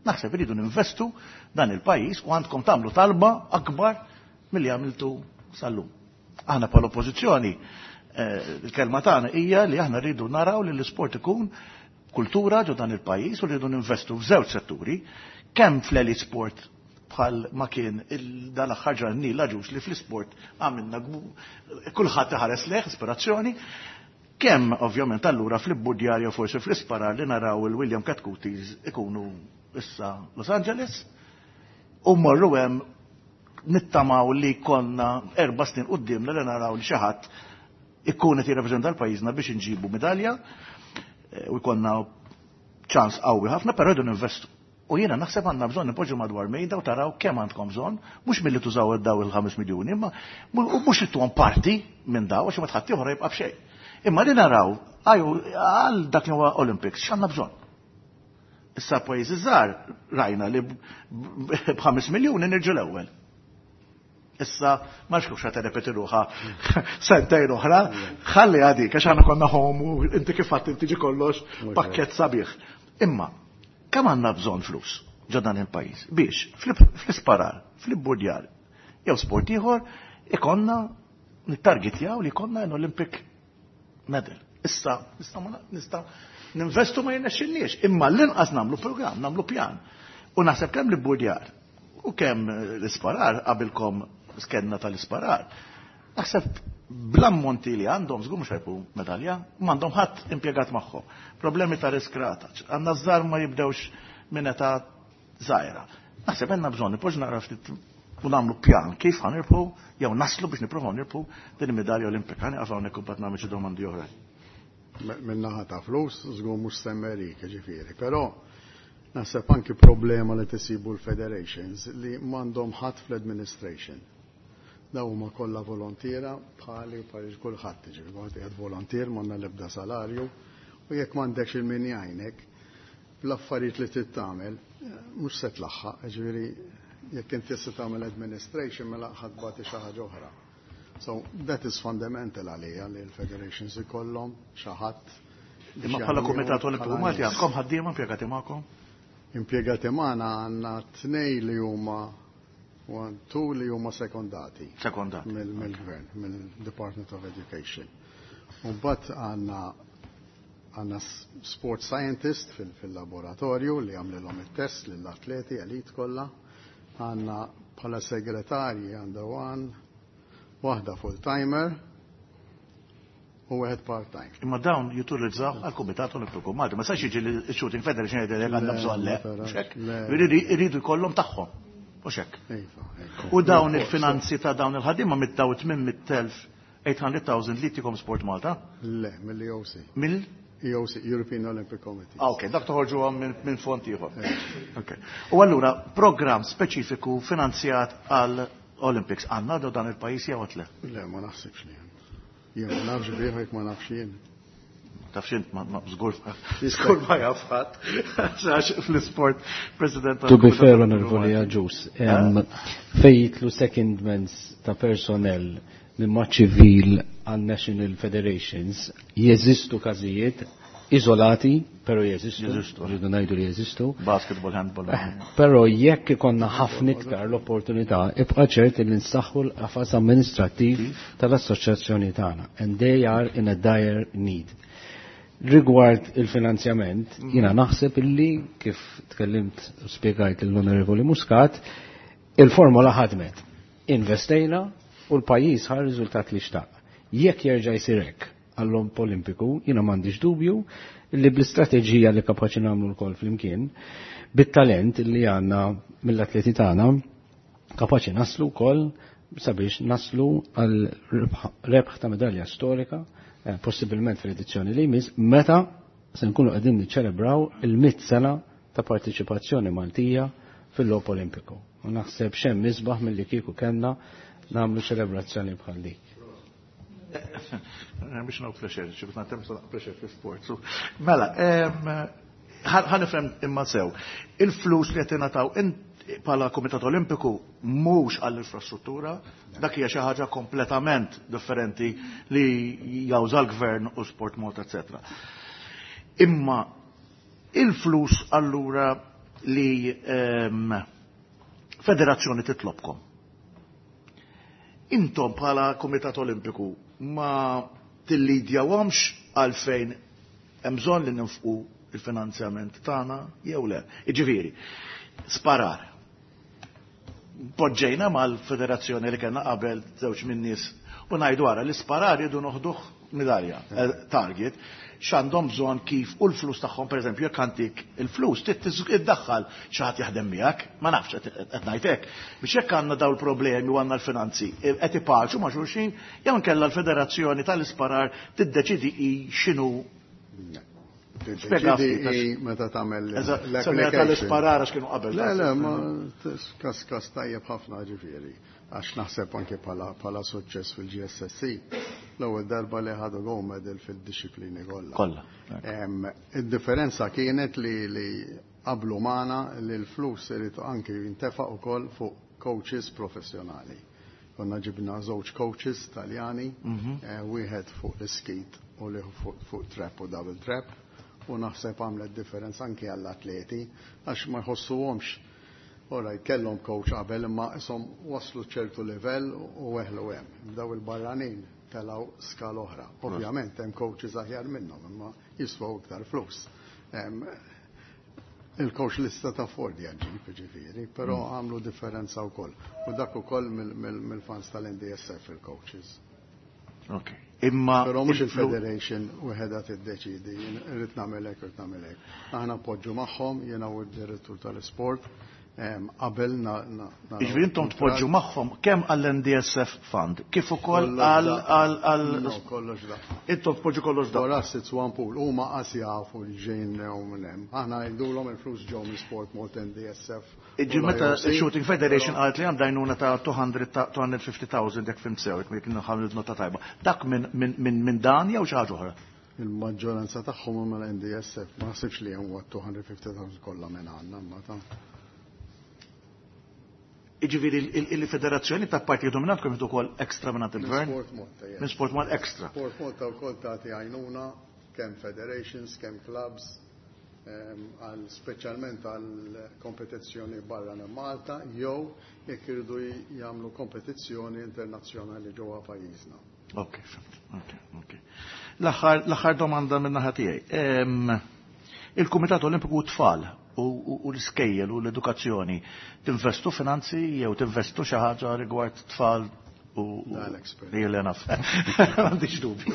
Naħseb irridu ninvestu dan il-pajjiż u għandkom tagħmlu talba akbar milli għamiltu sal-lum. Aħna bħala oppożizzjoni, il-kelma tagħna hija li aħna rridu naraw li l-isport ikun kultura ġo dan il-pajjiż u rridu ninvestu f'żewġ setturi, kemm fl-elite sport bħal ma kien dan l-aħħar ġranni l-aġus li fl-isport għamilna kulħadd iħares lejh ispirazzjoni, kemm ovvjament allura fl-ibbudjar jew forsi fl-isparar li naraw il-William Chetcutis ikunu issa Los Angeles u morru hemm nittamaw li konna 4 snin qudiemna li naraw li xi ħadd ikun qed jirrappreżenta l-pajjiżna biex inġibu medalja u jkollna ċans qawwi ħafna, però rridu ninvestu. U jiena naħseb għandna bżonn nipoġġu madwar mejda u taraw kemm għandkom bżonn, mhux milli tużaw daw il-5 miljuni, imma u mhux li tuhom parti minn daw għax ma tħadd ieħor jibqa' b'xejn. Imma li naraw għal dak li huwa Olympics x'għandna bżonn. Issa pajjiżi żgħar rajna li b'5 miljuni nirġu l-ewwel. Issa ma nafx kif xa terrepeti ruħha sentejn oħra, ħalli għadik għax aħna konna home u inti kif għadt inti ġi kollox pakkett sabiħ. Imma kemm għandna bżonn flus ġo dan il-pajjiż biex fl-isparar, fl-ibburdjar jew sport ieħor ikonna nittargetjaw li jkollna an Olympic medal. Issa nista' ninvestu ma jirnexxilniex, imma l-inqas nagħmlu programm, nagħmlu pjan. U naħseb kemm l-ibburdjar u kemm l-isparar qabilkom skenna tal-isparar. Naħseb bl-ammonti li għandhom żgur mhux ħajbu medalja, m'għandhom ħadd impjegat magħhom. Problemi ta' riskrata, għandna żgħar ma jibdewx minn età żgħira. Naħseb għandna bżonn nipoġġu naqra ftit u nagħmlu pjan kif ħanirbħu jew naslu biex nippruvaw nirbħu din il-medalja olimpika. Ħa nieqaf hawnhekk u mbagħad nagħmel xi domandi oħra. Min-naħa ta' flus żgur mhux semmerik, ġifieri, però naħseb anki problema li tisibu l-federations li m'għandhom ħadd fl-administration. Daw huma kollha volontiera bħali u bħal kulħadd, ġifieri kulħadd qiegħed volontier, m'għandna l-ebda salarju u jekk m'għandekx il-min jgħinek l-affarijiet li trid tagħmel mhux se tlaħħaq, ġifieri jekk inti se tagħmel administration mela ħadd bagħti xi ħaġa oħra. So that is fundamental għalija li l-federations ikollhom xi ħadd biex Imma bħala jagħmlu Kumitat Olimpiku bħala Malti nies. għandkom ħaddiema impjegati magħkom? Impjegati magħna għandna tnej li huma one, two li huma sekondati. Sekondati. Mill-gvern, mill-Department of Education. U mbagħad għandna sport scientist fil-laboratorju li għamlilhom it-test lill-atleti elit kollha. Għandna bħala segretarji għandha one, waħda full-timer u wieħed part-time. Imma dawn jutilizzaw għal-Kumitat Olimpiku Malti. Ma sax jiġi li shooting federation jgħidlek għandna Le, bżonn le. ma tarax, Mhux hekk? le. Iridu jkollhom tagħhom. Mhux hekk? Iva, iva. U dawn il-finanzi ta' dawn il-ħaddiema mid-daw 800,000, 800,000 li tikom Sport Malta? Le, mill-EOC. Mill? EOC, European Olympic Committee. Ah, ok, dak toħorġu għam minn fond ieħor. Ok. U allura, program speċifiku finanzjat għal Olympics għandna do dan il-pajjiż jew le? Le, ma naħsibx li hemm. Jien ma nafx bih jekk ma nafx jien. Taf xint, ma żgur Jista' żgur ma jaf ħadd. Għax fl-isport, President To be tal-Kumitat fair, Olimpiku Onorevoli Malti. Agius, fejn jitlu secondments ta' personnel minn ma' ċivil għal National Federations, jeżistu każijiet izolati, pero jeżistu, Jeżistu. rridu ngħidu li jeżistu. Basketball, handball. Però jekk ikonna ħafna iktar l-opportunità, ibqa' ċert li nsaħħu l-qafas amministrattiv tal-assoċjazzjoni tagħna. And they are in a dire need. Rigward il-finanzjament, jiena naħseb illi kif tkellimt u spjegajt l-Onorevoli Muscat, il-formola ħadmet. Investejna u l-pajjiż ħa riżultat li xtaq. Jekk jerġa' jsir hekk, għall-Logħob Olimpiku, jiena m'għandix dubju li bl-istrateġija li kapaċi nagħmlu lkoll flimkien, bit-talent li għandna mill-atleti tagħna, kapaċi naslu wkoll sabiex naslu għal rebħ ta' medalja storika, possibilment fl-edizzjoni li jmiss, meta se nkunu qegħdin niċċelebraw il-100 sena ta' partiċipazzjoni Maltija fil-Logħob Olimpiku. U naħseb xemm isbaħ milli kieku kellna nagħmlu ċelebrazzjoni bħal dik. Biex no pressure, xi biex nagħtem pressure fi sport. Mela, ħa nifhem imma sew. Il-flus li qed ingħataw bħala Kumitat Olimpiku mhux għall-infrastruttura, dak hija xi ħaġa kompletament differenti li jawża l-gvern u Sport Malta, etc. Imma il-flus allura li federazzjoni titlobkom. Intom bħala Kumitat Olimpiku ma tillidjawhomx għalfejn hemm bżonn li ninfqu il-finanzjament tagħna jew le. Iġifieri, sparar. Poġġejna mal-federazzjoni li kellna qabel żewġ min-nies u ngħidu ara li sparar jridu noħduh midalja, target, x'għandhom bżonn kif u l-flus tagħhom, pereżempju, jekk għandik il-flus, trid iddaħħal xi ħadd jaħdem miegħek, ma nafx, qed ngħid hekk. Biex jekk għandna dawn il-problemi u għandna l-finanzi, qed ipaċu ma' xulxin, jew inkella l-federazzjoni tal-isparar tiddeċidi hi x'inhu. Spjega ftit, Tiddeċidi meta tagħmel Eżatt, l-application. semmejna tal-isparar għax kienu qabel. Le, le, ma kas tajjeb ħafna, ġifieri. Għax naħseb anke bħala suċċess fil-GSSC, l-ewwel darba li ħadu gold medal fil-disciplini kollha. Kollha. Id-differenza kienet li qablu magħna li l-flus irid anke jintefaq ukoll fuq coaches professjonali. Konna ġibna żewġ coaches Taljani, wieħed fuq l-skeet u li fuq trap u double trap, u naħseb għamlet differenza anke għall-atleti għax ma jħossuhomx. Ora, kellhom coach qabel imma isom waslu ċertu livell u weħlu hemm. Daw il-barranin telaw skala oħra. Ovvjament hemm coaches aħjar minnhom imma jiswaw iktar flus. Il-coach lista ta' Ford jaġib, ġifieri, però għamlu differenza wkoll. U dak ukoll mill-funds tal-NDSF il-coaches. Ok. Imma Però mhux il-Federation wieħedha tiddeċidi, jien irrid nagħmel hekk, irrid nagħmel hekk. Aħna poġġu magħhom, jiena u d-direttur tal-isport, qabel na Jiġifieri intom tpoġġu magħhom kemm għall-NDSF Fund, kif ukoll Kollox daqqa. għal No, kollox daqqa. Intom tpoġġu kollox daqqa. For us it's one pool. Huma qas jafu li ġejn u minn hemm. Aħna ngħidulhom il-flus ġew minn Sport Malta, NDSF u Iġi meta l-IOC. Shooting Federation qalet li għandha għajnuna ta' 200 ta' 250,000, jekk fhimt sew, jekk nħamlu nota tajba. Dak minn dan jew xi ħaġa oħra? Il-maġġoranza tagħhom huma l-NDSF, ma naħsibx li hemm 250,000 kollha minn għandna, imma ta' Iġifieri il-federazzjoni ta' parti dominant kemm ukoll extra minn il-gvern? Minn Sport Malta, yes. Minn Sport Malta extra. Sport Malta wkoll tagħti għajnuna kemm federations, kemm clubs, għal speċjalment għal kompetizzjoni barra minn Malta jew jekk iridu jagħmlu kompetizzjoni internazzjonali ġewwa pajjiżna. Ok, fhimt. Ok. L-aħħar domanda minn naħa tiegħi. Il-Kumitat Olimpiku Tfal u l-iskejjel u l-edukazzjoni, tinvestu finanzi jew tinvestu xi ħaġa rigward tfal u Da, l-expert. Li le naf. M'għandix dubju.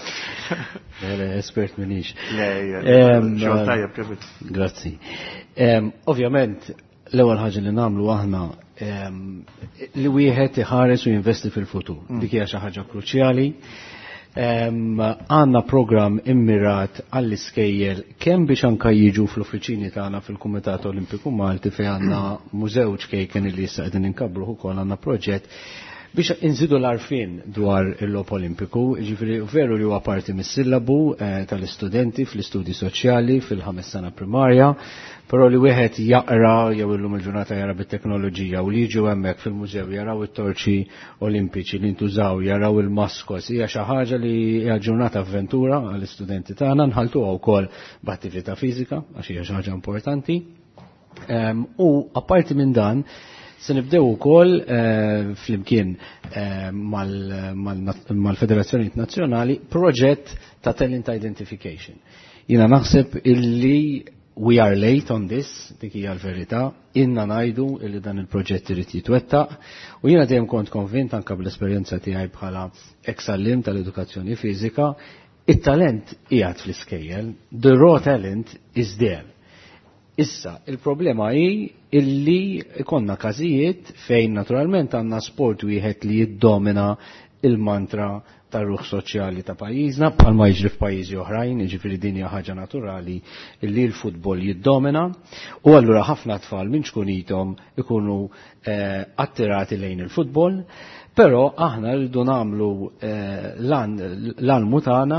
Le, le, espert minix. Le, le, xogħol tajjeb, Kevin. Grazzi. Ovvjament, l-ewwel ħaġa li nagħmlu aħna li wieħed iħares u jinvesti fil-futur. Dik hija xi ħaġa kruċjali. Għandna program immirat għall-iskejjel kemm biex anka jiġu fl-uffiċini tagħna fil-Kumitat Olimpiku Malti fejn għandna mużew ċkejken li issa qegħdin inkabbruh ukoll, għandna proġett biex inżidu l-arfin dwar il-Logħob Olimpiku, ġifieri veru li huwa parti mis-sillabu tal-istudenti fl-istudji soċjali fil-5 sena primarja, però li wieħed jaqra jew illum il-ġurnata jara bit-teknoloġija u li jiġu hemmhekk fil-mużew jaraw it-torċi olimpiċi li ntużaw, jaraw il-maskos, hija xi ħaġa li hija ġurnata avventura għall-istudenti tagħna, nħaltuha wkoll b'attività fiżika għax hija xi ħaġa importanti. U apparti minn dan, se nibdew ukoll flimkien mal-Federazzjoni Nazzjonali proġett ta' talent identification. Jiena naħseb illi we are late on this, dik hija l-verità, inna ngħidu illi dan il-proġett irid jitwettaq, u jiena dejjem kont konvint anke bl-esperjenza tiegħi bħala ex-allim tal-edukazzjoni fiżika. It-talent qiegħed fl-iskejjel, the raw talent is there. Issa, il-problema hi illi ikonna każijiet fejn naturalment għandna sport wieħed li jiddomina il-mantra tar-ruħ soċjali ta' pajjiżna bħalma jiġri f'pajjiżi oħrajn, jiġifieri din hija ħaġa naturali illi l-futbol jiddomina u allura ħafna tfal minn ċkunithom ikunu eh, attirati lejn il-futbol. Però aħna rridu nagħmlu eh, l-almu tagħna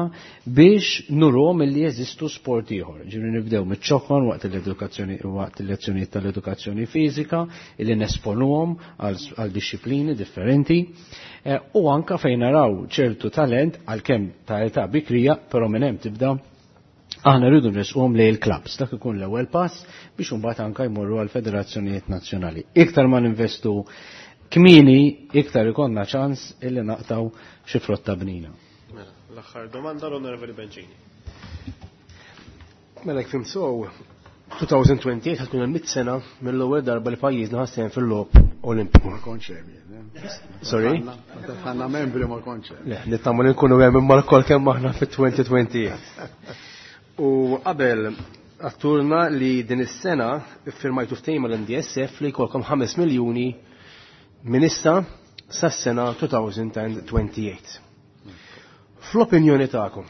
biex nuruhom illi jeżistu sport ieħor. Ġifieri nibdew miċ-ċokon waqt l-edukazzjoni waqt il-lezzjonijiet tal-edukazzjoni fiżika illi nesponuhom għal disċiplini differenti. Eh, u anka fejn naraw ċertu talent għalkemm ta' età bikrija, però minn hemm tibda aħna rridu nresquhom lejn il-clubs, dak ikun l-ewwel pass biex imbagħad anka jmorru għal federazzjonijiet nazzjonali. Iktar ma ninvestu kmieni, iktar ikollna ċans illi naqtaw xi frotta bnina. Mela, l-aħħar domanda l-Onorevoli Bencini. Mela jekk fhimt sew, 2028 ħa tkun hemm sena mill-ewwel darba li pajjiżna ħa sehem fil-logħob Olimpiku. Ma kontx hemm jien, eh? Sorry? Meta tħanna membri ma kontx hemm. Le, nittama li nkunu hemm imma lkoll kemm aħna fit-2028. U qabel għedtulna li din is-sena iffirmajtu ftehim mal-MDSF li jkollkom 5 miljuni minn issa sas-sena 2028. Fl-opinjoni tagħkom,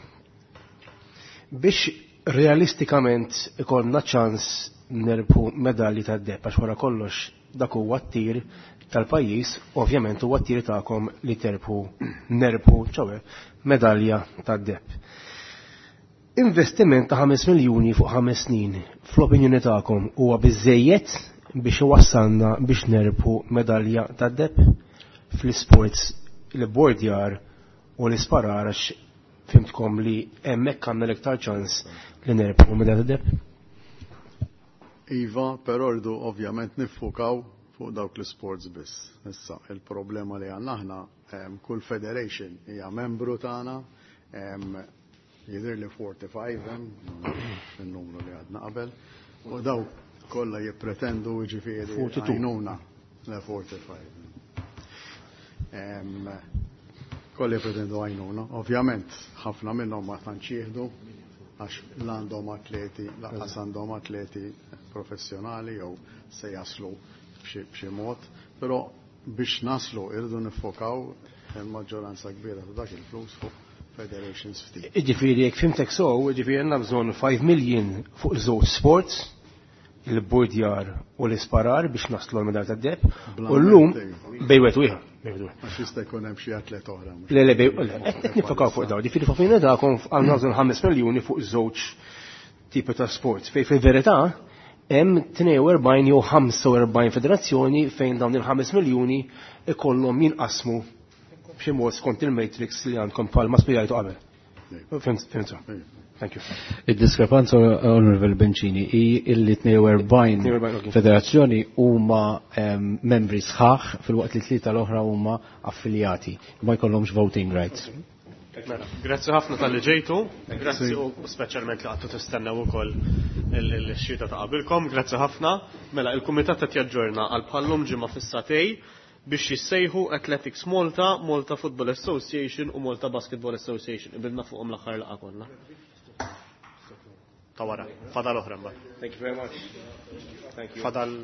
biex realistikament ikollna ċans nerbħu medalji tad-deheb għax wara kollox dak huwa t-tir tal-pajjiż, ovvjament huwa t-tir tagħkom li terbħu nerbħu ċowe medalja tad-deheb. Investiment ta' 5 miljuni fuq 5 snin fl-opinjoni tagħkom huwa biżejjed biex iwassalna biex nerbħu medalja tad-deheb fl-sports l-bordjar u l-isparar għax fhimtkom li hemmhekk għandna l-iktar ċans li nerbħu medalja tad-deheb? Iva, però rridu ovvjament niffukaw fuq dawk l-sports biss. Issa, il-problema li għandna aħna, kull federation hija membru tagħna, jidher li 45 hemm, il-numru li għadna qabel, u dawk kollha jippretendu jiġifieri 42. għajnuna. Le 45. Kollha jippretendu għajnuna. Ovvjament, ħafna minnhom ma tantx jieħdu għax l-għandhom atleti, lanqas għandhom atleti professjonali jew se jaslu b'xi mod, però biex naslu irridu niffokaw il-maġġoranza kbira ta' dak il-flus fuq federations ftit. Ġifieri, jekk fhimtek sew, ġifieri għandna bżonn 5 million fuq żewġ sports, il-bordjar u l-isparar biex naslu l-medalja tad-deheb. U llum bejn wieħed u ieħor. Għax jista' jkun hemm xi atlet oħra. Le, le, bej, le, qed niffokaw fuq dawn. Ġifieri fuq fejn dakom għandna bżonn 5 miljuni fuq żewġ tipi ta' sports. Fej fil-verità hemm 42 jew 45 federazzjoni fejn dawn il-5 miljuni ikollhom jinqasmu b'xi mod skont il-matrix li għandkom bħalma spjegajtu qabel. Fhimt, fhimtu. Thank you. Id-diskrepanza, Onorevole Bencini, hi illi 42 42, ok. federazzjoni huma membri sħaħ filwaqt li tlieta l-oħra huma affiljati, ma jkollhomx voting rights. Mela, grazzi ħafna talli ġejtu, grazzi u speċjalment li qgħadtu tistennew ukoll il-xita ta' qabilkom, grazzi ħafna. Mela, il-kumitat qed jaġġorna għal bħallum ġimgħa fis-sagħtejn biex jissejħu Athletics Malta, Malta Football Association u Malta Basketball Association. Qbilna fuqhom l-aħħar laqgħa kollha. Ta' wara, fadal oħra mbagħad. Thank you very much. Thank you. Fadal.